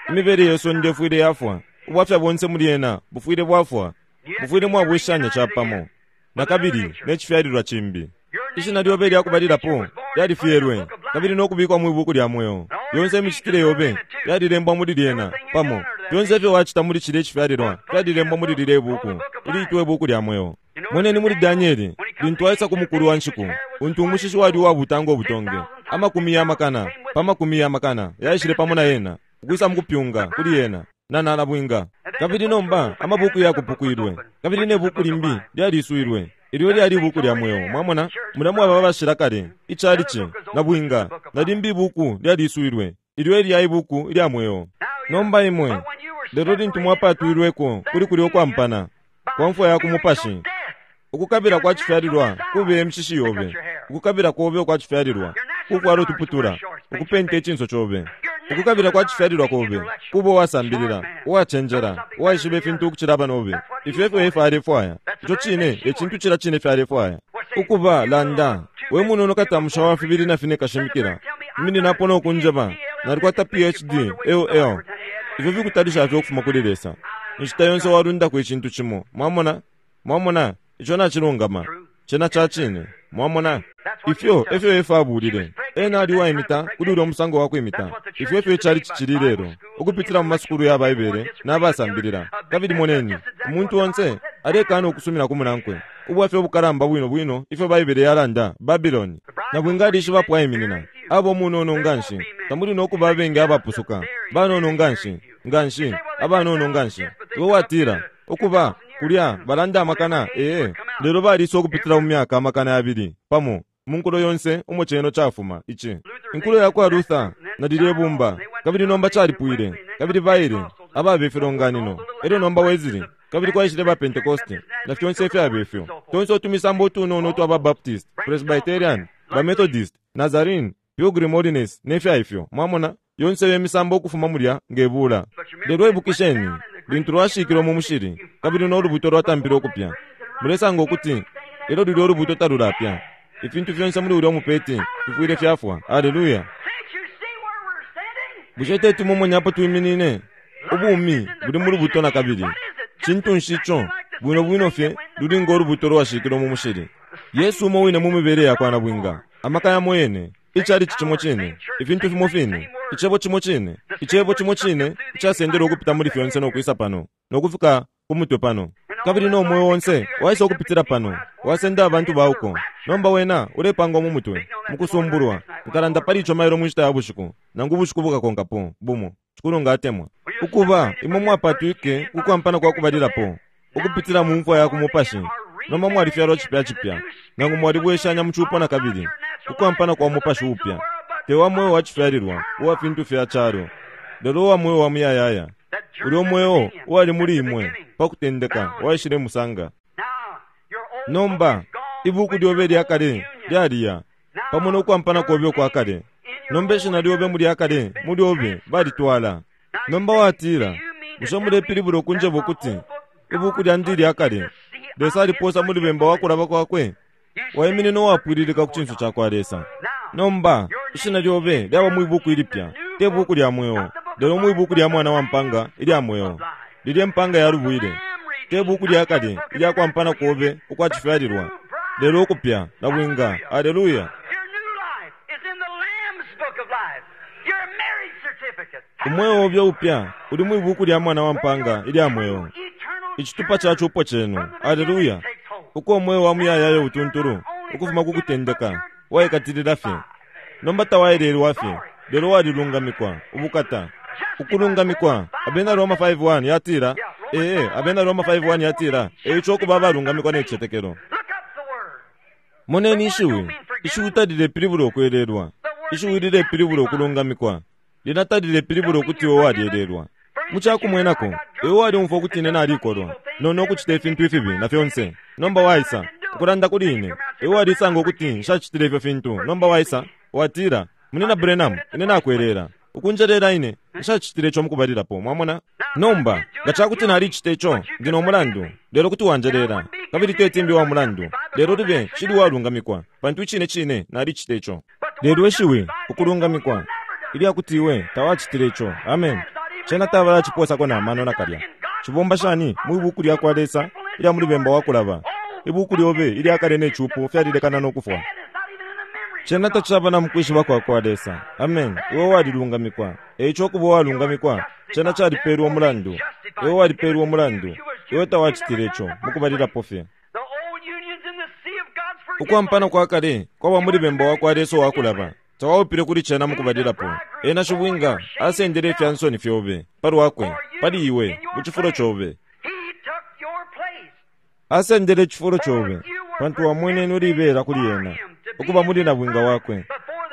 Imibele ye sonde ifwile yafwa. Ubwafya bonse muli ena bufwile bwafwa. Bufwile mwabwishanya capamo. Na kabili ne cifyalilwa cimbi. Ishina lyobe lyakubalilapo lyalifyelwe, kabili no kubikwa mwi buku lya mweo. Yonse imicitile yobe yalilembwa muli lyena pamo. Fyonse ifyo wacita muli cilya icifyalilwa fyalilembwa muli lilya ibuku, iliitwa ibuku lya mweo. Moneni muli Danieli, lintu aisa ku mukulu wa nshiku, untu umushishi wali uwabuta ngo butonge, amakumi ya makana pa makumi ya makana yaishile pamo na yena, ukwisa mukupyunga kuli yena na nalabwinga. Kabili nomba amabuku yakupukwilwe, kabili ne buku limbi lyaliswilwe, ilyo lyali ibuku lya mweo. Mwamona, mula mwaba abashila kale, icalici na bwinga, na limbi ibuku lyaliswilwe, ilyo lya ibuku lya mweo. Nomba imwe, lelo lintu mwapatwilweko kuli kulya ukwampana kwa mfwa ya kumupashi, ukukabila kwa cifyalilwa kube emishishi yobe, ukukabila kobe ukwa cifyalilwa kukwala utuputula, ukupenta icinso cobe. Ukukabila kwa cifyalilwa kobe kuba uwasambilila, uwacenjela, uwaishiba ifintu ukucila abanobe. Ifyo efyo Efa alefwaya. Ico cine ecintu cila cine ifyo alefwaya. Ukuba landa, we munono katamusha wa fibili na fine kashimikila, imininapo no kunjeba, nalikwata P H D, L L. Ifyo fikutalisha fye ukufuma kuli Lesa. Inshita yonse walundako icintu cimo. Mwamona? Mwamona? Ico nacilungama. Cena ca cine. Mwamona? Ifyo efyo Efa abulile. Ena ali uwaimita kuli ulya musango wa kwimita. Ifyo efyo icali cicili lelo, ukupitila mu masukulu ya Baibele n'abasambilila. Kabili moneni, umuntu onse alekana ukusumina ku munankwe. Ubwafya obukalamba bwino bwino ifyo Baibele yalanda, Babiloni. Na bwinga alishiba apo aiminina. Abo munono nganshi, tamuli no kuba abengi abapusuka. Banono nganshi, nganshi, abanono nganshi. Iwe watila, ukuba kulya balanda amakana, ee, lelo balisa ukupitila mu myaka amakana yabili pamo mu nkulo yonse umo ceno cafuma ici. Inkulo ya kwa Luther na lilye bumba, kabili nomba calipwile, kabili baile ababe ifilonganino, elyo nomba Wesley, kabili kwaishile ba Pentecoste na fyonse ifyaba ifyo. Tonse utumisambo utunono utwa ba Baptist, Presbyterian, ba Methodist, Nazarene, Pilgrim Holiness ne fya ifyo. Mwamona, yonse iyo misambo ukufuma mulya ngebula. Lelo ibukisheni, lintu lwashikilwe mu mushili, kabili no lubuto lwatampile ukupya. Mulesanga ukuti elyo lulya ulubuto talulapya. Ifintu fyonse muli ulya mupeti fifwile fyafwa. Haleluya! Can't you see where we're standing? Bushe teti mumonye apo twiminine? Ubumi buli mu lubuto na kabili. Cintu nshi ico? Bwino bwino fye luli ngo lubuto lwashikilwe mu mushili. Yesu umo wine mu mibele yakwa nabwinga, amaka yamo yene, icalici cimo cine, ifintu fimo fine, Icebo cimo cine, Icebo cimo cine icasendelwe ukupita muli fyonse no kwisa pano, no kufika ku mutwe pano. Kabili no mweo onse waisa ukupitila pano, wasenda abantu bauko. Nomba wena ulepangwa mu mutwe, mukusumbulwa. Nkalanda pali ico mailo mu nshita ya bushiku, nangu ubushiku bukakonkapo, bumo. Shikulu nga atemwa. Ukuba, imwe mwapatwike ku kwampana kwa kubalilapo, ukupitila mu mfwa ya ku mupashi. Nomba mwalifyalwa cipya cipya, nangu mwalibweshanya mu cupo na kabili, ku kwampana kwa mupashi upya. Te wa mweo wa cifyalilwa, uwa fintu fya calo, lelo uwa mweo wa muyayaya. Ulyo mweo uwali muli imwe pa kutendeka waishile musanga. Nomba, ibuku lyobe lya kale lyaliya, pamo no kwampana kobe ukwa kale. Nomba ishina lyobe muli akale, muli obe, balitwala. Nomba watila, bushe mulepilibula ukunjeba ukuti ibuku lyandi lya kale, Lesa aliposa muli bemba wa kulaba kwakwe? Waiminina uwapwililika ku cinso cakwa Lesa. Nomba, ishina lyobe lyaba mwi buku ilipya, te buku lya mweo, lelo mwi buku lya Mwana wa Mpanga ilya mweo. Lilye mpanga yalubwile, te buku lya kale ilya kwampana kobe ukwa cifyalilwa, lelo ukupya na bwinga. Aleluya! Umweo obe upya uli mwi buku lya Mwana wa Mpanga ilya mweo, icitupa ca cupo cenu. Aleluya! Uko umweo wa muyayaya utuntulu ukufuma ku kutendeka waikatilila fye. Nomba tawaelelwa fye, lelo walilungamikwa. Ubukata! Ukulungamikwa. Abena Roma five one yatila, ee, Abena Roma five one yatila, eico ukuba abalungamikwa ne cicetekelo. Moneni ishiwi. Ishiwi talilepilibula ukwelelwa. Ishiwi lilepilibula ukulungamikwa. Lyena talilepilibula ukuti iwe walyelelwa. Mu ca kumwenako, iwe walyumfwa ukuti ine nalikolwa, no, no kucita ifintu ifibi, na fyonse. Nomba waisa, ukulanda kuli ine, iwe walisanga ukuti nshacitile ifyo fintu. Nomba waisa, watila, Munina Branham, ine nakwelela. Ukunjelela ine, nshacitile ico mukubalilapo. Mwamona? Nomba, nga cakuti nalicita ico, ndi no mulandu, lelo kuti wanjelela. Kabili teti mbi wa mulandu, lelo libe nshili uwalungamikwa, pantu icine cine nalicita ico. Lelo ishiwi, ukulungamikwa, ilya kuti iwe tawacitile ico. Amen. Cena tabala ciposako na mano nakalya. Cibomba shani mwi buku lya kwa Lesa ilya muli bemba wa kulaba? Ibuku lyobe ilya kale ne cupo fyalilekana no kufwa. Cena tacaba na mukwishiba kwa kwa Lesa. Amen. Iwe walilungamikwa. Eico ukuba uwalungamikwa, cena calipelwa umulandu. Iwe walipelwa umulandu. Iwe tawacitile ico mukubalilapo fye. Ukwampana kwa kale kwaba muli bemba wa kwa Lesa uwa kulaba. Tawaupile kuli cena mukubalilapo. Ena shibwinga asendele ifya nsoni fyobe palwakwe, pali iwe, mu cifulo cobe. Asendele icifulo cobe, pantu wamwenene ulibela kuli ena, ukuba muli nabwinga wakwe.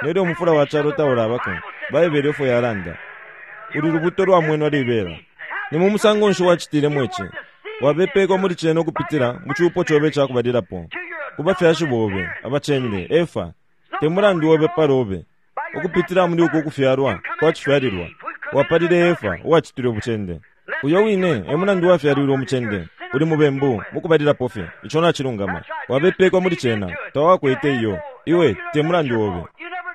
Nelyo umufula wa calo taulabako, Baibele efo yalanda. Uli lubuto lwa mwenwa libela. Ni mu musango nshi wacitilemo ici? Wabepekwa muli cena ukupitila mu cupo cobe ca kubalilapo, ku bafyashi bobe, abacende, Efa. Te mulandu obe palobe, ukupitila muli uku kufyalwa kwa cifyalilwa, wapalile Efa uwacitile ubucende. Uyo wine e mulandu wafyalilwe umucende. Uli mubembu mukubalilapo fye. Ico nacilungama. Wabepekwa muli cena, tawakwete iyo. Iwe te mulandu obe.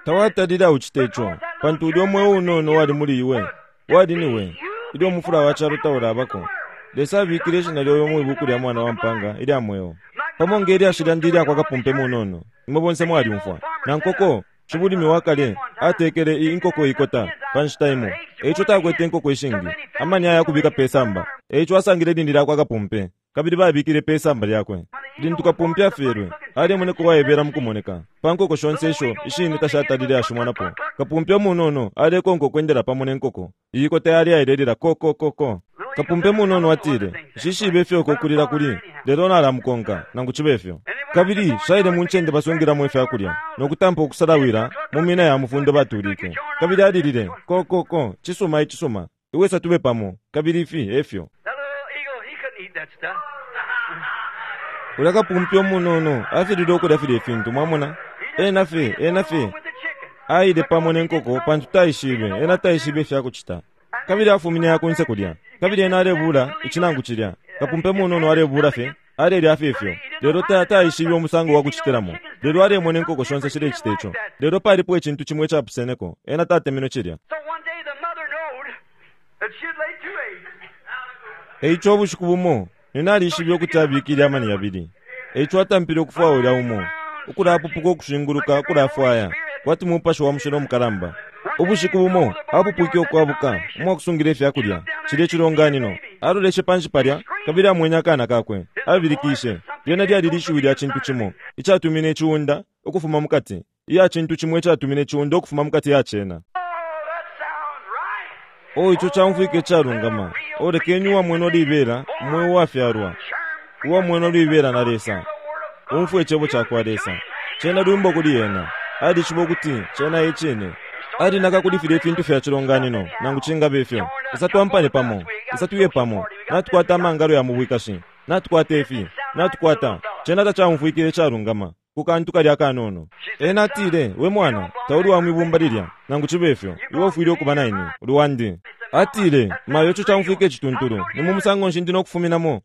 Tawatalile aucite ico, pantu ulyo mweo unono wali muli iwe, wali niwe, ilyo umufula wa calo taulabako. Lesa abikile ishina lyobe mwi buku lya Mwana wa Mpanga ilya mweo. Pamo nge lyashi lyandi ilya kwa kapumpe munono, imwe bonse mwalyumfwa. Na nkoko, shibulimi wa kale, atekele i inkoko ikota pa nshita imo. Eico takwete inkoko ishingi, amani aya kubika pe samba. Eico asangile ilindi lya kwa kapumpe, kabili babikile pe samba lyakwe. Lintu kapumpe afyelwe, alimoneka uwaibela mu kumoneka. Pa nkoko shonse isho ishini tashatalile ashimwanapo. Kapumpe munono alekonka ukwendela pamo ne nkoko. Iyi ikota yali ailelila ko ko ko ko. Kapumpe munono atile, nshishibe ifyo uko kulila kuli, lelo nalamukonka, nangu cibe ifyo. Kabili shaile mu ncende basungilamo ifya kulya, no kutampa ukusalawila mu mina ya mufundo batulike. Kabili alilile, ko ko ko, cisuma icisuma, iwesa tube pamo, kabili ifi efyo. Ulya kapumpe umunono afilile ukulya filya ifintu, mwamona? Ena fye, ena fye aile pamo ne nkoko pantu taishibe, ena taishibe ifya kucita. Kabili afumine ya kunse kulya. Kabili ena alebula icinangu cilya. Kapumpe munono alebula fye, alelya fye ifyo. Lelo ta, taishibe umusango wa kucitilamo. Lelo alemona inkoko shonse shilecita ico. Lelo palipo icintu cimo icapuseneko, ena tatemenwe cilya. So one day the mother knowed that she'd laid two eggs. Eico ubushiku bumo ninalishibe ukuti abikile amani yabili. Eico atampile ukufwaya ulya umo, ukulapupuka ukushinguluka ukulafwaya kwati mupashi wa mushilo mukalamba. Ubushiku bumo apupwike ukwabuka umwakusungila ifyakulya cilya icilonganino. Aloleshe panshi palya kabili amwene akana kakwe. Abilikishe. Lyena lyali lishiwi lya cintu cimo icatumine iciunda ukufuma mukati iya cintu cimo icatumine iciunda ukufuma mukati ya cena. O ico caumfwike icalungama. O lekeni uwamwene olibela umweo uwafyalwa uwamwene olibela na Lesa umfwe icebo cakwa Lesa. Cena lwimbo kuli ena. Alishiba ukuti cena e cine. Alinaka kuli filya ifintu fya cilonganino nangu cingabe ifyo. Isa twampane pamo, isa tuye pamo, natukwata amangalo ya mu bwikashi, natukwata ifi, natukwata. Cena tacaumfwikile icalungama ku kantu kalya kanono. Ena atile, we mwana, tauli wa mwibumba lilya, nangu cibe ifyo, iwe ufwile ukuba na ine, uli wandi. Atile, mayo ico caumfwike icituntulu, ni mu musango nshi ndi no kufuminamo?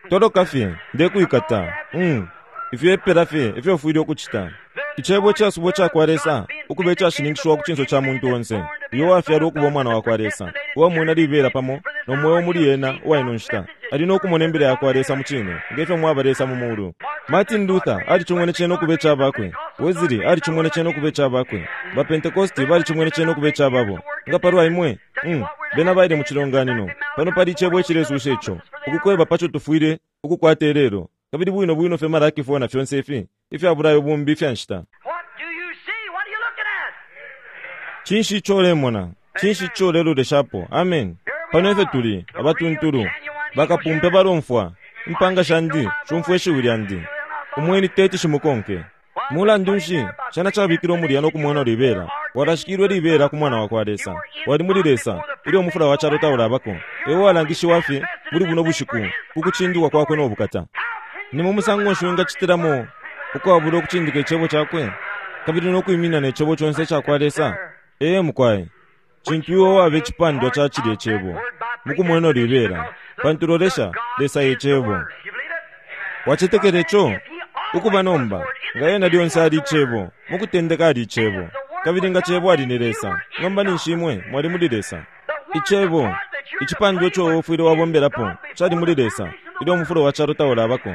Toloka fye, ndekuikata. Mm. Ifyo epela fye ifyo ufwile ukucita. Icebo icasubwa cakwa Lesa ukuba icashininkishiwa ku cinso ca muntu onse, uyo wafyalwa ukuba umwana wakwa Lesa, uwamwena libela pamo no mweo muli ena uwa ino nshita, ali no kumona imbila yakwa Lesa mu cine, ngefyo mwaba Lesa mu mulu. Martin Luther alicimwene cena ukuba icabakwe. Wesley alicimwene cena ukuba icabakwe. Ba Pentecosti balicimwene cena ukuba icababo. Nga palwa imwe, mm, bena baile mu cilonganino. Pano pali icebo icilesusha ico, ukukweba paco tufwile ukukwata ilelo. Kabili bwino bwino fye Malaki four na fyonse ifi ifya bulayo bumbi ifya nshita. Cinshi ico ulemona? Cinshi ico uleloleshapo? Amen. Pano efyo tuli abatuntulu bakapumpe balomfwa. Impanga shandi shumfwa ishiwi lyandi, umweni teti shimukonke. Mulandu nshi cena cabikilwe mulya no kumwena libela? Walashikilwe libela ku mwana wakwa Lesa. Wali muli Lesa ilyo umufula wa calo taulabako. Ewe walangishiwa fye muli buno bushiku ku kucindikwa kwakwe no bukata. Ni mu musango nshi wingacitilamo ukwabula ukucindika icebo cakwe kabili no kwimina ne cebo conse icakwa Lesa? Ee mukwai, cintu iwe waba icipandwa ca cilya icebo mukumwena libela, pantu lolesha, Lesa e cebo. Wacetekela ico? Ukuba nomba, nga ena lyonse ali icebo, mukutendeka ali icebo, kabili nga cebo ali ni Lesa, nomba ninshi imwe mwali muli Lesa. Icebo, icipandwa ico ufwile wabombelapo, cali muli Lesa ilyo umufulo wa calo taulabako.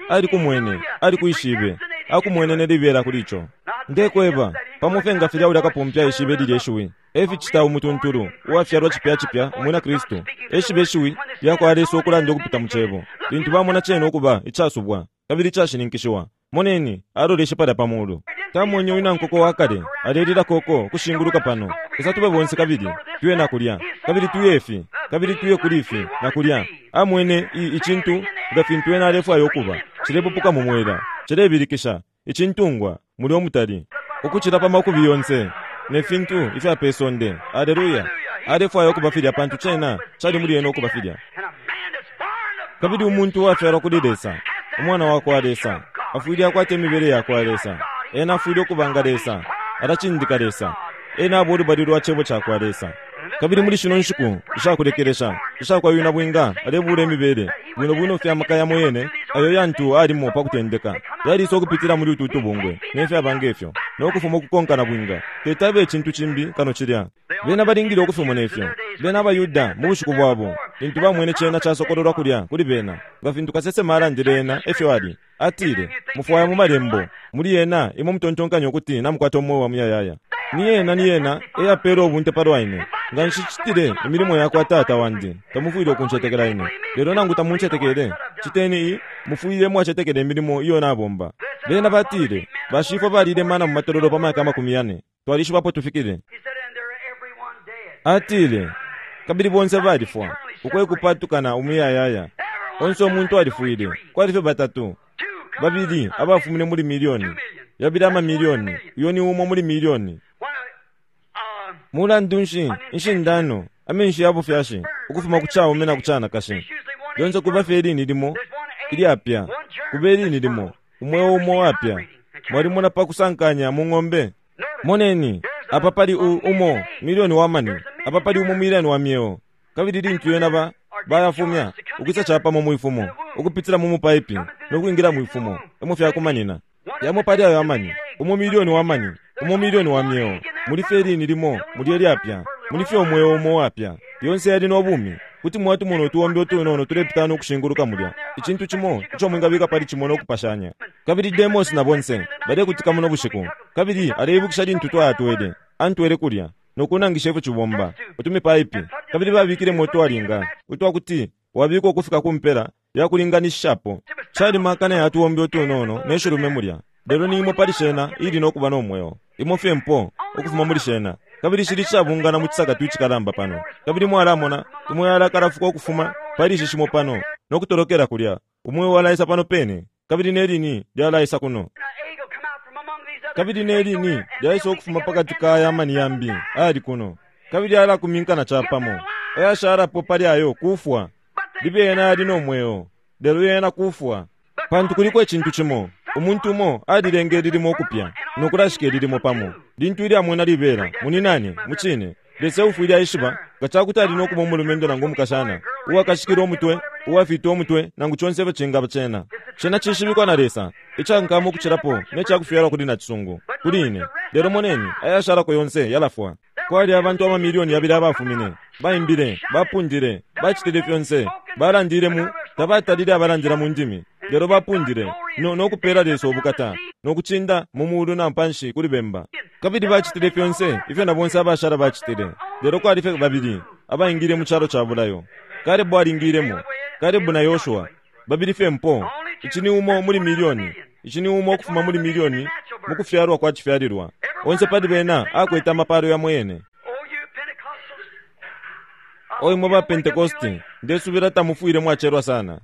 Ali kumwene, ali kuishibe, akumwene ne libela kuli ico. Ndekweba, pamo fye nga filya ulya kapumpe aishibe lilya ishiwi, eficita umutuntulu uwafyalwa cipya cipya umwina Kristu, eshibe ishiwi lyakwa Lesa ukulanda ukupita mu cebo, lintu bamona cena ukuba icasubwa kabili icashininkishiwa. Moneni, aloleshe palya pa mulu. Tamwenye uyu nankoko wa kale alelila koko kushinguluka pano. Isa tube bonse kabili tuye na kulya, kabili tuye ifi, kabili tuye kuli ifi na kulya. Amwene i icintu nga fintu ena alefwaya ukuba, cilepupuka mu mwela, cilebilikisha, icintungwa muli omutali ukucila pa makubi yonse ne fintu ifya pe sonde. Aleluya! Alefwaya ukuba filya pantu cena cali muli ena ukuba filya. Kabili umuntu uwafyalwa kuli Lesa, umwana wakwa Lesa, afwile akwata imibele yakwa Lesa. Ena afwile ukuba nga Lesa, alacindika Lesa. Ena aba ulubali lwa cebo cakwa Lesa. Kabili muli shino nshiku ishakulekelesha ishakwa yuna bwinga alebula imibele bwino bwino fye amaka yamo yene ayo yantu alimo pa kutendeka yalisa ukupitila muli utu tubungwe ne fyaba ngefyo no kufuma ukukonkana bwinga tetabe icintu cimbi kano cilya. Bena balingile ukufimona ifyo. Bena abaYuda mu bushiku bwabo lintu bamwene cena casokololwa kulya kuli bena, nga fintu kasesema alandile ena efyo ali. Atile, mufwaya mu malembo muli ena imwe mutontonkanya ukuti namukwata umweo wa muyayaya. Ni ena ni ena eyapela ubunte palwa ine. Nga nshicitile imilimo yakwa Tata wandi, tamufwile ukuncetekela ine. Lelo nangu tamuncetekele, citeni i mufwile mwacetekela imilimo iyo nabomba. Bena batile, bashifwe balile mana mu matololo pa myaka amakumi yane, twalishibapo tufikile. Atile, kabili bonse balifwa, uko ekupatukana umuyayaya. Onse umuntu alifwile, kwali fye batatu, babili abafumine muli milioni, yabili ama milioni, uyo ni umo muli milioni. Mulandu nshi inshindano amenshi ya bufyashi ukufuma ku caume na ku canakashi lyonse kuba fye ilini limo ilyapya, kuba ilini limo umweo umo wapya. Mwalimona pa kusankanya mu ng'ombe? Moneni, apa pali umo milioni wa mani, apa pali umo milioni wa myeo. Kabili lintu yena ba bayafumya ukwisa capamo mwifumo ukupitila mu mupaipi no kwingila mwifumo emo fyakumanina yamo pali ayo amani, umo milioni wa mani, umo milioni wa myeo. Muli fye ilini limo muli elyapya, muli fye umweo umo wapya. Yonse yali no bumi, Kuti mwatumona utuombe utunono tulepitana nokushinguluka mulya, icintu cimo ico mwingabika pali cimo nokupashanya. Kabili Demos na bonse balekutika muno bushiku, kabili aleibukisha lintu twayatwele, antwele kulya nokunangisha ifyo cibomba utumipaipi, kabili babikilemo utwalinga utwakuti wabikwa ukufika ku mpela yakulinganishapo. Cali makana ya tuombe utunono ne shilume mulya, lelo ni imo pali shena ili nokuba no mweo, imo fye mpo ukufuma muli shena. Kabili shili cabungana mu cisakatu icikalamba pano, kabili mwalamona umweyo alakalafuka ukufuma pali ishi shimo pano nokutolokela kulya. Umweyo walaisa pano pene, kabili ne lini lyalaisa kuno, kabili ne lini lyaisa ukufuma pakati ka aya mani yambi ayali kuno, kabili alakuminkana capamo. Ayashalapo pali ayo kufwa, libe yena ali no mweo, lelo yena kufwa. Pantu kuliko icintu cimo, umuntu umo alilenge lilimo ukupya nokulashika lilimo pamo. Lintu ilya mwena libela muninani mucine Lesa ufwile aishiba nga cakuti ali nokuba umulumendo nangu umukashana uwakashikila umutwe, uwafita umutwe, nangu conse ifyo cingaba cena. Cena cishibikwa na Lesa, icankama ukucilapo ne cakufyalwa kuli nacisungu kuli ine. Lelo moneni ayashalako yonse yalafwa. Kwali abantu amamilioni yabili abafumine, baimbile, bapundile, bacitile fyonse, balandile mu tabatalile abalandila mu ndimi, lelo bapundile no nokupela Lesa ubukata nokucinda mu mulu na panshi kuli bemba. Kabili bacitile fyonse ifyo na bonse abashala bacitile, lelo kwali fye babili abaingile mu calo ca bulayo. Kalebu alingilemo, Kalebu na Yoshua babili fye mpo. Ici ni umo muli milioni, ici ni umo ukufuma muli milioni mu kufyalwa kwa cifyalilwa. Onse pali bena akwete amapalo yamo yene. Oyi mwe ba Pentekosti, ndesubila tamufwile mwacelwa sana.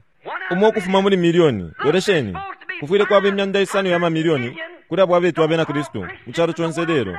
Umo ukufuma muli milioni, lolesheni, kufwile kwaba imyanda isano ya mamilioni kuli abo abetwa abena Kristu mu calo conse lelo.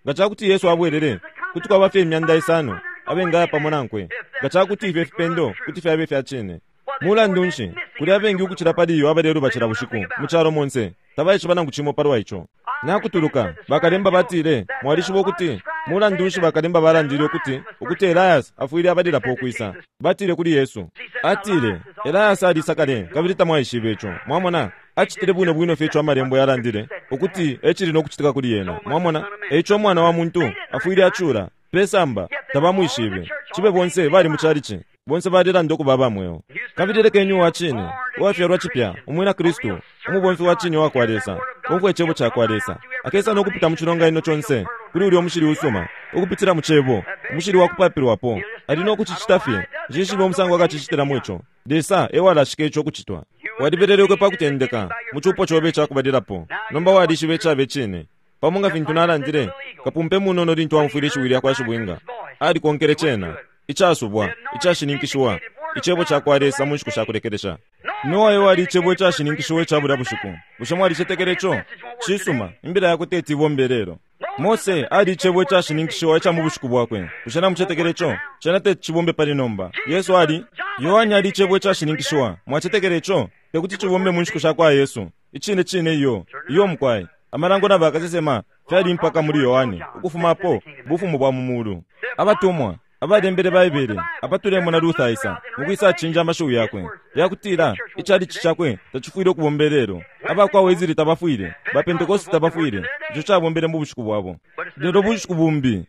Nga cakuti Yesu abwelele, kuti kwaba fye imyanda isano abengaya pamo nankwe. Nga cakuti ifyo ifipendo kuti fyaba ifya cine. Mulandu nshi kuli abengi ukucila pali iyo abaleluba cila bushiku mu calo monse, tabaishiba nangu cimo palwa ico. Nakutuluka bakalemba batile, mwalishiba ukuti mulandu nshi bakalemba balandile ukuti ukuti Elias afwile abalilapo ukwisa. Batile kuli Yesu, atile Elias alisa kale kabili tamwaishibe ico. Mwamona, acitile bwino bwino fye ico amalembo yalandile ukuti ecili nokucitika kuli yena. Mwamona, eico umwana wa muntu afwile acula pesamba, tabamwishibe. Cibe bonse bali mu calici, bonse balilanda ukuba abamweo. Kabili lekeni uwa cine, uwafyalwa cipya, umwina Kristu, umubomfi wa cine wakwa Lesa, umfwe icebo cakwa Lesa, akesa nokupita mu cilonganino conse kuli ulya umushili usuma, ukupitila mu cebo, umushili wakupapilwapo. Ali nokucicita fye, nshishibe umusango akacicitilamo ico. Lesa ewalashika ico ukucitwa. Walibelelekwe pa kutendeka mu cupo cobe icakubalilapo, nomba walishiba icabe cine. Pamo nga fintu nalandile, kapumpe munono lintu amfwile ishiwi lyakwa shibwinga, alikonkele cena icasubwa, icashininkishiwa, icebo cakwa Lesa mu nshiku shakulekelesha. Noa ewali icebo icashininkishiwa ica bulya bushiku. Bushe mwalicetekele ico? Cisuma, imbila yakwe teti ibombe lelo. Mose ali icebo icashininkishiwa ica mu bushiku bwakwe. Bushe namucetekele ico? Cena teti cibombe pali nomba. Yesu ali, Yohane ali icebo icashininkishiwa. Mwacetekele ico? Tekuti cibombe mu nshiku shakwa Yesu. Icine cine iyo, iyo mukwai. Amalango na bakasesema fyali mpaka muli Yohane, ukufumapo bufumu bwa mu mulu. Abatumwa abalembele Baibele apatulemona Luther aisa mukwisa cinja amashiwi yakwe yakutila icalici cakwe tacifwile ukubomba lelo. Abakwa Wesley tabafwile, ba Pentecost tabafwile, ico cabombele mu bushiku bwabo. Lelo bushiku bumbi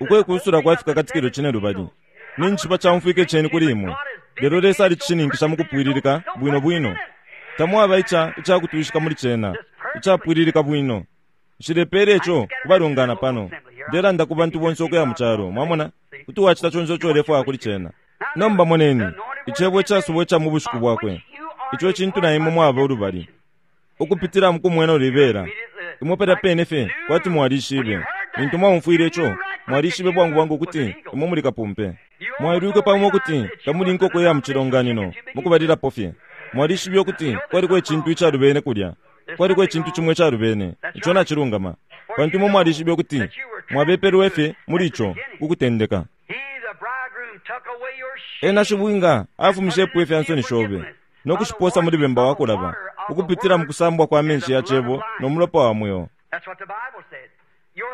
ukwekusula kwafika katikilo cine lubali. Ninshi camfwike ceni kuli imwe, lelo Lesa alicishininkisha mukupwililika bwino bwino. Tamwaba ica icakutwishika muli cena, icapwililika bwino. Nshilepele ico kubalungana pano. Ndelanda ku bantu bonse ukuya mu calo, mwamona, kuti wacita conse ico ulefwaya kuli cena. Nomba moneni, icebo icasubwa ica mu bushiku bwakwe, ico cintu na imwe mwaba ulubali, ukupitila mu kumwena ulibela. Imwe palya pene fye kwati mwalishibe. Lintu mwaumfwile ico, mwalishibe bwangu bwangu ukuti imwe muli kapumpe. Mwailwike pamo ukuti tamuli nkoko ya mu cilonganino mukubalilapo fye. Mwalishibe ukuti kwaliko icintu icalubene kulya, kwaliko icintu cimwe icalubene, ico nacilungama. Pantu imwe mwalishibe ukuti mwabepelwe fye muli ico kukutendeka. Ena shibwinga afumishepo ifya nsoni shobe nokushiposa muli bemba wakulaba, ukupitila mu kusambwa kwa menshi ya cebo no mulopa wa mweo.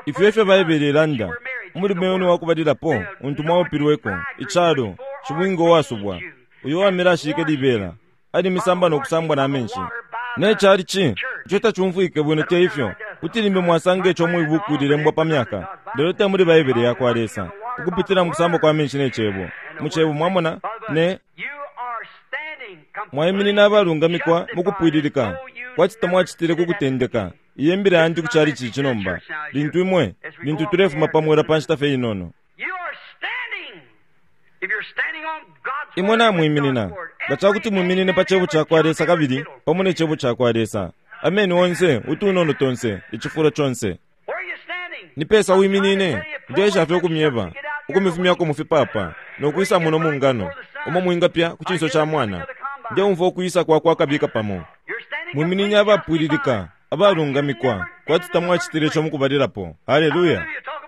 Ifyo efyo Baibele ilanda, umulume wenu wakubalilapo untu mwaupilweko, icalo, shibwinga uwasubwa, uyo wamilashike libela, ali misamba nokusambwa na menshi. Ne calici, ico tacumfwike bwino te ifyo, kuti limbi mwasanga ico mwibuku lilembwa pa myaka, lelo te muli Baibele yakwa Lesa, ukupitila mu kusambwa kwa menshi ne cebo, mu Cebo, mwamona, ne mwaiminina abalungamikwa mukupwililika kwati tamwacitile kukutendeka. Iye mbila yandi kuchali chichi nomba, lintu imwe lintu tulefuma pamwela pa nshita fye inono. Imwe namwiminina nga cakuti mwiminine pa Cebo cakwa Lesa kabili pamo ne Cebo cakwa Lesa. Ameni onse, utunono tonse, icifulo conse. Ni pesa wiminine, ndesha fye ukumyeba, ukumifumyako mufipapa, nokwisa muno mu ngano, umo mwingapya ku cinso ca mwana. Ndeumfwa ukwisa kwa kwa kabika pamo. Mwiminine abapwililika, abalungamikwa, kwati tamwacitile ico mukubalilapo. Haleluya!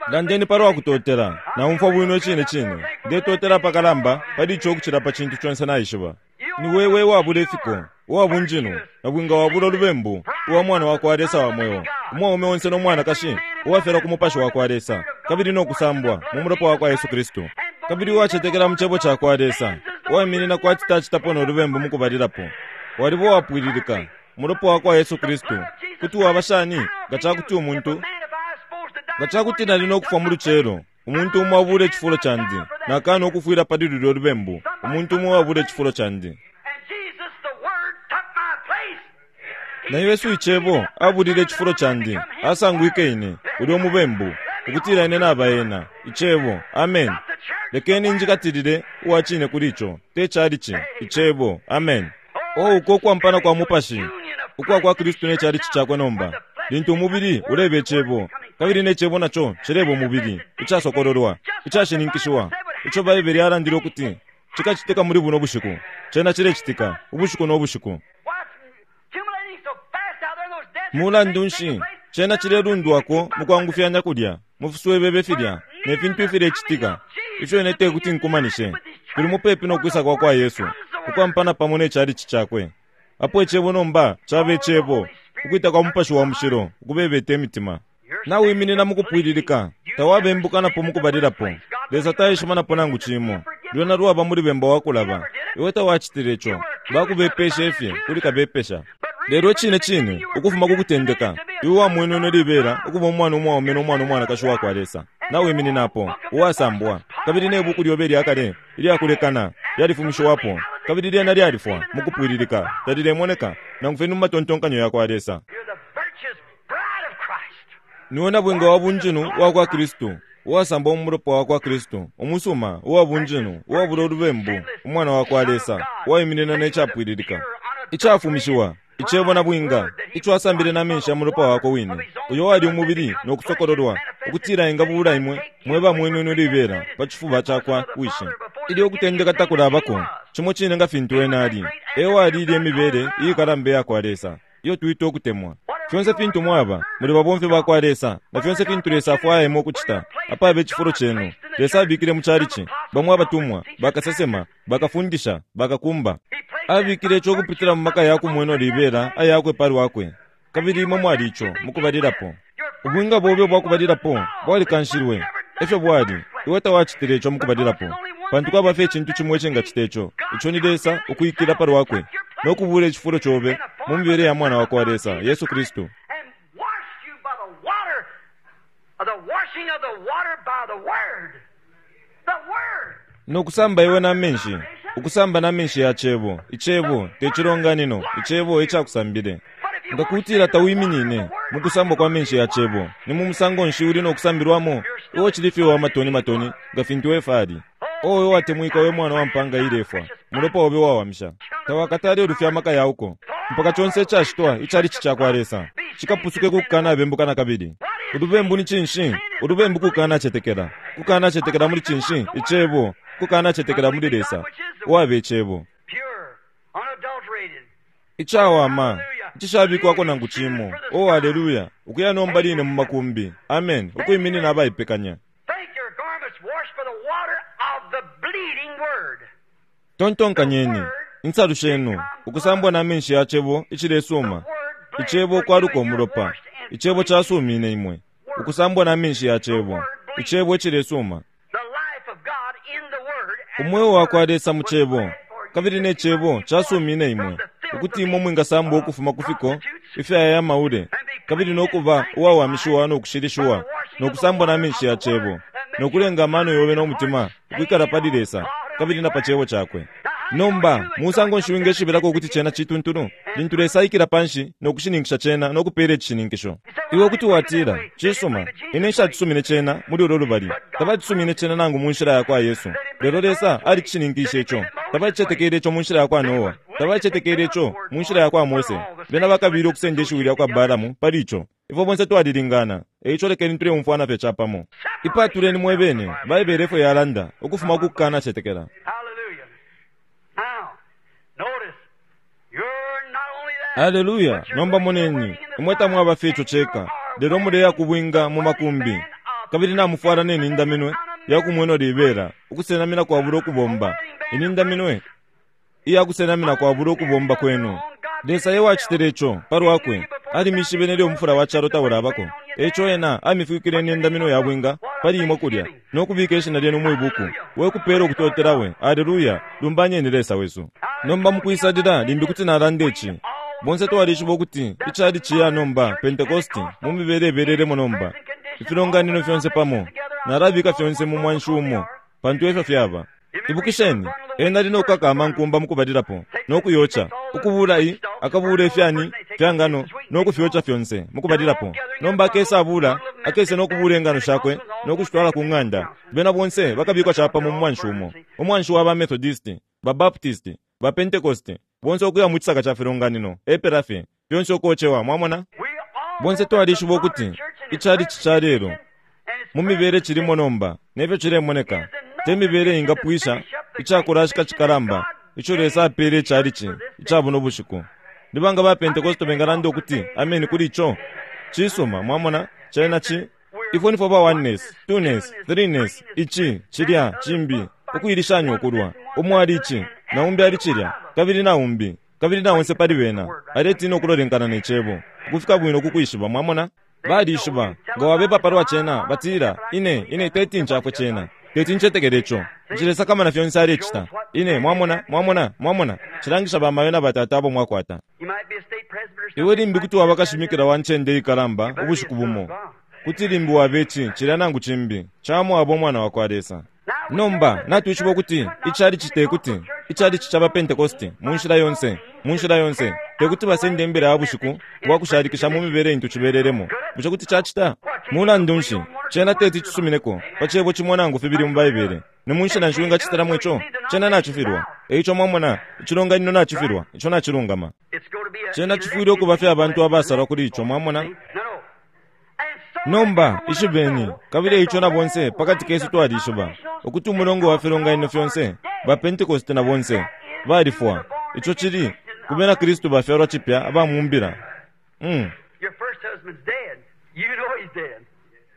Landeni palwa kutotela, naumfwa bwino icine cine. Ndetotela apakalamba pali ico ukucila pa cintu conse naishiba. Ni wewe wabula ifiko, uwabunjinu, na bwinga wabula lubembu, uwa mwana wa kwa Lesa wa mweo, umwaume onse no mwanakashi, uwafyalwa ku mupashi wa kwa Lesa, kabili no kusambwa mu mulopa wa kwa Yesu Kristu. Kabili uwacetekela mu Cebo ca kwa Lesa, uwaiminina kwati tacitapo no lubembu mukubalilapo. Waliba uwapwililika, mulopa wa kwa Yesu Kristu. Kuti waba shani nga cakuti umuntu nga cakuti nali no kufwa mu lucelo, umuntu umo abule icifulo candi, nakana ukufwila pali lulyo lubembu, umuntu umo abule icifulo candi. Na Yesu Icebo abulile icifulo candi, asangwike ine, ulyo mubembu, ukutila ine naba ena, Icebo, amen. Lekeni njikatilile uwa cine kuli ico, te chalichi, Icebo, amen. O uko kwampana kwa mupashi, ukwa kwa Kristu ne chalichi cakwe nomba, lintu umubili ulebe Icebo, kabili ne Cebo naco cileba umubili, icasokololwa, icashininkishiwa, ico Baibele yalandile ukuti cikacitika muli buno bushiku, cena cilecitika, ubushiku no bushiku. Mulandu nshi, cena cilelundwako mukwangufyanya kulya, mufiswebebe filya, ne fintu ifilecitika, ifyo ine tekuti nkumanishe, tuli mupepi no kwisa kwa kwa Yesu, ukwampana pamo ne chalichi cakwe. Apo Icebo nomba caba Icebo, ukwita kwa mupashi wa mushilo, ukubebeta imitima. Nawiminina mukupwililika, tawabembukanapo mukubalilapo. Lesa taishimanapo nangu cimo. Lwena lwaba muli bemba wakulaba. Iwe tawacitile ico, bakubepesha ifye kuli kabepesha. Lelo cine cine, ukufuma kukutendeka, iwe wamwenwe libela ukuba umwana umwaume no mwana umwanakashi wa kwa Lesa. Nawimininapo, uwasambwa, kabili ne buku lyobe lyakale, ilyakulekana, lyalifumishiwapo, kabili lyena lyalifwa mukupwililika, talilemoneka, nangu fye mu matontonkanyo ya kwa Lesa. Niwe na bwinga wa bunjinu wa kwa Kristu, uwasambwa mu mulopa wa kwa Kristu, umusuma, uwa bunjinu, uwabula ulubembu, umwana wa kwa Lesa, uwaiminina ne capwililika, icafumishiwa, Icebo na bwinga, ico asambile na menshi ya mulopa wako wine, uyo wali umubili no kusokololwa, ukutila ingabula imwe, mweba mwenwe libela, pa cifuba cakwa wishi. Ilyo ukutendeka takulabako, cimo cine nga fintu ena ali, ewo alile imibele iyikalamba ya kwa Lesa, iyo twita ukutemwa. Fyonse fintu mwaba, muli babomfi ba kwa Lesa, na fyonse fintu Lesa afwaya imwe ukucita, apabe icifulo cenu. Lesa abikile mu chalichi, bamwe abatumwa, bakasesema, bakafundisha, bakakumba. Abikile ico ukupitila mu maka yakumweno libela ayakwe palwakwe. Kabili imwe mwali ico mukubalilapo. Ubwinga bobe bwakubalilapo bwalikanshilwe, efyo bwali, iwe tawacitile ico mukubalilapo. Pantu kwaba fye icintu cimo icingacita ico, ico ni Lesa ukuikila palwakwe, no kubula icifulo cobe mu mibele ya mwana wa kwa Lesa, Yesu Kristu. No kusamba iwe na menshi, ukusamba na menshi ya Cebo, Icebo te cilonganino, Icebo ecakusambile. Nga kutila tawiminine mukusambwa kwa menshi ya Cebo, ni mu musango nshi uli no kusambilwamo, iwe cili fye wa matoni matoni, nga fintu efali. Owe watemwika we mwana wa mpanga ilefwa, mulopa obe wawamisha. Tawakatale ulufya amaka yauko, mpaka conse icacitwa icalichi cakwa Lesa, cikapusuke kukana bembuka na kabili. Ulubembu ni cinshi? Ulubembu kukana cetekela. Kukana cetekela muli cinshi? Icebo. Kukana cetekela muli Lesa, uwabe Icebo. Icawama, icishabikwako nangu cimo. Oh, haleluya! Ukuya nomba line mu makumbi. Amen. Ukwiminina abaipekanya. Tontonkanyeni, insalu shenu, ukusambwa na menshi ya Cebo icilesuma, Icebo kwaluka umulopa, Icebo casumine imwe, ukusambwa na menshi ya Cebo, Icebo icilesuma. Umweo wa kwa Lesa mu Cebo, kabili ne Cebo casumine imwe, ukuti imwe mwingasambwa ukufuma ku fiko ifyaya maule, kabili no kuba uwawamishiwa no kushilishiwa, no kusambwa na menshi ya Cebo, no kulenga amano yobe no mutima ukwikala pali Lesa, kabili na pa Cebo Cakwe. Nomba, musango nshi wingeshibirako ukuti cena cituntulu? Lintu Lesa aikila panshi no kushininkisha cena no kupela icishininkisho. Iwe kuti watila, cisuma, ine nshacisumine cena muli ulo lubali. Tabacisumine cena nangu mu nshila yakwa Yesu. Lelo Lesa alicishininkishe ico. Tabacicetekele ico mu nshila yakwa Noa. Tabacicetekele ico mu nshila yakwa Mose. Bena bakabile ukusenda ishiwi lyakwa Balamu pali ico. Ifwe bonse twalilingana. Eico lekeni tuleumfwana fye capamo. Ipatuleni mwebene, Baibele efyo yalanda, ukufuma ku kukanacetekela. Hallelujah. Now, notice, you're not only that, Haleluya! but you're Nomba going to the moneni, wedding in the imwe tamwaba fye ico ceka, lelo muleya kubwinga mu makumbi, kabili namufwala ne nindaminwe yakumweno libela, ukusenamina kwabula ukubomba. Inindaminwe iyakusenamina kwabula ukubomba kwenu. Lesa ye wacitile ico palwakwe, alimishibe nelyo umufula wa calo taulabako. Eico ena amifikile inindaminwe ya bwinga pali imwe kulya, no kubika ishina lyenu mwibuku. We kupela ukutotela we. Haleluya! Lumbanyeni Lesa wesu. Nomba mukwisalila limbi kuti nalanda ici. Bonse twalishiba ukuti icali ciya nomba Pentecosti mu mibele ibelelemo nomba. Ifilonganino fyonse pamo nalabika fyonse mu mwanshi umo, pantu efyo fyaba. Ibukisheni, ena ali no kukaka amankumba mukubalilapo no kuyoca, ukubula i akabula ifyani fya ngano no kufyoca fyonse mukubalilapo. Nomba akesa abula, akese no kubula ingano shakwe no kushitwala ku ng'anda. Bena bonse bakabikwa capamo mu mwanshi umo. Umwanshi wa ba Methodist, ba Baptist, ba Pentecost, bonse ukuya mu cisaka ca filonganino, epela fye, fyonse ukocewa, mwamona? We all Bonse know that the twalishiba modern ukuti church in its icali ca lelo present and its mu mibele present cilimo nomba nefyo cilemoneka te mibele ingapwisha icakulashika cikalamba ico Lesa apele icalici ica buno bushiku. Nibanga ba Pentecost bengalanda ukuti ameni kuli ico? Cisuma, mwamona, cena ci ifwe nifwe ba oneness, twoness, threeness, ici, cilya, cimbi, ukuilishanya ukulwa. Umo ali ici, na umbi ali cilya, kabili na umbi, kabili na onse pali bena aletina ukulolenkana ne cebo, ukufika bwino kukwishiba, mwamona? Balishiba, nga wabepa palwa cena, batila, ine, ine teti ncafwe cena, teti ncetekele ico, ncilesakamana fyonse alecita. Ine, mwamona, mwamona, mwamona, cilangisha bamayo na batata abo mwakwata. You might be a state president or Iwe something. limbi kuti waba kashimikila wa ncende ikalamba ubushiku bumo, kuti limbi wabe ici, cilya nangu cimbi, camwaba umwana wakwa Lesa. Nomba natwishiba ukuti icali cite kuti icali caba Pentecosti mu nshila yonse, mu nshila yonse tekuti basende imbila ya bushiku bwa kushalikisha mu mibele intu cibelelemo. Bushe kuti cacita? Mulandu nshi cena teti cisumineko pa cebo cimo nangu fibili mu Baibele? Ni mu nshila nshi wingacitilamo ico? Cena nacifilwa. Eico mwamona, icilonganino nacifilwa, ico nacilungama. It's going to be a Cena cifwile ukuba fye abantu abasalwa kuli ico, mwamona? No, no. And so Nomba everyone ishibeni, knows kabili that eico the na bonse whole pakati kesu range of twalishiba ukuti umulongo wa filonganino fyonse ba Pentecost na bonse balifwa. Ico cili ku bena Kristu bafyalwa cipya abamumbila. Mm. Your first husband's dead. You know he's dead.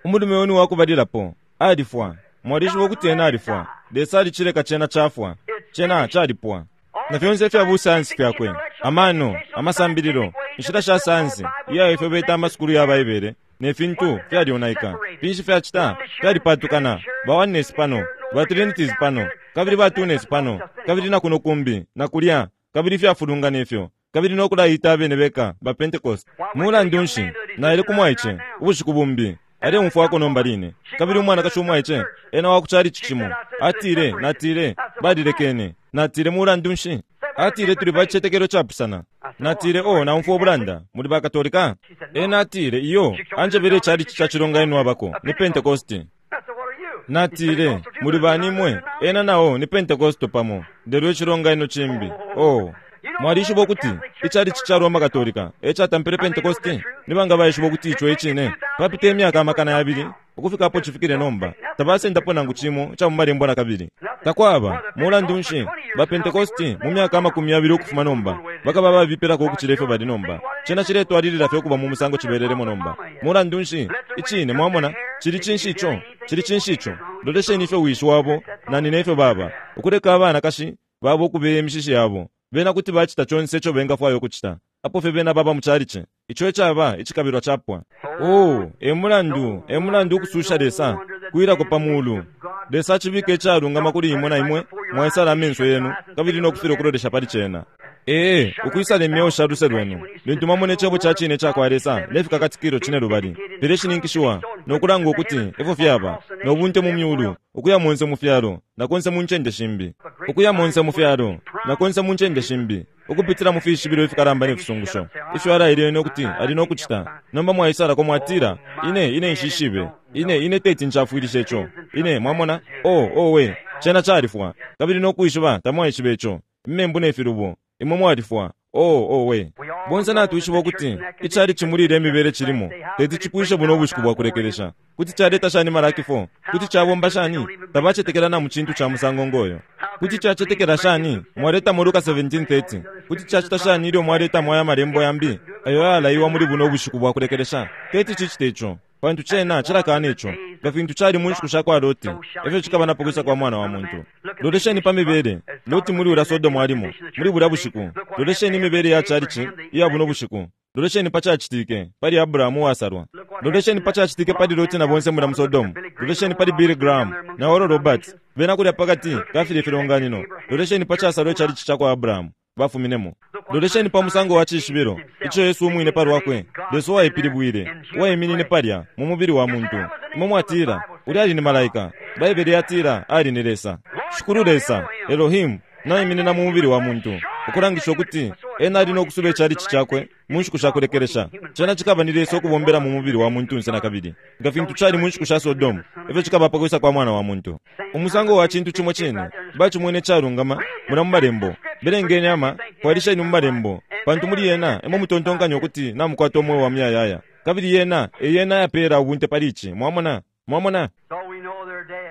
Umulume wenu wakubalilapo alifwa. Mwalishiba ukuti ena alifwa. Lesa alicileka cena cafwa, cena calipwa. Na fyonse ifya busayansi fyakwe, amano, amasambililo, inshila sha sayansi iya ifyo beta amasukulu ya Baibele ne fintu fyalionaika. Finshi fyacita? Fyalipatukana. Ba oneness pano, ba trinities pano, kabili ba twoness pano, kabili na kuno kumbi, na kulya, kabili fyafulungana ifyo, kabili no kulaita abene beka ba Pentecost. Mulandu nshi naile ku mwaice ubushiku bumbi, aleumfwako nomba line, kabili umwanakashi umwaice ena wa kucali cimo atile, natile balilekene. Natile mulandu nshi? Atile tuli pa cicetekelo capusana. Natile o naumfwa ubulanda, muli ba Katolika? Ena atile iyo, anjebele icali ca cilonganino abako ni Pentecosti. I said, what are you? Natile muli bani imwe? Ena nao ni Pentecosto pamo, lelo icilonganino cimbi. Oh, mwalishiba ukuti icali ca Roma Katolika ecatampile Pentecosti? Ni banga baishiba ukuti ico icine? Papita imyaka amakana yabili ukufika apo cifikile nomba, tabasendapo nangu cimo ica mu malembo na kabili. Takwaba. Mulandu nshi ba Pentecosti mu myaka amakumi yabili ukufuma nomba bakaba babipilako ukucila ifyo bali nomba? Cena ciletwalilila fye ukuba mu musango cibelelemo nomba. Mulandu nshi icine, mwamona, cili cinshi ico? Cili cinshi ico? Lolesheni ifyo wishi wabo na nina ifyo baba, ukuleka abanakashi babo ukubeya imishishi yabo. Bena kuti bacita conse ico bengafwaya ukucita, apo fye bena baba mu calici. Ico ecaba icikabilwa capwa. Oh, e mulandu, e mulandu ukususha Lesa kwilako pa mulu. Lesa acibika icalungama kuli imwe na imwe mwaisala amenso yenu kabili no kufila ukulolesha pali cena. Ee, ukwisala imyeo sha luse lwenu lintu mwamona icebo ca cine cakwa Lesa ne Fikakatikilo Cinelubali fileshininkishiwa no kulanga ukuti efyo fyaba, no bunte mu myulu, ukuya monse mu fyalo na konse mu ncende shimbi, ukuya monse mu fyalo na konse mu ncende shimbi, ukupitila mu fishibilo ifikalamba ne fisungusho ifyo alaile ene ukuti ali no kucita. Nomba mwaisalako mwatila, Ine, ine nshishibe. Ine, ine teti ncafwilishe ico. Ine, mwamona? Oh, owe, cena califwa. Kabili no kwishiba tamwaishiba ico. Imembu ne filubo, imwe mwalifwa. Oh, owe. Bonse natwishiba ukuti icalici muli ilya mibele cilimo teti cipwishe buno ubushiku bwa kulekelesha. Kuti caleta shani Malaki four? Kuti cabomba shani? Tabacetekela na mu cintu ca musango ngoyo. Kuti cacetekela shani mwaletamo Luka seventeen thirty? Kuti cacita shani ilyo mwaletamo aya malembo yambi ayo ayalaiwa muli buno ubushiku bwa kulekelesha? Teti cicite ico, pantu cena cilakana ico. Nga fintu cali mu nshiku sha kwa Loti, efyo cikaba na pakwisa kwa Mwana wa Muntu. Lolesheni pa mibele Loti muli ulya Sodomu alimo muli bulya bushiku. Lolesheni imibele ya chalichi iya buno bushiku. Lolesheni pa cacitike pali Abrahamu uwasalwa. Lolesheni pa cacitike pali Loti na bonse mulya mu Sodomu. Lolesheni pali Billy Graham na Oral Roberts, bena kulya pakati ka filya ifilonganino. Lolesheni pa casalwa icalichi ca kwa Abrahamu bafuminemo. Lolesheni pa musango wa cishibilo ico Yesu umwine pa lwakwe, Lesa uwaipilibwile, uwaiminine palya mu mubili wa muntu. Imwe mwatila, Ulya ali ni malaika. Baibele yatila ali ni Lesa. Shikulu Lesa, Elohim, naiminina mu mubili wa muntu, ukulangisha ukuti ena ali no kusuba icalici cakwe mu nshiku sha kulekelesha. Cena cikaba ni Lesa ukubombela mu mubili wa muntunse na kabili, nga fintu cali mu nshiku sha Sodomu, efyo cikaba pa kwisa kwa Mwana wa Muntu. Umusango wa cintu cimo cine, bacimwene icalungama mulya mu Malembo. Belengeni ama, fwailisheni mu Malembo, pantu muli yena emo mutontonkanya ukuti namukwata umweo wa muyayaya. Kabili yena e yena ayapeela ubunte pali ici. Mwamona? Mwamona?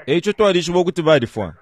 E ico twalishiba ukuti balifwa.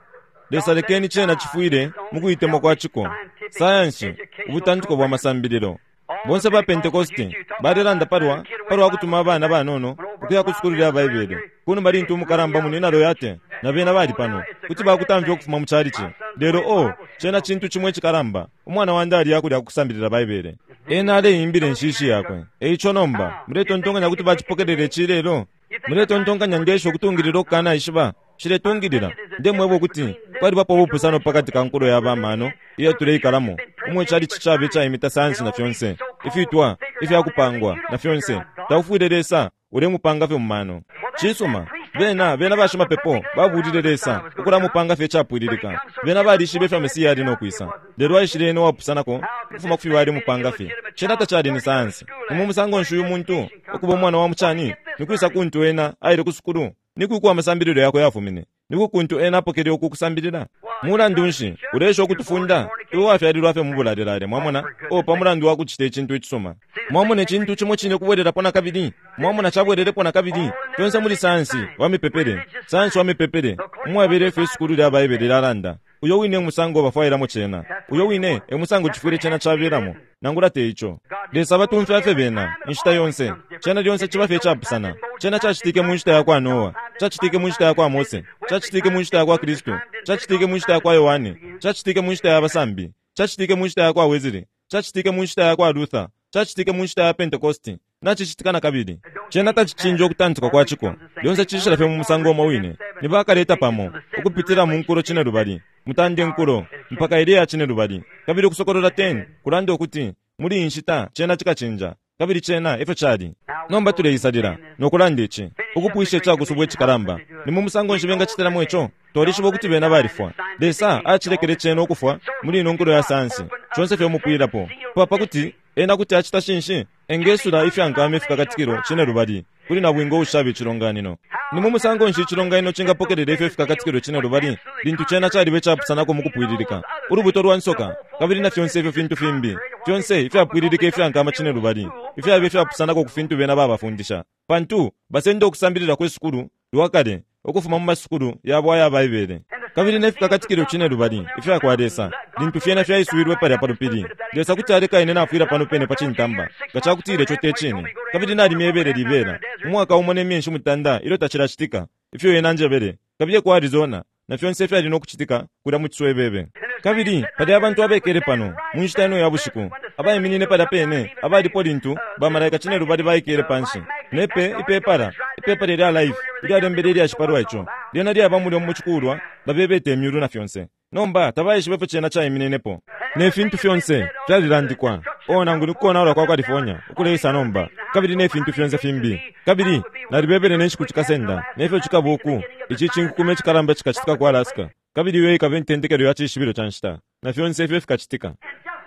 Lesa lekeni cena cifwile mu kuitemwa kwa ciko, sayansi, ubutantiko bwa masambililo. Bonse ba Pentekoste balelanda palwa palwa kutuma abana banono ukuya ku sukulu lya Baibele. Kunuma lintu umukalamba munina Loyate na bena bali pano, kuti bakutamfya ukufuma mu chalichi. Lelo oh, cena cintu cimo icikalamba. Umwana wandi ali akulya kusambilila Baibele. Ena aleimbila inshishi yakwe. E ico nomba muletontonkanya kuti bacipokelele ici lelo? Muletontonkanya ngesho ukutungilila ukukanaishiba? Shiletungilila. Ndemweba ukuti kwalibapo ubupusano pakati ka nkulo ya bamano iyo tuleikalamo, umwe chalichi cabe caimita sayansi na fyonse ifitwa ifyakupangwa na fyonse. Taufwile Lesa ulemupanga fye mu mano. Cisuma, bena bena bashimapepo babulile Lesa ukulamupanga fye icapwililika. Bena balishibe ifyo Mesiya ali no kwisa, lelo aishile ena uwapusanako ukufuma ku fyo balemupanga fye. Cena tacali ni sayansi. Ni mu musango nshi uyu muntu ukuba umwana wa mucani? Ni kwisa kuntu ena aile ku sukulu? Ni kwi uko amasambililo yakwe yafumine? Ni kwi kuntu ena apokele uku kusambilila? Mulandu nshi uleesha ukutufunda? Iwe wafyalilwa fye mu bulalelale, mwamona, oh, pa mulandu wa kucita icintu icisuma. Mwamona icintu cimo cine ukubwelelapo na kabili? Mwamona cabwelelepo na kabili? Fyonse muli sayansi wa mipepele, sayansi wa mipepele, umwabele ifyo isukulu lya Baibele lyalanda. Uyo wine e musango bafwailamo cena. Uyo wine e musango cifwile cena cabelamo. Nangula te ico. Lesa abatumfya fye bena, inshita yonse. Cena lyonse ciba fye icapusana. Cena cacitike mu nshita yakwa Noa. Cacitike mu nshita yakwa Mose. Cacitike mu nshita yakwa Kristu. Cacitike mu nshita yakwa Yohane. Cacitike mu nshita ya basambi. Cacitike mu nshita yakwa Wesley. Cacitike mu nshita yakwa Luther. Cacitike mu nshita ya Pentecosti. Nacicitika na kabili. Cena tacicinja ukutantika kwa ciko. Lyonse cishila fye mu musango umo wine. Ni bakaleta pamo, ukupitila mu nkulo cinelubali, mutande nkulo, mpaka ilya ya cinelubali. Kabili Ukusokolola ten kulanda ukuti muli iyi nshita cena cikacinja, kabili cena efyo cali. Nomba tuleisalila no kulanda ici, ukupwisha icakusubwa icikalamba. Ni mu musango nshi bengacitilamo ico? Twalishiba ukuti bena balifwa. Lesa acilekele cena ukufwa muli ino nkulo ya sayansi, conse fye umupwilapo. Pa pakuti ena kuti acita shinshi? Engesula ifyankama ifikakatikilo cinelubali kuli nabwinga uushaba icilonganino. Ni mu musango nshi icilonganino cingapokelela ifyo ifikakatikilo cinelubali lintu cena caliba icapusanako mu kupwililika? Ulubuto lwa nsoka, kabili na fyonse ifyo fintu fimbi, fyonse ifyapwililika ifyankama cinelubali, ifyaba ifyapusanako ku fintu bena babafundisha. Pantu basenda ukusambilila kwe sukulu lwa kale ukufuma mu masukulu yabo aya Baibele, kabili ne fikakatikilo cinelubali ifya kwa Lesa, lintu fyena fyaiswilwe palya pa lupili. Lesa kuti aleka ine nafwila pano pene pa cintamba nga cakutila ico te cine. Kabili nalimyebele libela umwaka umo ne myeshi mutanda ilyo tacilacitika, ifyo ena anjebele, kabiye ku Arizona, na fyonse ifyali no kucitika kulya mu ciswebebe. Kabili pali abantu abekele pano mu nshita ino ya bushiku, abaiminine palya pene, abalipo lintu bamalaika cinelubali baikele panshi, ne pe ipepala, ipepala ilya Life ilyalembele ilyashi palwa ico, lyena lyaba mulya mu cikulwa, babebete imyulu na fyonse. Nomba tabaishiba ifyo cena caimininepo. Ne fintu fyonse fyalilandikwa. O nangu ni kukonaula kwa California ukuleisa nomba, kabili ne fintu fyonse fimbi. Kabili nalibebele ne nshiku cikasenda nefyo cikabuku ici cinkukume cikalamba cikacitika ku Alaska, kabili iyo ikaba intendekelo ya cishibilo ca nshita, na fyonse ifyo fikacitika.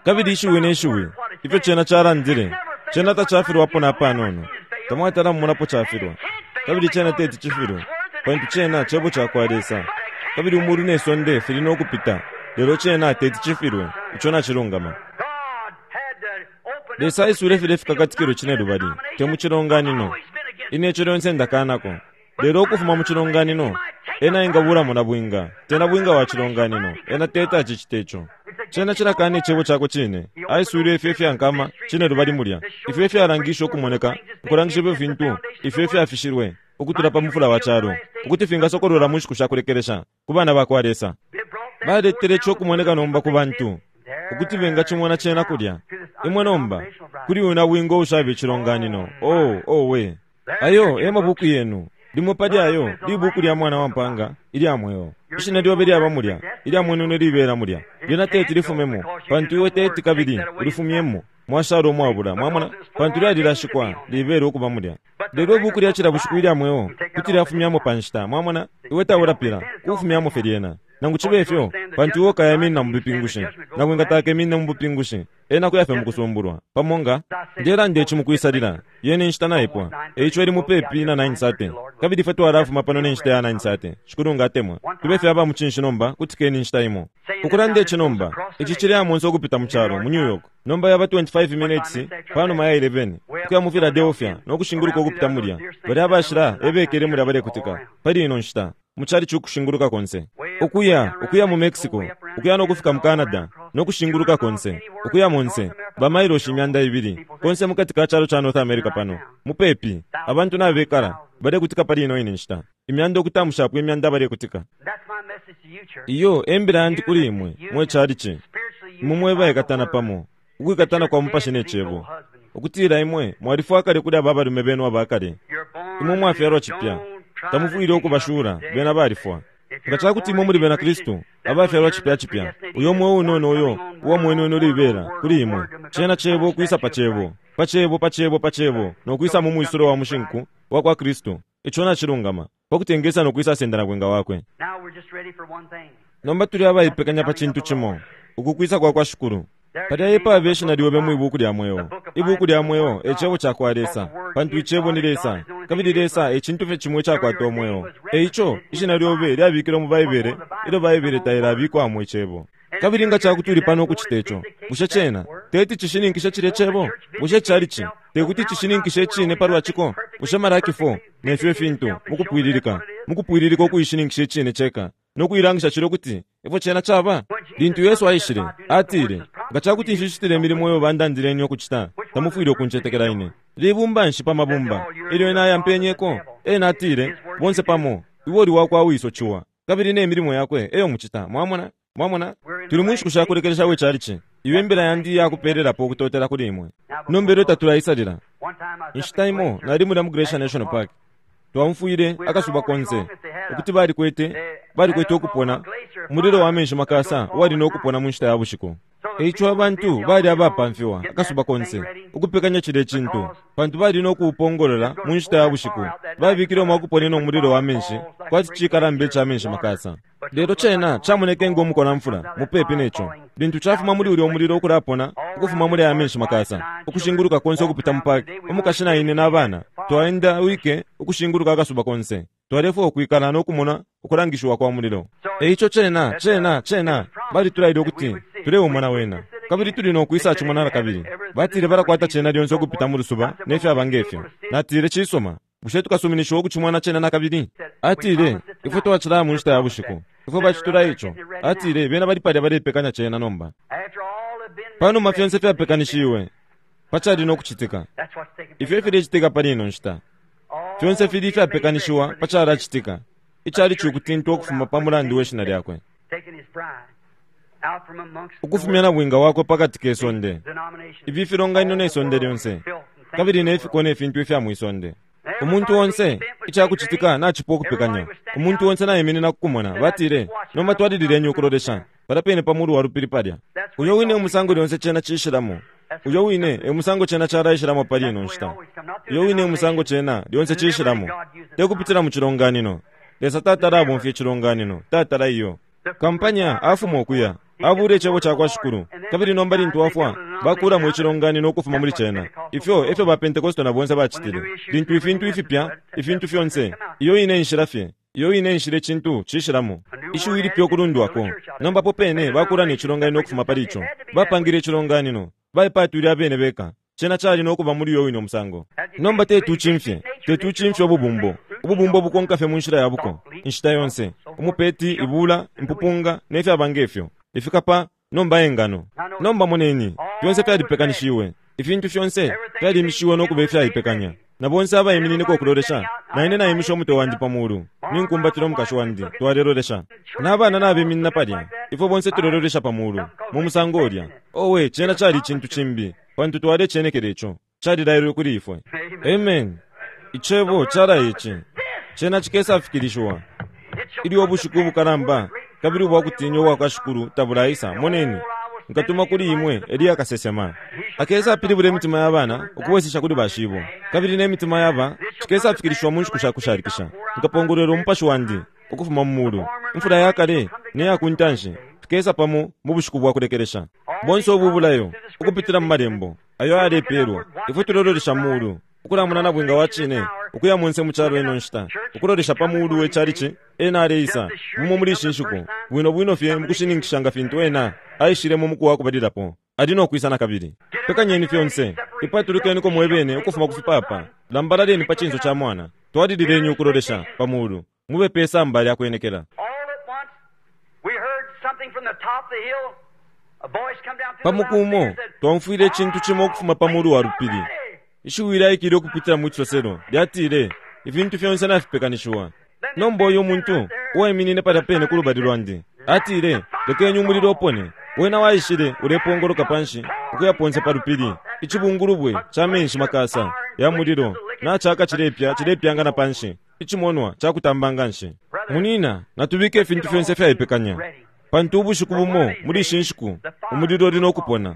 Kabili ishiwi ne shiwi ifyo cena calandile, cena tacafilwapo na panono. Tamwatala mumonapo cafilwa, kabili cena teti cifilwe, pantu cena cebo cakwa Lesa. Kabili umulu ne sonde fili no kupita, lelo cena teti cifilwe. Ico nacilungama. Lesa aiswile file fikakatikilo cine lubali, te mu cilonganino. Ine ico lyonse ndakanako. Lelo ukufuma mu cilonganino, ena engabulamo na bwinga, te na bwinga wa cilonganino, ena teta acicite ico. Cena cilakana icebo cakwe cine. Aiswile ifyo ifyankama cine lubali mulya, ifyo ifyalangisha ukumoneka, ukulangisha ifyo fintu ifyo ifyafishilwe ukutula pa mufula wa calo, ukuti fingasokolola mu nshiku sha kulekelesha ku bana ba kwa Lesa. Baletele ico ukumoneka nomba ku bantu, ukuti bengacimona cena kulya. Imwe nomba kuli uyu bwinga ushaba icilonganino. Oh, oh we. Ayo e mabuku yenu. Limo pali ayo libuku lya mwana wa mpanga ilya mweo. Ishina lyobe lyaba mulya, ilya mwenu libela mulya. Lyena teti lifumemo, pantu iwe teti kabili ulifumyemo. Mwashala umwabula, mwamona, pantu lyalilashikwa libele ukuba mulya. Lelo ibuku lya cila bushiku ilya mweo kuti lyafumyamo pa nshita, mwamona, iwe taulapila kufumyamo fye lyena. Nangu cibe ifyo, pantu iwe ukayaminina mu bupingushi, nangu ingatakeminina mu bupingushi, ena kuyafe mu kusumbulwa. Pamo nga ndelanda ici mukwisalila, yene inshita naipwa, eico ili mupepi na nine thirty. Kabili ifwe twalafuma pano ne nshita ya nine thirty. Shikulu ngatemwa. Tube fye aba mucinshi nomba, kutikeni inshita imo. Ukulanda ici nomba, ici cili amonse ukupita mu calo, mu New York. Nomba yaba twenty-five minutes panuma ya eleven, ukuya mu Philadelphia no kushinguluka ukupita mulya. Bali abashila ebekele mulya balekutika pali ino nshita mu cali cukushinguluka konse, ukuya ukuya mu Mexico, ukuya no kufika mu Canada no kushinguluka konse, ukuya monse bamailoshi imyanda ibili konse mukati ka calo ca North America pano mupepi. Abantu nabekala balekutika pali ino ine nshita, imyanda okutamushapo imyanda balekutika. Iyo embila yandi kuli imwe mwe calici, imwe mwebaikatana pamo ukwikatana kwa mupashi ne cebo, ukutila imwe mwalifwa kale kuli aba balume benu abakale. Imwe mwafyalwa cipya, tamufwile ukubashula, bena balifwa. Nga cakuti imwe muli bena Kristu abafyalwa cipya cipya, uyo mwe unono uyo uwa mwenu libela kuli imwe, cena cebo kwisa pa cebo, pa cebo pa cebo pa cebo, no kwisa mu mwisulo wa mushinku wa kwa Kristu. Ico nacilungama, pakutengesa no kwisa senda na bwenga wakwe. Nomba tuli abaipekanya pa cintu cimo, ukukwisa kwa kwa Shikulu. Palya epa abeshina lyobe mu ibuku lya mweo. Ibuku lya mweo e cebo cakwa Lesa, pantu icebo ni Lesa, kabili Lesa e cintu fye cimwe cakwata umweo. Eico ishina lyobe lyabikilwe mu Baibele, ilyo Baibele tailabikwamo icebo. Kabili nga cakuti uli pano ukucita ico, bushe cena teti cishininkishe cilya cebo? Bushe calici tekuti cishininkishe icine palwa ciko? Bushe Malaki four nefyo ifintu mukupwililika, mukupwililika ukuishininkisha icine ceka no kuilangisha cilo kuti ifyo cena caba? Lintu Yesu aishile, atile, nga cakuti nshicitile imilimo iyo bandandileni ukucita, tamufwile ukuncetekela ine. Libumba nshi pa mabumba ilyo ena ayampenyeko? Ena atile, bonse pamo, iwe uli wakwa wiso ciwa, kabili ne milimo yakwe eyo mucita. Mwamona? Mwamona? Tuli mu nshiku sha kulekelesha we calici. Iyo imbila yandi yakupelelapo ukutotela kuli imwe. Nomba ilyo tatulaisalila. Inshita imo nali mulya mu Glacier National Park. Twamfwile akasuba konse ukuti balikwete balikwete ukupona umulilo wa menshi makasa wali no kupona mu nshita ya bushiku. Eico abantu bali abapamfiwa akasuba konse ukupekanya cile cintu, pantu bali no kuupongolola mu nshita ya bushiku. Babikile umwakuponena umulilo wa menshi kwati cikalamba ica menshi makasa. Lelo cena camoneke ngo mukolamfula mupepi neco. Lintu cafuma muli ulya umulilo ukulapona ukufuma muli aya menshi makasa ukushinguluka konse ukupita mu park, umukashi na ine n'abana twaenda wike ukushinguluka akasuba konse. Twalefwa ukwikala no kumona ukulangishiwa kwa mulilo. Eico cena cena cena balitulaile ukuti tuleumona wena, kabili tuli no kwisa cimona na kabili. Batile balakwata cena lyonse ukupita mu lusuba nefyaba ngefyo. Natile cisoma, bushe tukasuminishiwa ukucimona cena na kabili? Atile ifwe twacilaya mu nshita ya bushiku, ifwe bacitula ico. Atile bena bali palya balepekanya cena nomba. Panuma fyonse fyapekanishiwe pacali no kucitika. Ifyo filecitika pali ino nshita, fyonse fili ifyapekanishiwa pacalacitika. Icali cukutintwa ukufuma pa mulandu we shina lyakwe, ukufumya na bwinga wakwe pakati ke sonde, ifi filonganino ne sonde lyonse, kabili ne fiko ne fintu ifya mwisonde. Umuntu onse icakucitika nacipo ukupekanya. Umuntu onse naiminina kukumona. Batile, nomba twalilileni ukulolesha palya pene pa mulu wa lupili palya. Uyo wine umusango lyonse cena cishilamo. Uyo wine e musango cena calaishilamo pali ino nshita. Uyo wine umusango cena lyonse cishilamo. Tekupitila mu cilonganino. Lesa tatala abomfya icilonganino, tatala iyo. Kampanya afuma okuya abule icebo cakwa Shikulu, kabili nomba lintu afwa bakulamo icilonganino ukufuma muli cena. Ifyo efyo ba Pentekoste na bonse bacitile. Lintu ifintu ifipya, ifintu fyonse, iyo ine inshila fye, iyo ine inshila icintu cishilamo. Ishiwi lipya ukulundwako. Nomba po pene bakula ne cilonganino ukufuma pali ico. Bapangile icilonganino, baipatwile abene beka. Cena cali nokuba muli uyo wine umusango. Nomba tetucimfye, tetucimfye ububumbo. Ububumbo bukonka fye mu nshila ya buko inshita yonse. Umupeti, ibula, impupunga nefyaba ngefyo ifikapa nomba engano. Nomba moneni, fyonse fyalipekanishiwe. Ifintu fyonse fyalimishiwe nokuba ifyaipekanya. Na bonse abaiminineko ukulolesha, na ine naimisha umutwe wandi pa mulu, ninkumbatila umukashi wandi, twalelolesha. N'abana nabeminina palya, ifwe bonse tulelolesha pa mulu, mu musango ulya. Owe, cena cali icintu cimbi, pantu twalecenekela ico, calilailwe kuli ifwe. Amen. Icebo calaye ici, cena cikesafikilishiwa. Ilyo ubushiku ubukalamba kabili ubwakutinya ubwa Shikulu tabulaisa, moneni, nkatuma kuli imwe Eliya kasesema. Akesapilibula imitima ya bana ukubwesesha kuli bashibo, kabili n'emitima yaba cikesafikilishiwa mu nshiku sha kushalikisha. Nkapongolwela umupashi wandi ukufuma mu mulu, imfula ya kale neya ku ntanshi fikesa pamo mu bushiku bwa kulekelesha. Bonse ubu bulayo ukupitila mu malembo ayo ayalepeelwa, ifwe tulololesha mulu ukulamuna na bwinga wa cine ukuya munse mu calo ino nshita, ukulolesha pa mulu we calici ena aleisa bumo muli ishi nshiku, bwino bwino fye mukushininkisha nga fintu ena aishile mu muku wa kubalilapo. Ali nokwisa na kabili. Pekanyeni fyonse, ipatulukeniko mwebene ukufuma ku fipapa, lambalaleni pa cinso ca mwana, twalilileni ukulolesha pa mulu, mube pe samba lya kwenekela. All at once, we heard something from the top of the hill. A voice come down through the Pa muku umo loudspeaker said, twamfwile icintu cimo ukufuma pa mulu wa lupili. Ishiwi lyaikile ukupitila mu cisoselo lyatile, ifintu fyonse nafipekanishiwa. Nomba uyu muntu uwaiminine palya pene ku lubali lwandi atile, lekeni umulilo upone. Wena waishile ulepongoloka panshi ukuya ponse pa lupili. Icibungulubwe ca menshi makasa ya mulilo nacaka cilepya cilepyanga na panshi, icimonwa cakutamba nganshi. Munina, natubike ifintu fyonse fyaipekanya, pantu ubushiku bumo muli ishi nshiku umulilo uli nokupona.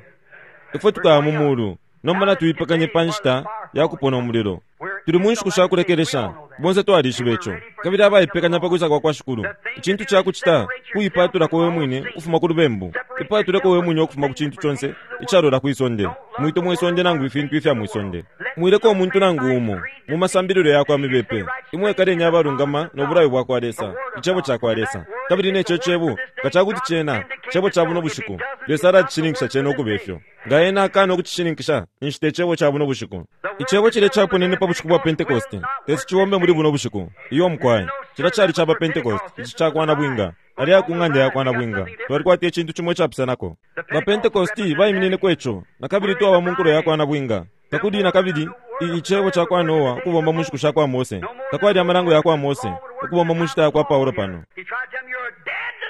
Ifwe tukaya mu mulu, nomba natuipekanye pa nshita ya kupona umulilo. Tuli mu nshiku sha kulekelesha, bonse twalishiba ico, kabili abaipekanya pa kwisa kwa kwa Shikulu. Icintu cakucita kuipatulako we mwine ukufuma ku lubembu, ipatuleko we mwine ukufuma ku cintu conse icalola kwisonde. Mwite mwisonde nangu ifintu ifya mwisonde. Mwileko umuntu nangu umo mu masambililo yakwa mibepe. Imwe ekaleni abalungama no bulayo bwa kwa Lesa, icebo ca kwa Lesa. Kabili neco cebo nga cakuti cena cebo ca buno bushiku, Lesa alacishininkisha cena ukuba ifyo. Nga ena akana ukucishininkisha, ninshi te cebo ca buno bushiku. Icebo cile caponene pa bushiku bwa Pentekoste, tesi cibombe muli buno bushiku. Iyo mukwai, cila cali caba Pentekoste, ici cakwana bwinga. Ali ya ku ng'anda ya kwana bwinga. Twalikwata icintu cimo icapusanako. Ba Pentekosti baiminineko ico, na kabili twaba mu nkulo ya kwana bwinga. Takuli na kabili icebo ca kwa Noa ukubomba mu nshiku sha kwa Mose. Takwali amalango ya kwa Mose ukubomba mu nshita ya kwa Paulo pano. He tried to tell them, you're dead to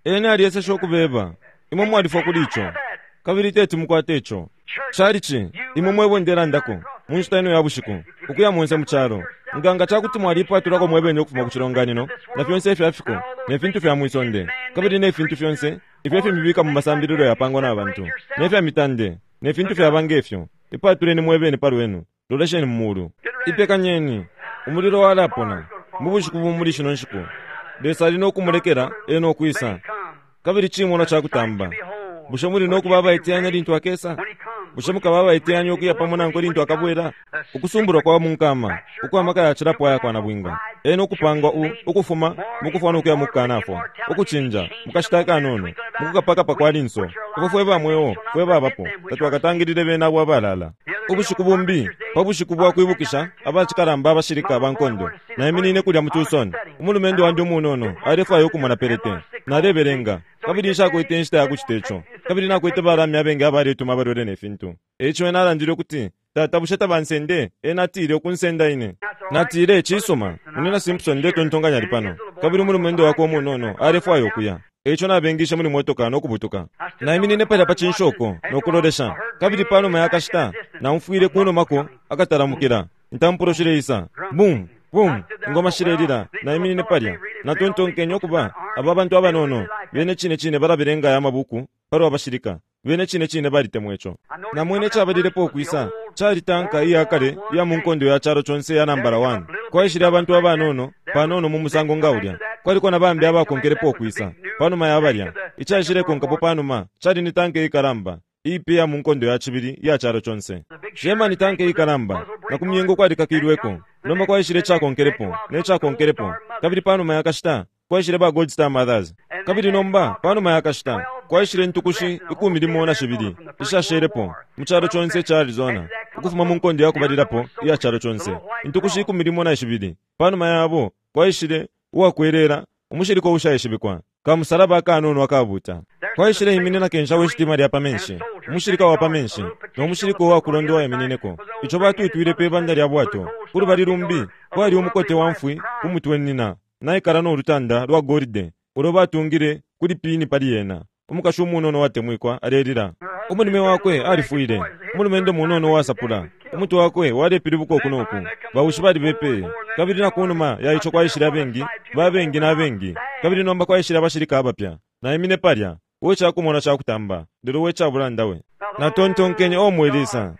that. Ena alyeseshe ukubeba, imwe mwalifwa kuli ico, kabili teti mukwate ico. Calici, imwe mwebo ndelandako mu nshita ino ya bushiku, ukuya munse mu calo. Nga nga cakuti mwalipatulako mwebene ukufuma ku cilonganino, na fyonse ifyafiko, ne fintu fya mwisonde, kabili ne fintu fyonse ifyo fimibika mu masambililo yapangwa na bantu, ne fya mitande, ne fintu fyaba ngefyo. Ipatuleni mwebene pa lwenu, lolesheni mu mulu. Ipekanyeni, umulilo walapona mu bushiku bumuli shino nshiku. Lesa ali nokumulekela ena okwisa, kabili cimonwa cakutamba. Bushe muli nokuba abaiteyanya lintu akesa? Bushe mukaba abaiteyanya ukuya pamo nankwe lintu akabwela? Ukusumbulwa kwa munkama ukwamaka yacilapo aya kwana bwinga, ena ukupangwa u ukufuma mukufwa nokuya mukukanafwa, ukucinja mukashita akanono mukukapakapa kwa linso. Ifwe fwe bamweo fwe babapo tatwakatangilile bena abo abalala. Ubushiku bumbi pa bushiku bwa kwibukisha abacikalamba abashilika ba nkondo, naiminine kulya mu Tucson. Umulumendo wandi umunono alefwaya ukumona pelete. Nalebelenga kabili nshakwete inshita ya kucita ico, kabili nakwete balami abengi abaletuma abalwele ne fintu. Eico ena alandile ukuti, tata bushe tabansende? Ena atile ukunsenda ine. Natile, cisuma, Munina Simpson ndetontonkanya ali pano, kabili umulumendo wakwe umunono alefwaya ukuya. Eico nabengishe muli motoka nokubutuka. Naiminine palya pa cinshoko nokulolesha, kabili panuma yakashita naumfwile kunumako akatalamukila. Intampulo shileisa. Boom, boom, ingoma shilelila. Naiminine palya. Natontonkenye ukuba aba bantu abanono bene cine cine balabelenga aya mabuku palwa bashilika. Bene cine cine balitemwa ico. Namwene cabalilepo ukwisa cali tanka iya kale iya mu nkondo ya calo conse ya nambala one. Kwaishile abantu abanono panono mu musango nga ulya. Kwaliko na bambi abakonkelepo ukwisa panuma ya balya. Icaishilekonkapo panuma cali ni tanka ikalamba ipi ya mu nkondo ya cibili iya calo conse. Germany tanka ikalamba na ku myengo kwalikakilweko. Nomba kwaishile cakonkelepo ne cakonkelepo. Kabili panuma ya kashita kwaishile ba Gold Star Mothers. Kabili nomba panuma ya kashita kwaishile ntukushi ikumi limo na shibili ishashelepo mu calo conse ca Arizona ukufuma mu nkondo ya kubalilapo iya calo conse. Intukushi ikumi limo na shibili panuma yabo kwaishile uwakwelela umushilika ushaishibikwa kamusalaba akanono akabuta. Kwaishile iminina kensha weshitima lya pamenshi umushilika wa pamenshi no mushilika uwakulondowa iminineko. Ico batwitwile pe banda lya bwato kulubali lumbi kwali umukote wa mfwi kumutwe nina naikala no lutanda lwa golide ulo batungile kuli pini pali yena. Umukashi umunono watemwikwa alelila. Umulume wakwe alifwile. Umulumendo munono wasapula. Umutwe wakwe walepilibuka uku noku. Bawushi balibepeye. Kabili na kunuma ya ico kwaishile abengi, babengi na bengi. Kabili nomba kwaishile abashilika abapya. Naimine palya, we cakumona cakutamba, lelo we cabulanda we. Natontonkenye o mwelisa.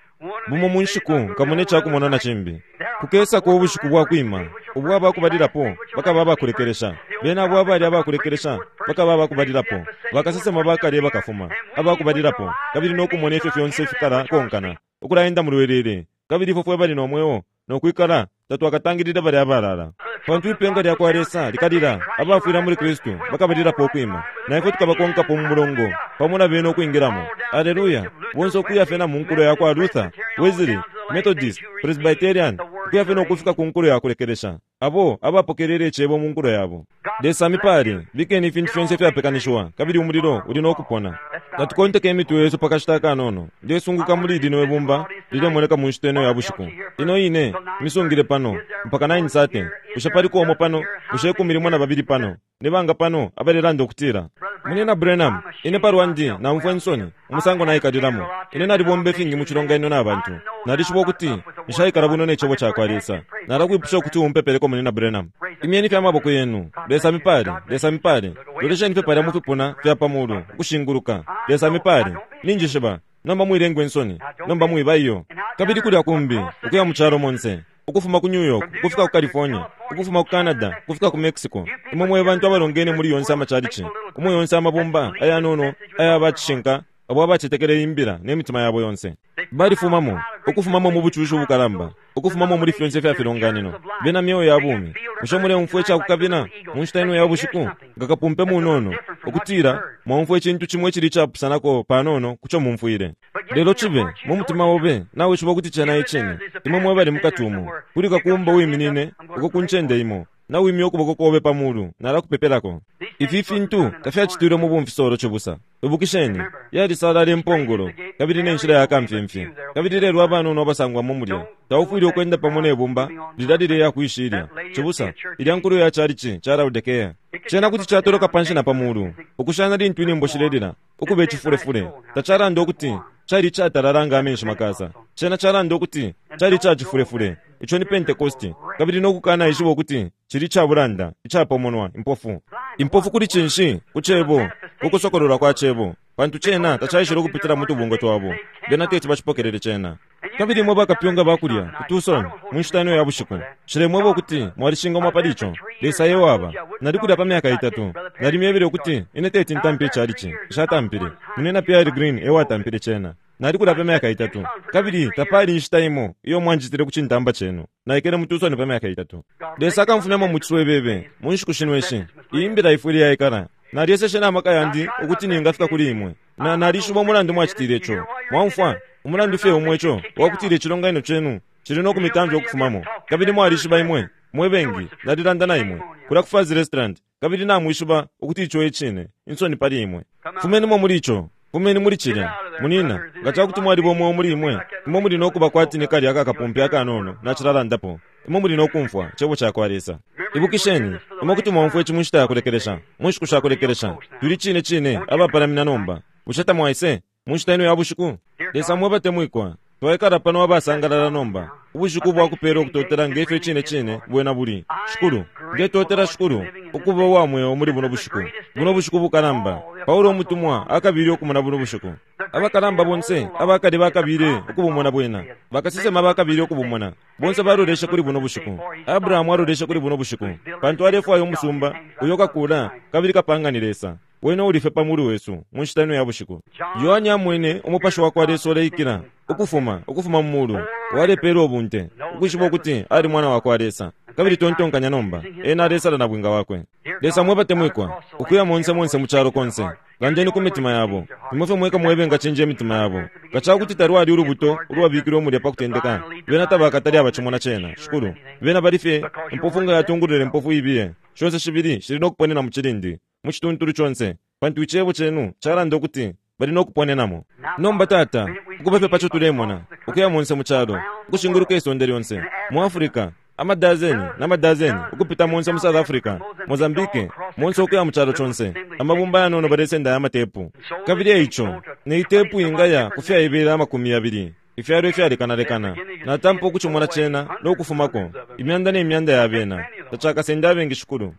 Bumo mu nshiku nkamone cakumona na cimbi. Kukesako ubushiku bwa kwima, ubwa bakubalilapo bakaba abakulekelesha. Bena abo abali abakulekelesha bakaba abakubalilapo. Bakasesema bakale bakafuma abakubalilapo, kabili nokumona ifyo fyonse fikala konkana ukulaenda mu lwelele. Kabili ifwe fwe bali nomweo nokwikala tatwakatangilile bali abalala. Pantu ipenga lya kwa Lesa likalila, abafwila muli Kristu bakabalilapo ukwima, na ifwe tukabakonkapo mu mulongo pamo na bene ukwingilamo. Aleluya! Bonse ukuya fye na mu nkulo ya kwa Luther, Wesley, Methodist, Presbyterian, ukuya fye nokufika ku nkulo ya kulekelesha, abo abapokelele icebo mu nkulo yabo. Lesa mipale, bikeni ifintu fyonse fyapekanishiwa, kabili umulilo uli nokupona. Natukonteke imitwe yesu pakashita akanono. Ndesunguka muli lino ibumba lilemoneka mu nshita ino ya bushiku. Ino ine misungile pano mpaka nine thirty. Bushe paliko umo pano? Bushe ikumi limo na babili pano? Ni banga pano abalelanda ukutila, Munina Branham, ine palwandi naumfwa insoni umusango naikalilamo. Ine nalibomba ifingi mu cilonganino na bantu. Nalishiba ukuti nshaikala bwino ne cebo cakwa Lesa. Nalakwipusha ukuti umpepeleko Munina Branham. Imyeni fye amaboko yenu. Lesa mipale, Lesa mipale. Lolesheni fye palya mu fipuna fya pamulu ukushinguluka. Lesa mipale. Ninjishiba. Nomba mwilengwe insoni. Nomba mwiba iyo. Kabili kulya kumbi ukuya mu calo monse. Ukufuma ku New York, ukufika ku California, ukufuma ku Canada, ukufika ku Mexico. Imwe mwe bantu abalongene muli yonse amachalichi, umwe yonse amabumba ayanono aya bacishinka abo abacetekele imbila ne mitima yabo yonse. Balifumamo, ukufumamo mu bucushi ubukalamba, ukufumamo muli fyonse fya filonganino. Bena myoyo ya bumi. Bushe muleumfwa icakukabila mu nshita ino ya bushiku nga kapumpe munono ukutila mwaumfwa icintu cimo icili icapusanako panono kuco mumfwile. Lelo cibe mu mutima obe nawishiba ukuti cena icine. Imwe mwe bali mukati umo kuli kakumba wiminine uko ku ncende imo nawimya ukuboko kobe pamulu nalakupepelako. Ifi fintu tafyacitilwe mu bumfisolo cibusa. Ibukisheni yalisalala impongolo kabili ne nshila ya kamfyemfye. Kabili lelo abanono abasangwamo mulya taufwile ukwenda pamo ne bumba lilya lileya kwishilya. Cibusa ilya nkulo ya chalichi ca Laodikea cena kuti catoloka panshi na pamulu ukushana lintu inembo shilelila ukuba icifulefule. Tacalanda ukuti cali catalala nga amenshi makasa. Cena calanda ukuti cali cacifulefule. Ico ni Pentecosti. Kabili nokukana ishiba ukuti cili cabulanda icapomonwa impofu. Impofu kuli cinshi? Ku cebo, ukusokololwa kwa cebo. Pantu cena tacaishile ukupitila mu tubungwe twabo. Bena teti bacipokelele cena. Kabili imwe bakapyunga bakulya ku Tucson mu nshita ino ya bushiku. Nshilemweba ukuti mwalishingamwa pali ico. Lesa e waba. Nalikulya pa myaka itatu. Nalimyebele ukuti ine teti ntampe icalici. Nshatampile. Munina Pierre Green e watampile cena. Nalikulya pa myaka itatu. Kabili tapali inshita imo iyo mwanjitile ku cintamba cenu. Naikele mu Tucson pa myaka itatu. Lesa akamfumyamo mu ciswebebe mu nshiku shino ishi. Iyi mbila ifwile yaikala. Nalyeseshe na maka yandi ukuti ningafika kuli imwe. Na nalishiba umulandu mwacitile ico. Mwaumfwa umulandu fye umwe ico wakutile icilonganino cenu cili no kumitamfya ukufumamo. Kabili mwalishiba imwe mwe bengi nalilanda na imwe kulya ku Fazz Restaurant. Kabili namwishiba ukuti ico e cine. Insoni pali imwe. Fumenimo muli ico. Fumeni muli cilya. Munina, nga cakuti mwaliba umwe muli imwe, imwe muli nokuba kwati ni kalya akakapumpi akanono nacilalandapo. Imwe muli nokumfwa cebo cakwa Lesa. Ibukisheni, imwe kuti mwaumfwa ici mu nshita ya kulekelesha, mu nshiku sha kulekelesha. Tuli cine cine abapalamina nomba. Bushe tamwaise mu nshita ino ya bushiku? Lesa mwe batemwikwa. Twaikala pano abasangalala nomba ubushiku bwakupela ukutotela ngefyo cine cine bwena buli. Shikulu, ndetotela Shikulu ukuba uwa mweo muli buno bushiku, buno bushiku bukalamba. Paulo umutumwa akabili okumona buno bushiku. Abakalamba bonse abakali bakabile ukubumona bwena, bakasesema bakabile ukubumona. Bonse balolesha kuli buno bushiku. Abrahamu alolesha kuli buno bushiku pantu alefwaya umusumba uyo kakula kabili kapanga ni Lesa. Wena ulife pamulu wesu mu nshita ino ya bushiku. Yohane amwene umupashi wa kwa Lesa uleikila ukufuma ukufuma mu mulu walepela ubunte ukwishiba ukuti ali mwana wa kwa Lesa. Kabili tontonkanya nomba ena alesala na bwinga wakwe. Lesa mwebatemwikwa ukuya monse monse mu chalo konse, landeni ku mitima yabo. Nimwe mweka mwebenga chinje imitima yabo. Kachakuti talwali ulubuto ulwabikilwe mulya pakutendeka. Bena tabakatali abachimona chena. Shikulu, bena balife impofu nga yatungulule impofu ibiye. Shonse shibili shili nokuponena mu chilindi mu chituntulu chonse, pantu ichebo chenu chalanda ukuti bali nokuponenamo. Nomba Tata, ukubafe pacho tulemona ukuya monse mu chalo ukushinguluka isonde lyonse mu Africa, amadazeni n'amadazeni ukupita monse mu South Africa, Mozambique, monse ukuya mu chalo chonse. Amabumba yanono balesenda amatepu. Kabili eicho ne itepu ingaya kufyaibela amakumi yabili ifyalo ifyalekanalekana. Natampa ukuchimona chena nokufumako imyanda n'emyanda ya bena tachakasenda abengi Shikulu.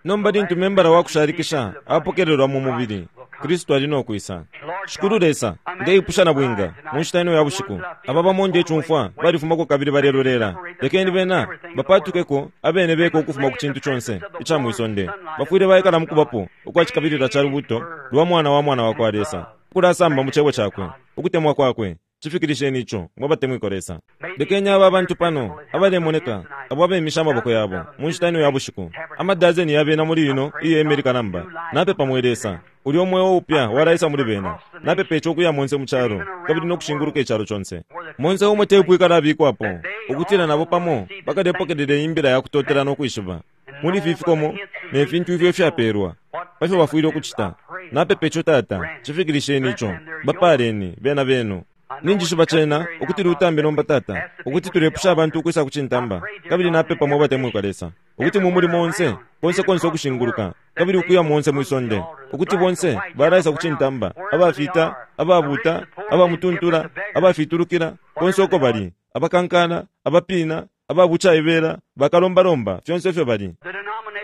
Nomba lintu membala wakushalikisha apokelelwa mu mubili, Kristu ali nokwisa. Shikulu Lesa, ndeipusha na bwinga mu nshita ino ya bushiku. Aba bamonde echumfwa balifumako kabili balelolela. Lekeni bena bapatukeko abene beko ukufuma ku chintu chonse icha mwisonde. Bafwile baikala mukubapo ukwachikabilila cha lubuto lwa mwana wa mwana wa kwa Lesa, ukulasamba mu chebo chakwe ukutemwa kwakwe. Chifikirisheni icho mwabatemwiko Lesa. Lekeni aba bantu pano abalemoneka abo abemisha amaboko yabo mu nshita ino ya bushiku. Amadazeni yabena muli ino iye Amerika namba napepa mwe Lesa uli omweo upya walaisa muli bena. Napepa icho okuya monse mu chalo kabili nokushinguluka echalo chonse. Monse umwe tepu ikalabikwapo ukutila nabo pamo bakalepokelele imbila yakutotela nokwishiba muli fifikomo ne fintu ifyo ifyaperwa pafyo bafwile okuchita. Napepa icho Tata, chifikirisheni icho. Bapaleni bena benu. Ninjishiba chena ukuti lutambe nomba Tata, ukuti tulepusha abantu ukwisa kuchintamba. Kabili napepa mwabatemwikwa Lesa ukuti mumuli monse konse konse okushinguluka kabili ukuya monse mwisonde, ukuti bonse balaisa kuchintamba, abafita, ababuta, abamutuntula, abafitulukila konse uko bali, abakankana, abapina, ababuchaibela, bakalombalomba, fyonse ifyo bali.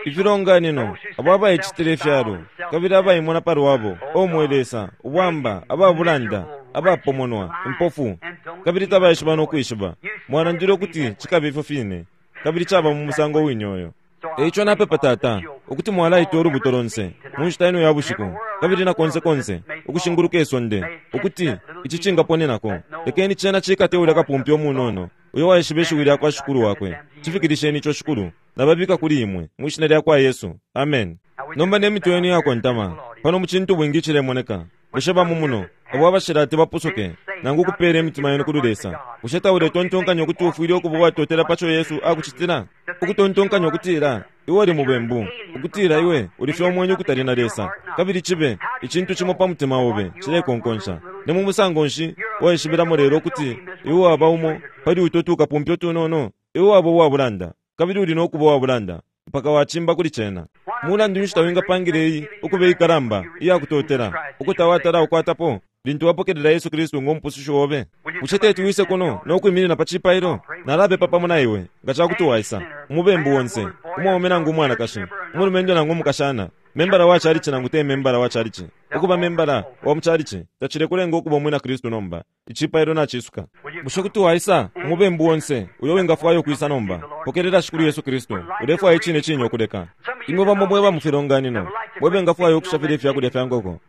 Ifilonganino abo abayichitile ifyalo kabili abayimona palwabo, o mwe Lesa, ubwamba, ababulanda, abapomonwa, impofu, kabili tabaishiba nokwishiba. Mwalandile ukuti chikabe ifyo fine kabili chaba mu musango winyoyo. Eicho napepa Tata ukuti mwalaita ulubuto lonse mu nshita ino ya bushiku kabili na konse konse ukushinguluka isonde, ukuti ichi chingaponenako. Lekeni chena chikate ulya kapumpi omunono uyo waishiba ishiwi lya kwa Shikulu wakwe. Chifikirisheni icho Shikulu, nababika kuli imwe mu ishina lya kwa Yesu. Amen. Nomba ne mitwe yenu yakontama pano mu chintu bwingi chilemoneka. Bushe bamumuno abo abashilati bapusuke nangu kupela imitima yenu kuli Lesa? Bushe tauletontonkanya ukuti ufwile ukuba watotela pacho Yesu akuchitila? Ukutontonkanya ukutila iwe uli mubembu, ukutila iwe ulifye omwenye ukutali na Lesa, kabili chibe ichintu chimo pa mutima obe chilekonkonsha. Ne mu musango nshi waishibilamo lelo ukuti iwe waba umo pali uto tukapumpyo tunono? Iwe waba uwabulanda kabili uli nokuba uwabulanda mpaka wachimba kuli chena. Mulandu nshi tawingapangile iyi ukuba ikalamba iyakutotela ukutawatala ukwatapo lintu wapokelela Yesu Kristu ng'omupusushi obe? Bushe teti wise kuno nokwiminina pa chipailo? Nalapepa pamo na iwe nga chakuti waisa umubembu wonse, umwaume nangu umwanakashi, umulumendo nangu umukashana, membala wa chalichi nangu te membala wa chalichi. Ukuba membala wa muchalichi tachilekulenga ukuba umwina Kristu nomba. Ichipailo nachisuka. Bushe kuti waisa umubembu wonse uyo wingafwayo kwisa nomba? Pokelela Shikulu Yesu Kristu. Ulefwaya ichine chinyo okuleka. Imwe bamo mweba mu filonganino mwebengafwayo okushafila ifyakulya fya nkoko.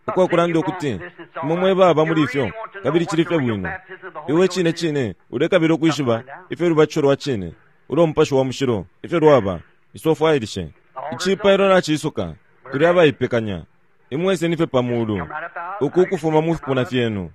Ukwakulanda ukuti imwe mwebaba muli ifyo kabili chili fye bwino. Iwe chine chine ulekabila okwishiba ifyo lubatisho lwa chine ulo mupashi wa mushilo ifyo lwaba. Isofwayilishe ichipailo nachisuka. Tuli abayipekanya. Imwe iseni fye pamulu uku kufuma mu fipuna fyenu.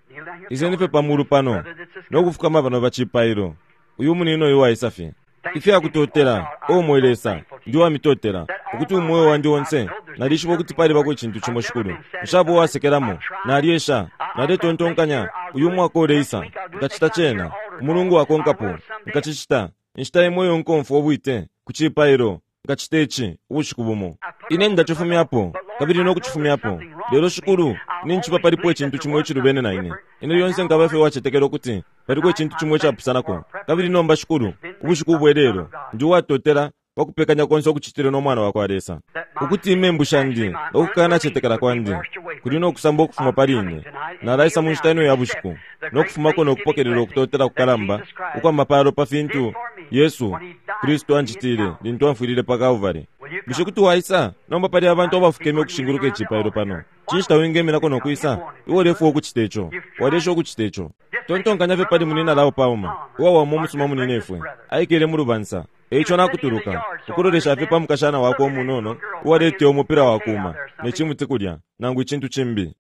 Iseni fye pamulu pano nokufukama pano pa chipailo. Uyu munino uyu waisa fye ifyakutotela. O mwe Lesa, ndi wamitotela ukuti umwoyo wandi wonse nalishiba ukuti palibako ichintu chimo Shikulu nshabo wasekelamo. Naliesha, naletontonkanya uyu mwaka uleisa nkachita chena, umulungu wakonkapo nkachichita inshita imwe iyo nkomfwa obwite ku chipailo nkachita ichi ubushiku bumo. Ine ndachifumyapo, kabili nokucifumyapo. Lelo Shikulu, ninjiba palipo icintu cimo icilubene na ine. Ine lyonse nkaba fye uwacetekela ukuti paliko icintu cimo icapusanako. Kabili nomba Shikulu, ubushiku ubwelelo, ndi uwatotela pakupekanya konse ukucitile no mwana wakwa Lesa, ukuti imembu shandi nokukanacetekela kwandi kuli nokusamba ukufuma pali ine. Nalaisa mu nshita ino ya bushiku nokufumako nokupokelela ukutotela kukalamba ukwa mapalo pa fintu Yesu Kristu ancitile lintu amfwilile pa Calvary. Bushe kuti waisa nomba pali abantu abafukeme ukushinguluka icipailo pano? Cinshi tawingeminako nokwisa? Iwe ulefwaya ukucita ico, walesha ukucita ico. Tontonkanya fye pali munina Lao Palmer, uwawama umusuma muninefwe, aikele mu lubansa. Eico nakutuluka ukulolesha fye pa mukashana wakwe umunono uwaleteya umupila wakuma ne cimuti kulya nangu icintu cimbi.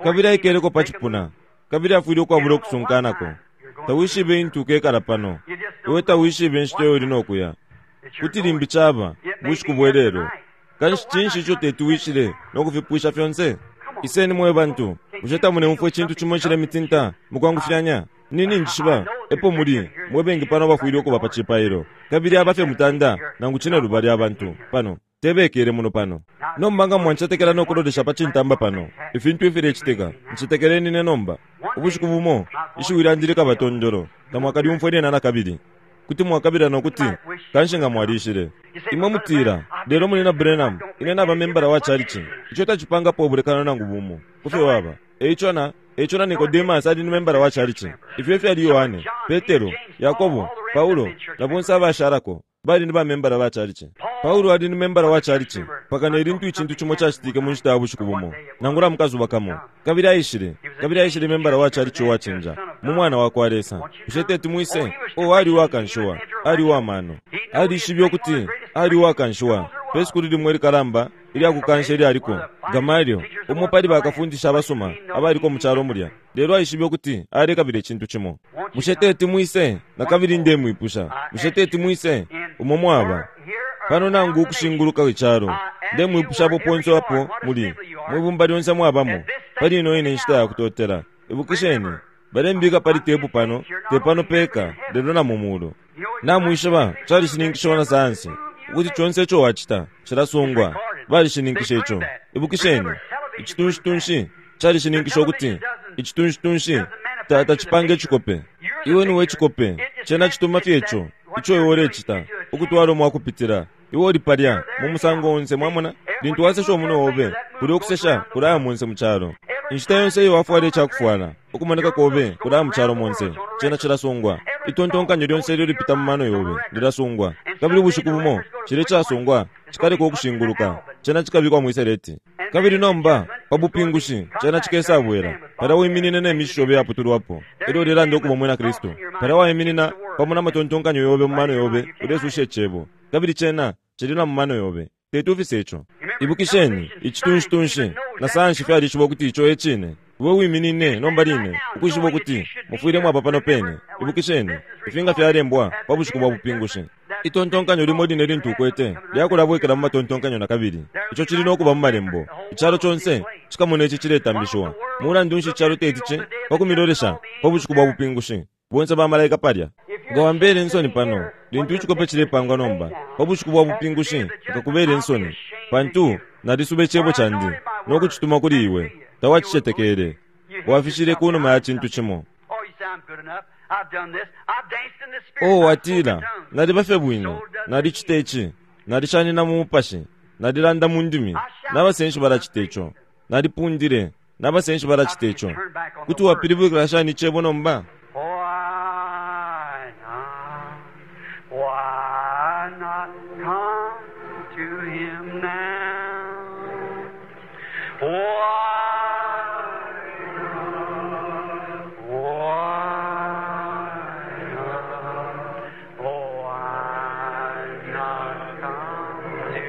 Kabili aikeleko pa cipuna, kabili afwile ukwabula ukusunkanako. Tawishibe intu ukekala pano, iwe tawishibe inshita iyo uli nokuya. Kuti limbi caba bushiku bwelelo. Kanshi cinshi ico tetuwishile nokufipwisha fyonse? Iseni mwe bantu, bushe tamuneumfwa icintu cimo icilemitinta mukwangufyanya? Nini njishiba epo muli mwe bengi pano abafwile ukuba pa cipailo, kabili abafye mutanda nangu cine lubali abantu pano tebekele muno pano. Nomba nga mwancetekela nokulolesha pa cintamba pano ifintu ifilecitika, ncetekeleni ne nomba. Ubushiku bumo ishiwi lyandi likaba tondolo, tamwakalyumfwe lyena nakabili. Kuti mwakabila nokuti kanshi nga mwalishile. Imwe mutila, lelo muli na Branham, ine naba membala wa chalichi. Ico tacipangapo ubulekano nangu bumo kufyo waba. Eico na Eico na Nicodemus ali ni membala wa chalichi. Ifyo fyali Yohane, Petero, Yakobo, Paulo na bonse abashalako bali ni ba membala ba chalichi. Paulo ali ni membala wa chalichi paka ne lintu icintu cimo cacitike mu nshita ya bushiku bumo nangula mukazuba kamo. Kabili aishile, kabili aishile membala wa chalichi uwacinja mu mwana wakwa Lesa. Bushe teti mwise? O ali uwakanshiwa, ali uwamano, alishibe ukuti ali uwakanshiwa pe sukulu limwe likalamba ilyakukansha ilyaliko Gamalio, umo pali bakafundisha abasuma abaliko mu calo mulya. Lelo aishibe ukuti alekabila icintu cimo. Bushe teti mwise? Nakabili ndemwipusha, bushe teti mwise? Umo mwaba pano nangu ukushinguluka icalo, ndemwipusha apo ponse apo muli mwibumba lyonse mwabamo pali ino ine nshita ya kutotela. Ibukisheni, balembika pali tepu pano, te pano peka, lelo na mu mulu. Namwishiba calishininkishiwa na sayansi ukuti conse ico wacita cilasungwa. Balishininkisha ico. Ibukisheni, icitunshi-tunshi calishininkisha ukuti icitunshi-tunshi tacipanga icikope. Iwe niwe icikope, cena cituma fye ico ico iwe ulecita ukutwala umwakupitila. Iwe uli palya mu musango onse, mwamona. Lintu wasesha umunwe obe, kuli ukusesha kulaya monse mu calo. Inshita yonse iyo wafwala icakufwala, ukumoneka kobe kulaya mu calo monse, cena cilasungwa. Itontonkanyo lyonse ilyo lipita mu mano yobe lilasungwa. Kabili ubushiku bumo cile casungwa cikaleka ukushinguluka, cena cikabikwa mwiseleti. Kabili nomba pa bupingushi cena cikesabwela. Palya wiminine ne mishi yobe yaputulwapo, elyo ulelanda ukuba mwina Kristu. Palya waiminina pamo na matontonkanyo yobe mu mano yobe, ulesusha icebo, kabili cena cili na mu mano yobe. Tetufise ico. Ibukisheni, icitunshi-tunshi na sayansi fyalishiba ukuti ico e cine. Iwe wiminine nomba line ukwishiba ukuti mufwile mwaba pano pene. Ibukisheni, ifinga fyalembwa pa bushiku bwa bupingushi. Itontonkanyo limo line lintu ukwete lyakulabwekela mu matontonkanyo nakabili. Ico cili nokuba mu malembo. Icalo conse cikamona ici ciletambishiwa. Mulandu nshi icalo tetici pakumilolesha pa bushiku bwa bupingushi? Bonse bamalaika palya. Nga wambele insoni pano lintu icikope cilepangwa nomba pa bushiku bwa bupingushi, nkakubela insoni, pantu nalisuba icebo candi nokucituma kuli iwe. Tawacicetekele, wafishile kunuma ya cintu cimo. O watila, naliba fye bwino, nalicita ici, nalishanina mu mupashi, nalilanda mu ndimi, nabasenshi balacita ico, nalipundile, nabasenshi balacita ico. Kuti wapilibwikila shani icebo nomba? Why not? Why not come to him now? Why not? Why not? Why not come to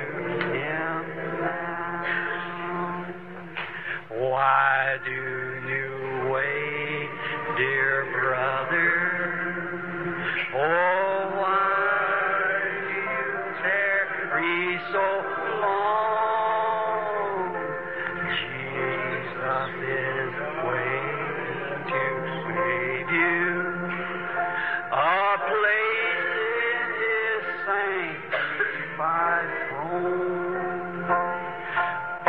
him now? Why do you wait, dear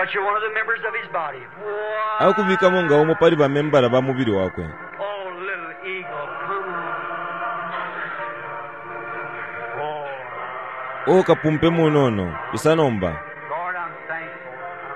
But you're one of the members of his body. Why? Akubikamo nga umo pali bamembala ba mubili wakwe. Oh, little eagle, come on. Oh, O kapumpe munono, isa nomba. Lord, I'm thankful.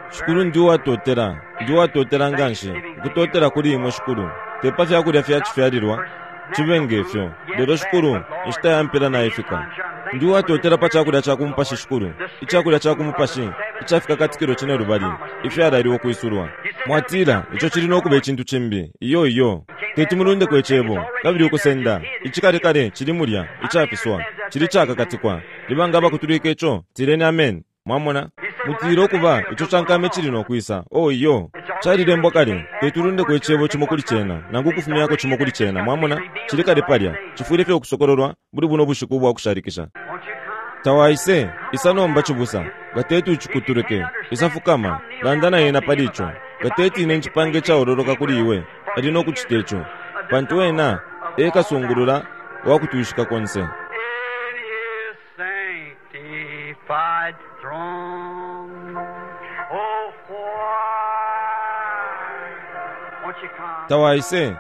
I'm Shikulu very ndi uwatotela, ndi uwatotela nganshi, ukutotela kuli imwe shikulu. Tepa fyakulya fyacifyalilwa, chibe ngefyo. Lelo shikulu, inshita yampela naifika. Ndi uwatotela pa chakulya cha kumupashi shikulu, ichakulya cha kumupashi, ichafika katikilo chine lubali, ifyalaliwe kwisulwa. Mwatila, icho chili nokuba ichintu chimbi, iyo iyo. Teti mulundeko icebo, kabili ukusenda, ichikalekale chili mulya, ichafiswa, chili chakakatikwa. Libanga abakutulika icho, tileni amen. Mwamona? Mutile okuba icho chankame chili nokwisa. Oh iyo. Chalilembwa kale, tetulundeko icebo chimo kuli chena, nangu kufumyako chimo kuli chena. Mwamona? Chili kale palya, chifwile fye okusokololwa buli buno bushiku bwa kushalikisha. Won't you come? Tawaise, isa nomba chibusa, gateti uchikutulike, isafukama, landa na yena palicho. Gateti ine nchipange chaololoka kuli iwe, ali nokuchita icho. Pantu wena, ekasungulula, wakutuishika konse. In his sanctified throne. Oh, why? Won't you come? Tawaise,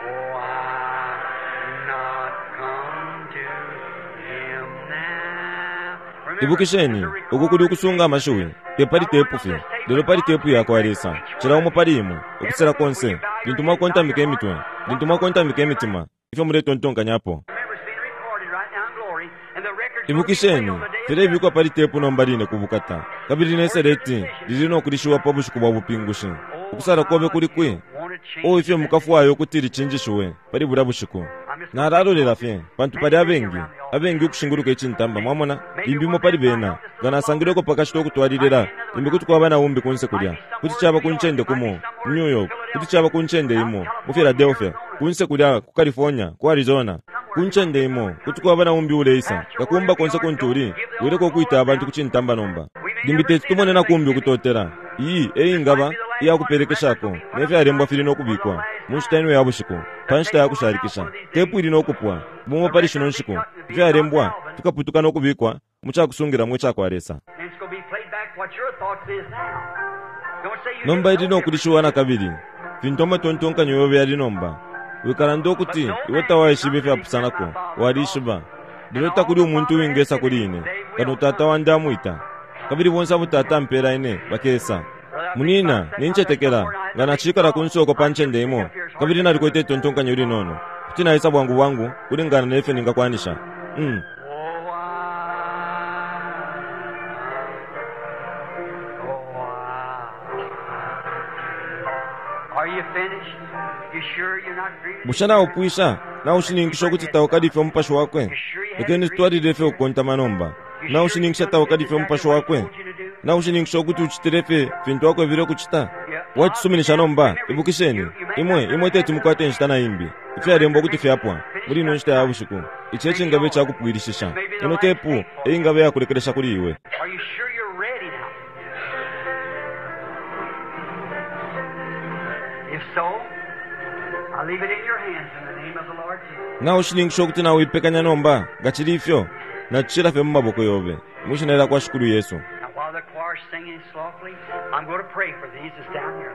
Why not come to him now? Remember, ibukisheni, uku kuli ukusunga amashiwi, tepali tepu fye, lelo pali tepu yakwa Lesa, cila umo pali imwe, ukusela konse, lintu mwakontamika imitwe, lintu mwakontamika imitima, ifyo muletontonkanyapo. Remember, it's being recorded right now in glory, and the record's gonna be played Ibukisheni, on the day of filebikwa pali tepu nomba line kubukata, kabili ne seleti lili nokulishiwa pa bushiku bwa bupingushi. Ukusala kobe kuli kwi, o ifyo mukafwayo kuti lichinjishiwe pali bulya bushiku. Nalalolela fye, pantu pali abengi, abengi ukushinguluka ichintamba, mwamona, limbi umo pali bena, nga nasangileko pakashita okutwalilila, limbi kuti kwaba na umbi kunse kulya, kuti chaba ku ncende kumo, mu New York, kuti chaba ku ncende imo, mu Philadelphia, kunse kulya ku California, ku Arizona, ku ncende imo, kuti kwaba na umbi uleisa, kakumba konse kuntuli, wileko kwita abantu ku chintamba nomba. Limbi teti tumone na kumbi ukutotela, iyi eyingaba iyakupelekeshako, nefyalembwa fili nokubikwa, mu nshita ino ya bushiku, pa nshita ya kushalikisha, tepu ili nokupwa, bumo pali shino nshiku, ifyalembwa fikaputuka nokubikwa, mu chakusungilamo ichakwa Lesa. And it's going to be played back what your thoughts is now. Don't say you Nomba didn't ili know nokulishiwa na kabili, fintu amatontonkanyo yobe yali nomba. Wikalanda ukuti iwe tawaishiba ifyapusanako, walishiba. Lelo takuli umuntu uwingesa kuli ine, kano tata wandi amwita. Kabili bonse abo tata ampela ine bakesa. Munina, ninchetekela, nga nachikala ku nsoko pa ncende imo, kabili nalikwete itontonkanyo linono. Kuti naisa bwangu bwangu, kulingana nefyo ningakwanisha. Mm. Oh, I, oh, I. Are you finished? You sure you're not grieving? Bushe naupwisha, naushininkisha ukuti taukalifye umupashi wakwe. Lekeni tutwalile fye ukukontama nomba. Naushininkisha taukalifye umupashi wakwe. Naushininkisha ukuti uchitile fye fintu akwebile ukuchita. Wachisuminisha nomba, ibukisheni, imwe, imwe teti mukwate inshita na imbi. Ifyalembwa kuti fyapwa, muli ino nshita ya bushiku. Ichi echingabe chakupwilishisha. Ino tepu, eyingabe yakulekelesha kuli iwe. Are you sure you're ready now? If so, I leave it in your hands in the name of the Lord Jesus. Naushininkisha ukuti nawipekanya nomba, nga chili ifyo, nachishila fye mu maboko yobe. Mwishina lya kwa Shikulu Yesu. Now, while the choir's singing softly, I'm going to pray for these that's down here.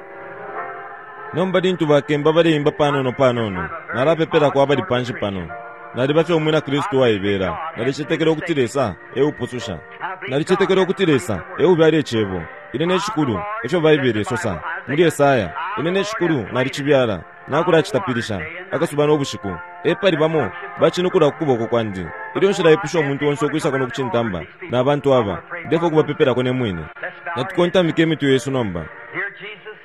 Nomba lintu bakemba baleimba panono panono, nalapepelako abali panshi pano. Naliba fye umwina Kristu waibela, nalichetekela ukuti Lesa eupususha. Nalichetekela ukuti Lesa eubyala icebo. Ine ne shikulu, efyo Baibele isosa muli Esaya, ine ne shikulu nalichibyala, nakulachitapilisha, akasuba n'obushiku. Epali bamo bachinukula ku kuboko kwandi. Ilyo nshilaipusha umuntu onse ukwisako nokuchintamba, na bantu aba, ndefo kubapepelako ne mwine. Let's bow our heads. Natukontamike emitwe yesu nomba. Dear Jesus,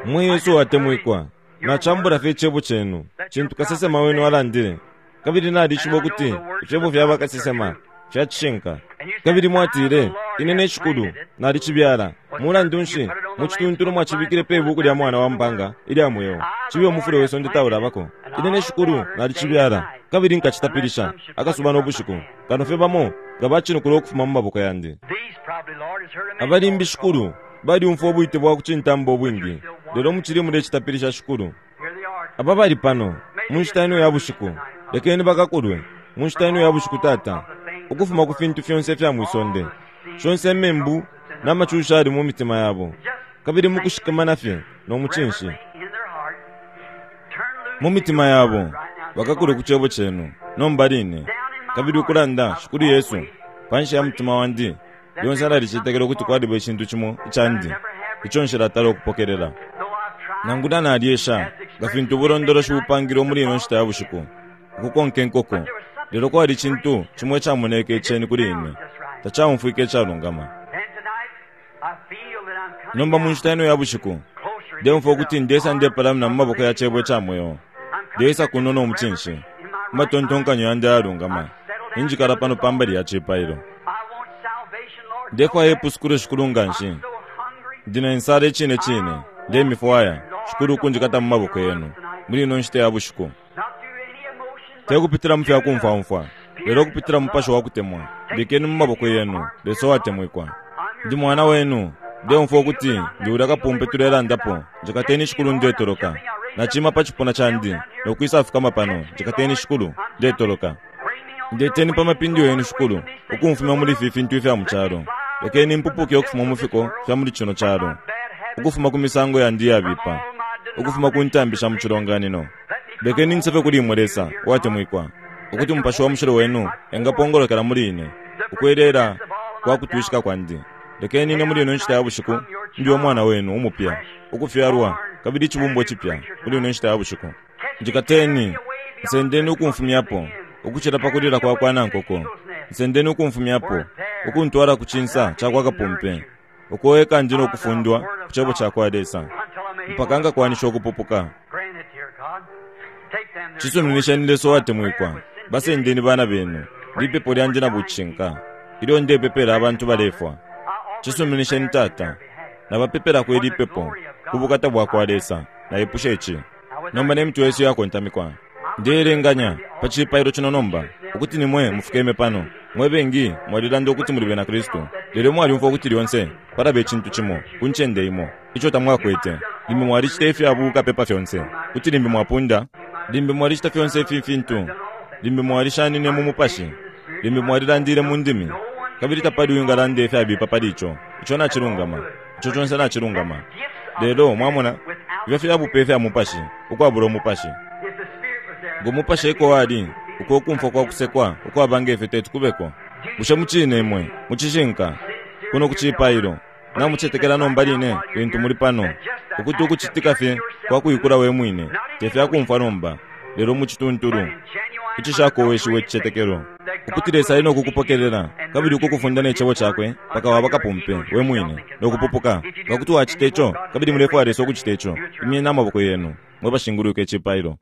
Mwe Yesu atemwikwa, nachambula fye icebo chenu, chintu kasesema wenu alandile. Kabili nalishiba ukuti ifyebo fya bakasesema fyachishinka. Kabili mwatile, ine ne shikulu nalichibyala. Mulandu nshi muchituntulo mwachibikile pe ibuku lya mwana wa mpanga ilya mweo, chibe umufule we sonde taulabako. Ine ne shikulu nalichibyala, kabili nkachitapilisha akasuba n'obushiku. Kano fye bamo nga bachinukula okufuma mu maboko yandi. these probably, Lord, has heard a many Abalimbi calls. shikulu baliumfwa obwite bwa kuchintamba obwingi, lelo muchili mulechitapilisha shikulu. Here they are. Aba bali pano mu nshita ino ya bushiku, lekeni bakakulwe mu nshita ino ya bushiku tata. Ukufuma ku fintu fyonse ifya mwisonde, shonse membu n'amacusha ali mu mitima yabo, kabili mukushikamana fye no mucinshi mu mitima yabo bakakule ku cebo cenu nomba line, kabili ukulanda Shikulu Yesu panshi ya mutima wandi lyonse nalicetekela ukuti kwaliba icintu cimo icandi ico nshilatala ukupokelela. Nangula nalyesha nga fintu ubulondoloshi bupangilwe muli ino nshita ya bushiku ukukonka inkoko, lelo kwali icintu cimo icamoneke iceni kuli ine, tacaumfwike icalungama. Nomba mu nshita ino ya bushiku ndeumfwa ukuti ndesa ndepalamina mu maboko ya cebo ica mweo, ndeisa kuno no mucinshi matontonkanyo yandi ayalungama, injikala pano pambali ya cipailo. Ndefwaya ipusukilo Shikulu nga nshi, ndina insala icine cine, ndemifwaya Shikulu ukunjikata mu maboko yenu muli ino nshita ya bushiku, tekupitila mu fya kumfwamfwa, lelo kupitila mu mupashi wa kutemwa. Bikeni mu maboko yenu Lesa uwatemwikwa. Ndi mwana wenu, ndeumfwa ukuti ndi ulya kapumpe tulelandapo. Njikateni Shikulu ndetoloka, nacima pa cipuna candi nokwisa fukama pano. Njikateni Shikulu ndetoloka, ndeteni pa mapindu yenu Shikulu ukumfumya muli ifi fintu ifya mu calo. Lekeni mpupuke ukufuma mu fiko fya muli cino calo, ukufuma ku misango yandi iyabipa, ukufuma ku ntambi sha mu cilonganino. Lekeni nsefe kuli imwe Lesa uwatemwikwa, ukuti umupashi wa mushilo wenu engapongolokela muli ine ukwelela kwa kutwishika kwandi. Lekeni ine muli ino nshita ya bushiku ndi umwana wenu umupya, ukufyalwa kabili icibumbwa cipya muli ino nshita ya bushiku. Njikateni, nsendeni ukumfumyapo ukucila pa kulila kwa kwa nankoko, nsendeni ukumfumyapo ukuntwala ku cinsa ca kwa kapumpe, uko eka ndi nokufundwa ku cebo ca kwa Lesa mpaka ngakwanisha ukupupuka. Cisuminisheni Lesa uwatemwikwa, basendeni bana benu, lipepo lyandi na bucinka ilyo ndepepela abantu balefwa. Cisuminisheni Tata, nabapepelako ili pepo ku bukata bwa kwa Lesa. Naipusha ici nomba ne mitwe yesu yakontamikwa. Ndeelenganya pa cipailo cino nomba ukuti nimwe mufukeme pano. Mwe bengi mwalilanda ukuti muli bena Kristu, lelo mwalyumfwa ukuti lyonse palaba icintu cimo ku ncende imo ico tamwakwete. Limbi mwalicita ifya bukapepa fyonse, kuti limbi mwapunda, limbi mwalicita fyonse ifi fintu, limbi mwalishanine mu mupashi, limbi mwalilandile mu ndimi, kabili tapali uwingalanda ifyabipa pali ico. Ico nacilungama, ico conse nacilungama. Lelo mwamona ifyo fyabupe ifya mupashi ukwabula umupashi. Ngo mupashi eko wali uko ukumfwa kwa kusekwa ukwabanga ifyo teti kubeko. Bushe mucine imwe mucishinka kuno ku cipailo namucetekela nomba line lintu muli pano ukuti ukucitika fye kwa kuikula we mwine tefyakumfwa nomba, lelo mucituntulu icishakoweshiwe icicetekelo ukuti Lesa ali nokukupokelela kabili ukukufunda ne cebo cakwe mpaka waba kapumpe we mwine nokupupuka. Nga kuti wacita ico kabili mulefwaya Lesa ukucita ico, imyeni amaboko yenu mwe bashinguluka icipailo.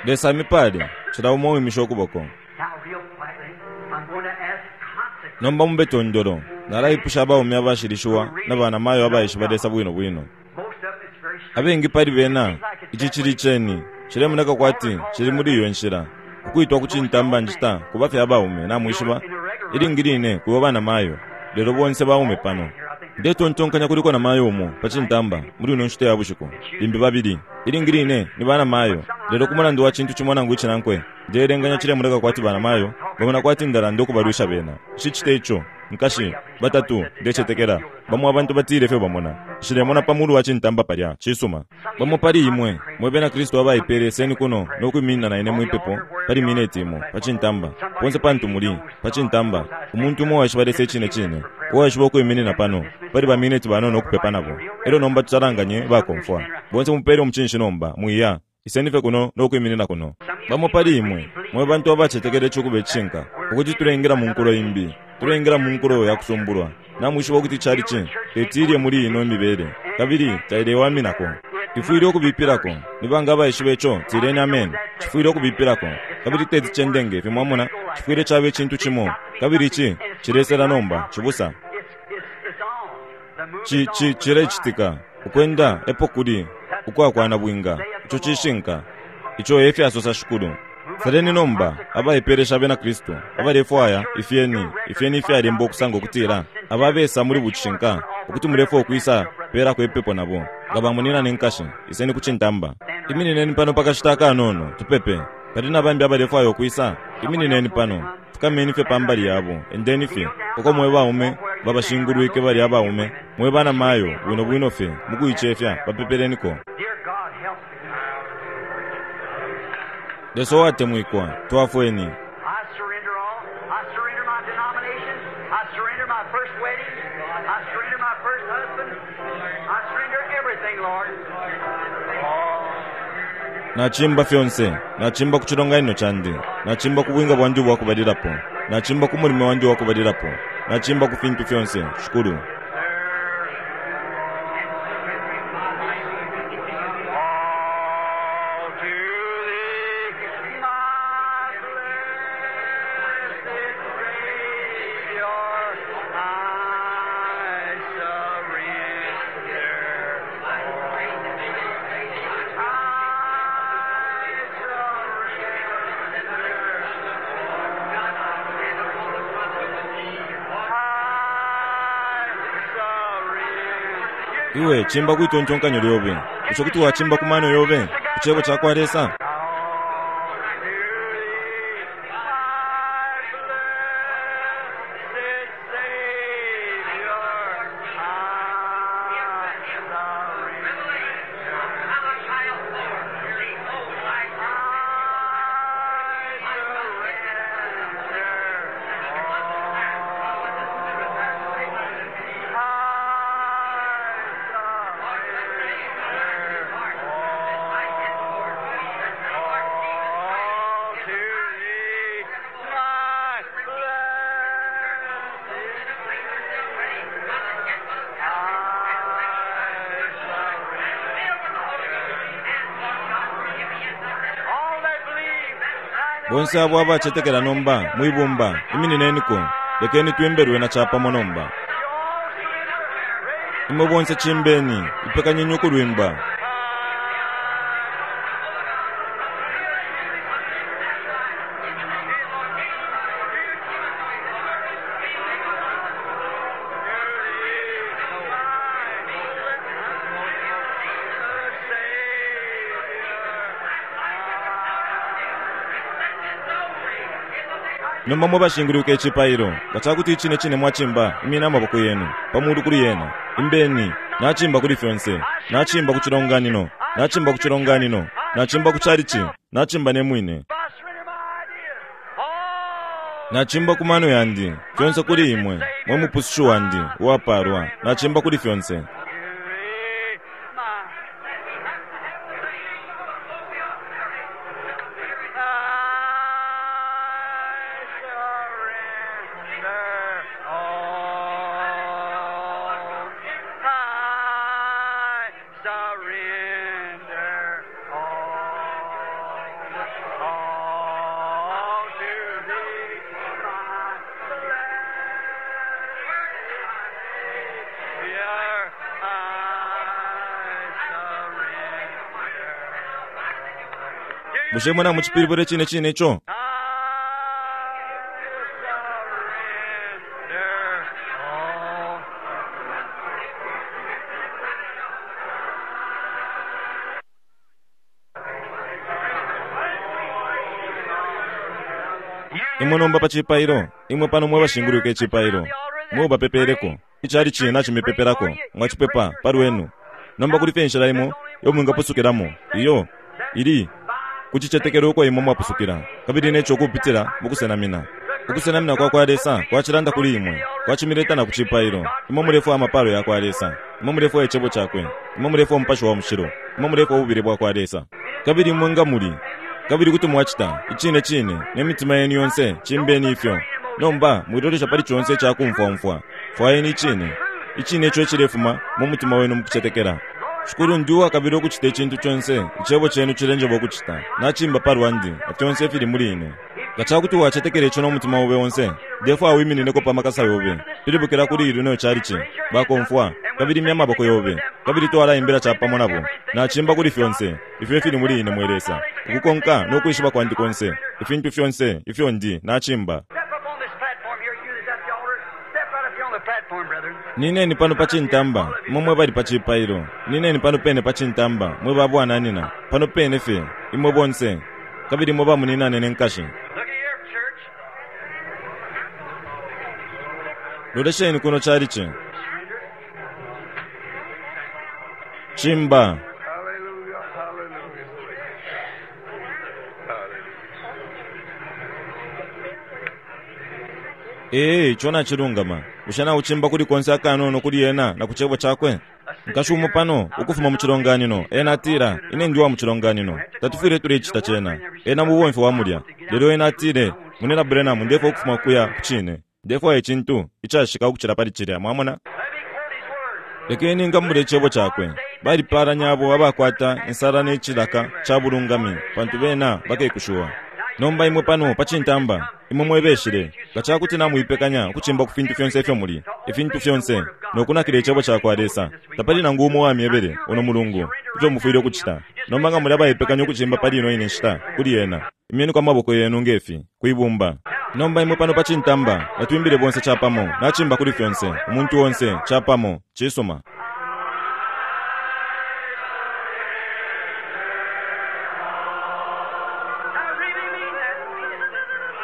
Lesa amipale, cila umo uwimisha ukuboko. Nomba mube tondolo, nalaipusha abaume abashilishiwa na banamayo abaishiba Lesa bwino bwino. Abengi pali bena ici cili ceni cilemoneka kwati cili muli iyo nshila ukuitwa ku cintamba ncita kuba fye abaume namwishiba ilingi line kuba banamayo, lelo bonse baume pano. Ndetontonkanya kuliko namayo umo pa cintamba muli ino nshita ya bushiku, limbi babili ilingi line ni banamayo, lelo ku mulandu wa cintu cimo nangu icinankwe ndeelenganya cilemoneka kwati banamayo bamona kwati ndalanda ukubalwisha bena. Nshicita ico nkashi batatu ndecetekela bamo abantu batile ifyo bamona nshilemona pa mulu wa cintamba palya cisuma. Bamo pali imwe mwe bena Kristu abaipele seni kuno nokwiminina na ine mwipepo pali mineti imo pa cintamba ponse pantu muli pa cintamba. Umuntu umo uwaishiba Lesa icine cine uwaishiba ukwiminina pano pali ba mineti banono ukupepa nabo. Elyo nomba tusalanganye bakomfwa bonse mupele umucinshi nomba mwiya iseni fye kuno nokwiminina kuno. Bamo pali imwe mwe bantu abacetekela icukuba icishinka ukuti tulengela mu nkulo imbi, tulengela mu nkulo ya kusumbulwa. Namwishiba ukuti cali ci tetilye muli ino mibele kabili tailewaminako. Ifwile ukubipilako nibanga abaishiba ico tileni amen. Cifwile ukubipilako kabili teti cendenge ifi mwamona cifwile caba icintu cimo kabili ici cilesela nomba cibusa ci ci cilecitika ukwenda epo kuli ukwakwana bwinga ico cishinka ico efyasosa Shikulu. Saleni nomba abaipelesha bena Kristu abalefwaya ifyeni ifyeni ifyalemba ukusanga ukutila ababesa muli bucishinka ukuti mulefwaya ukwisa pelako ipepo nabo nga bamunina ne nkashi iseni ku cintamba. Iminineni pano pakashita akanono tupepe. Pali na bambi abalefwaya ukwisa? Iminineni pano, fukameni fye pambali yabo, endeni fye uko mwe baume babashingulwike bali abaume, mwe bana mayo bwino bwino fye mukuicefya bapepeleniko. Dear God, help me. Lesa uwatemwikwa, twafweni. I surrender all. I surrender my denomination. I surrender my first wedding. I surrender my first husband. I surrender everything, Lord. Oh. Nachimba fyonse, nachimba ku chilonganino chandi, nachimba ku bwinga bwandi ubwakubalilapo, nachimba ku mulimo wandi uwakubalilapo, nachimba ku fintu fyonse. Shukuru. All to thee, my blessed Savior, I surrender all. I surrender. I surrender. Iwe chimba kwitontonkanyo lyobe, icho kuti wachimba ku mano yobe, ku chebo chakwa Lesa. All to thee, my blessed All that believe, Bonse abo abachetekela nomba mwibumba, iminineniko, lekeni twimbelwe na chapamo nomba. you all surrender. Raise Imwe bonse chimbeni, ipekanyeni ukulwimba. Nomba mwe bashinguluka ichipailo, ngachakuti ichine chine mwachimba, imina amaboko yenu pamulu kuli yena. Imbeni, nachimba kuli fyonse, nachimba ku chilonganino, nachimba ku chilonganino, nachimba ku chalichi, nachimba ne mwine, I surrender my ideas. All nachimba ku mano yandi, fyonse kuli imwe, mwe mupusushu wandi uwaparwa, nachimba kuli fyonse. to thee, my I surrender all. I surrender all. All to thee, my blessed Savior, I surrender. Bushe mwe namuchipilibwile chine chine icho? I surrender all. Imwe nomba pa chipailo, imwe pano mwe bashinguluka ichipailo, mwe bapepereko, ichali china chimipeperako, mwachipepa palwenu. Nomba kuli fye inshila imo yo mwingapusukilamo, iyo ili kuchichetekelo uko imwe mwapusukila, kabili necho kupitila mukusenamina. Ukusenamina kwa kwa Lesa kwachilanda kuli imwe, kwachimileta na kuchipailo. Imwe mulefwa amapalo ya kwa Lesa, imwe mulefwa echebo chakwe, imwe mulefwa umupashi wa mushilo, imwe mulefwa ububile bwa kwa Lesa. Kabili imwe nga muli kabili kuti mwachita ichine chine ne mitima yenu yonse chimbeni ifyo. Nomba mwilolesha pali chonse chakumfwamfwa, fwayeni ichine ichine icho echilefuma mu mutima wenu mukuchetekela. Shukuru ndi uwakabila ukuchita ichintu chonse ichebo chenu chilenjeba ukuchita, nachimba palwandi na fyonse ifili muli ine. Nga chakuti wachetekela icho n'omutima ube onse, ndefo awiminineko pamakasa yobe, pilibukila kuli ilino chalichi bakomfwa kabili imya amaboko yobe, kabili twalaimbila chapamo nabo. Nachimba kuli fyonse ifyo ifili muli ine mwe Lesa, ukukonka n'okwishiba kwandi konse, ifintu fyonse ifyo ndi nachimba. Step up on this platform here, you that's at the altar. Step right up here on the platform, brethren. Nineni pano pa chintamba, imwe mwe bali pa chipailo. Nineni pano pene pa chintamba, mwe babwananina, pano pene fye, imwe bonse. Kabili mwe bamuninane ne nkashi. Look at here, church. Lolesheni kuno chalichi. Chimba. Hallelujah, hallelujah. Hallelujah. Ee, icho nachilungama. Bushe nauchimba kuli konse akanono kuli ena na ku cebo chakwe. Nkashi umo pano ukufuma mu chilonganino ena atila ine ndi wa mu chilonganino tatufwile tulecita cena ena mubomfi wa mulya lelo ena atile munena Branham ndefwa ukufuma kuya ku cine ndefwaya icintu icashika ukucila pali cilya mwamona Let me quote his words. lekeni ngamule icebo chakwe balipalanya abo abakwata insala ne cilaka ca bulungami pantu bena bakekushiwa nomba imwe pano pa cintamba imwe mwebeshile nga cakuti namuipekanya ukucimba ku fintu fyonse ifyo muli ifintu fyonse nokunakila icebo cakwa Lesa tapali nangu umo wamyebele uno mulungu ifyo mufwile ukucita nomba nga muli abaipekanya ukucimba pali ino ine nshita kuli ena imyeni kwa maboko yenu ngefi kwibumba nomba imwe pano pa cintamba natwimbile bonse capamo nacimba kuli fyonse umuntu onse capamo cisuma I really mean that.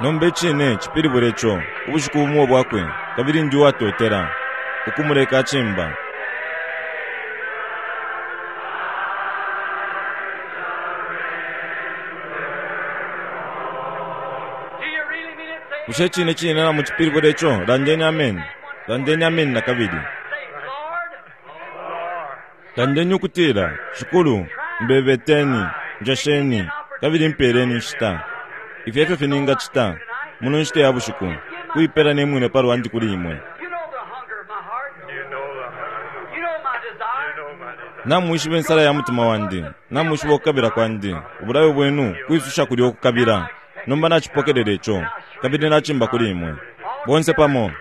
Nomba icine cipilibula ico ubushiku bumo bwakwe kabili ndi uwatotela ukumuleka acimba. Do you really mean it? Say, Bushe icine cine na mucipilibula ico landeni ameni landeni ameni na kabili say, Lord, landeni ukutila shikulu mbebeteni njesheni kabili mpeleni nshita ifi efyo finingacita muno nshita ya bushiku kuipela ne mwine palwandi kuli imwe you know the hunger of my heart. You know the hunger. You know my desire. You know my desire. Namwishiba insala ya mutima wandi namwishiba ukukabila kwandi ubulayo bwenu kwisusha kuli okukabila nomba nacipokelela ico kabili nacimba kuli imwe bonse pamo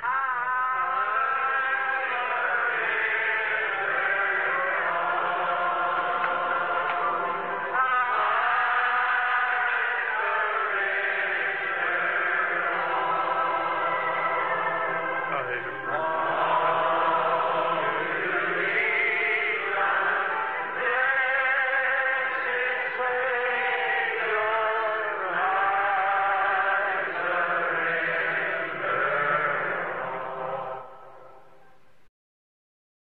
Hallelujah.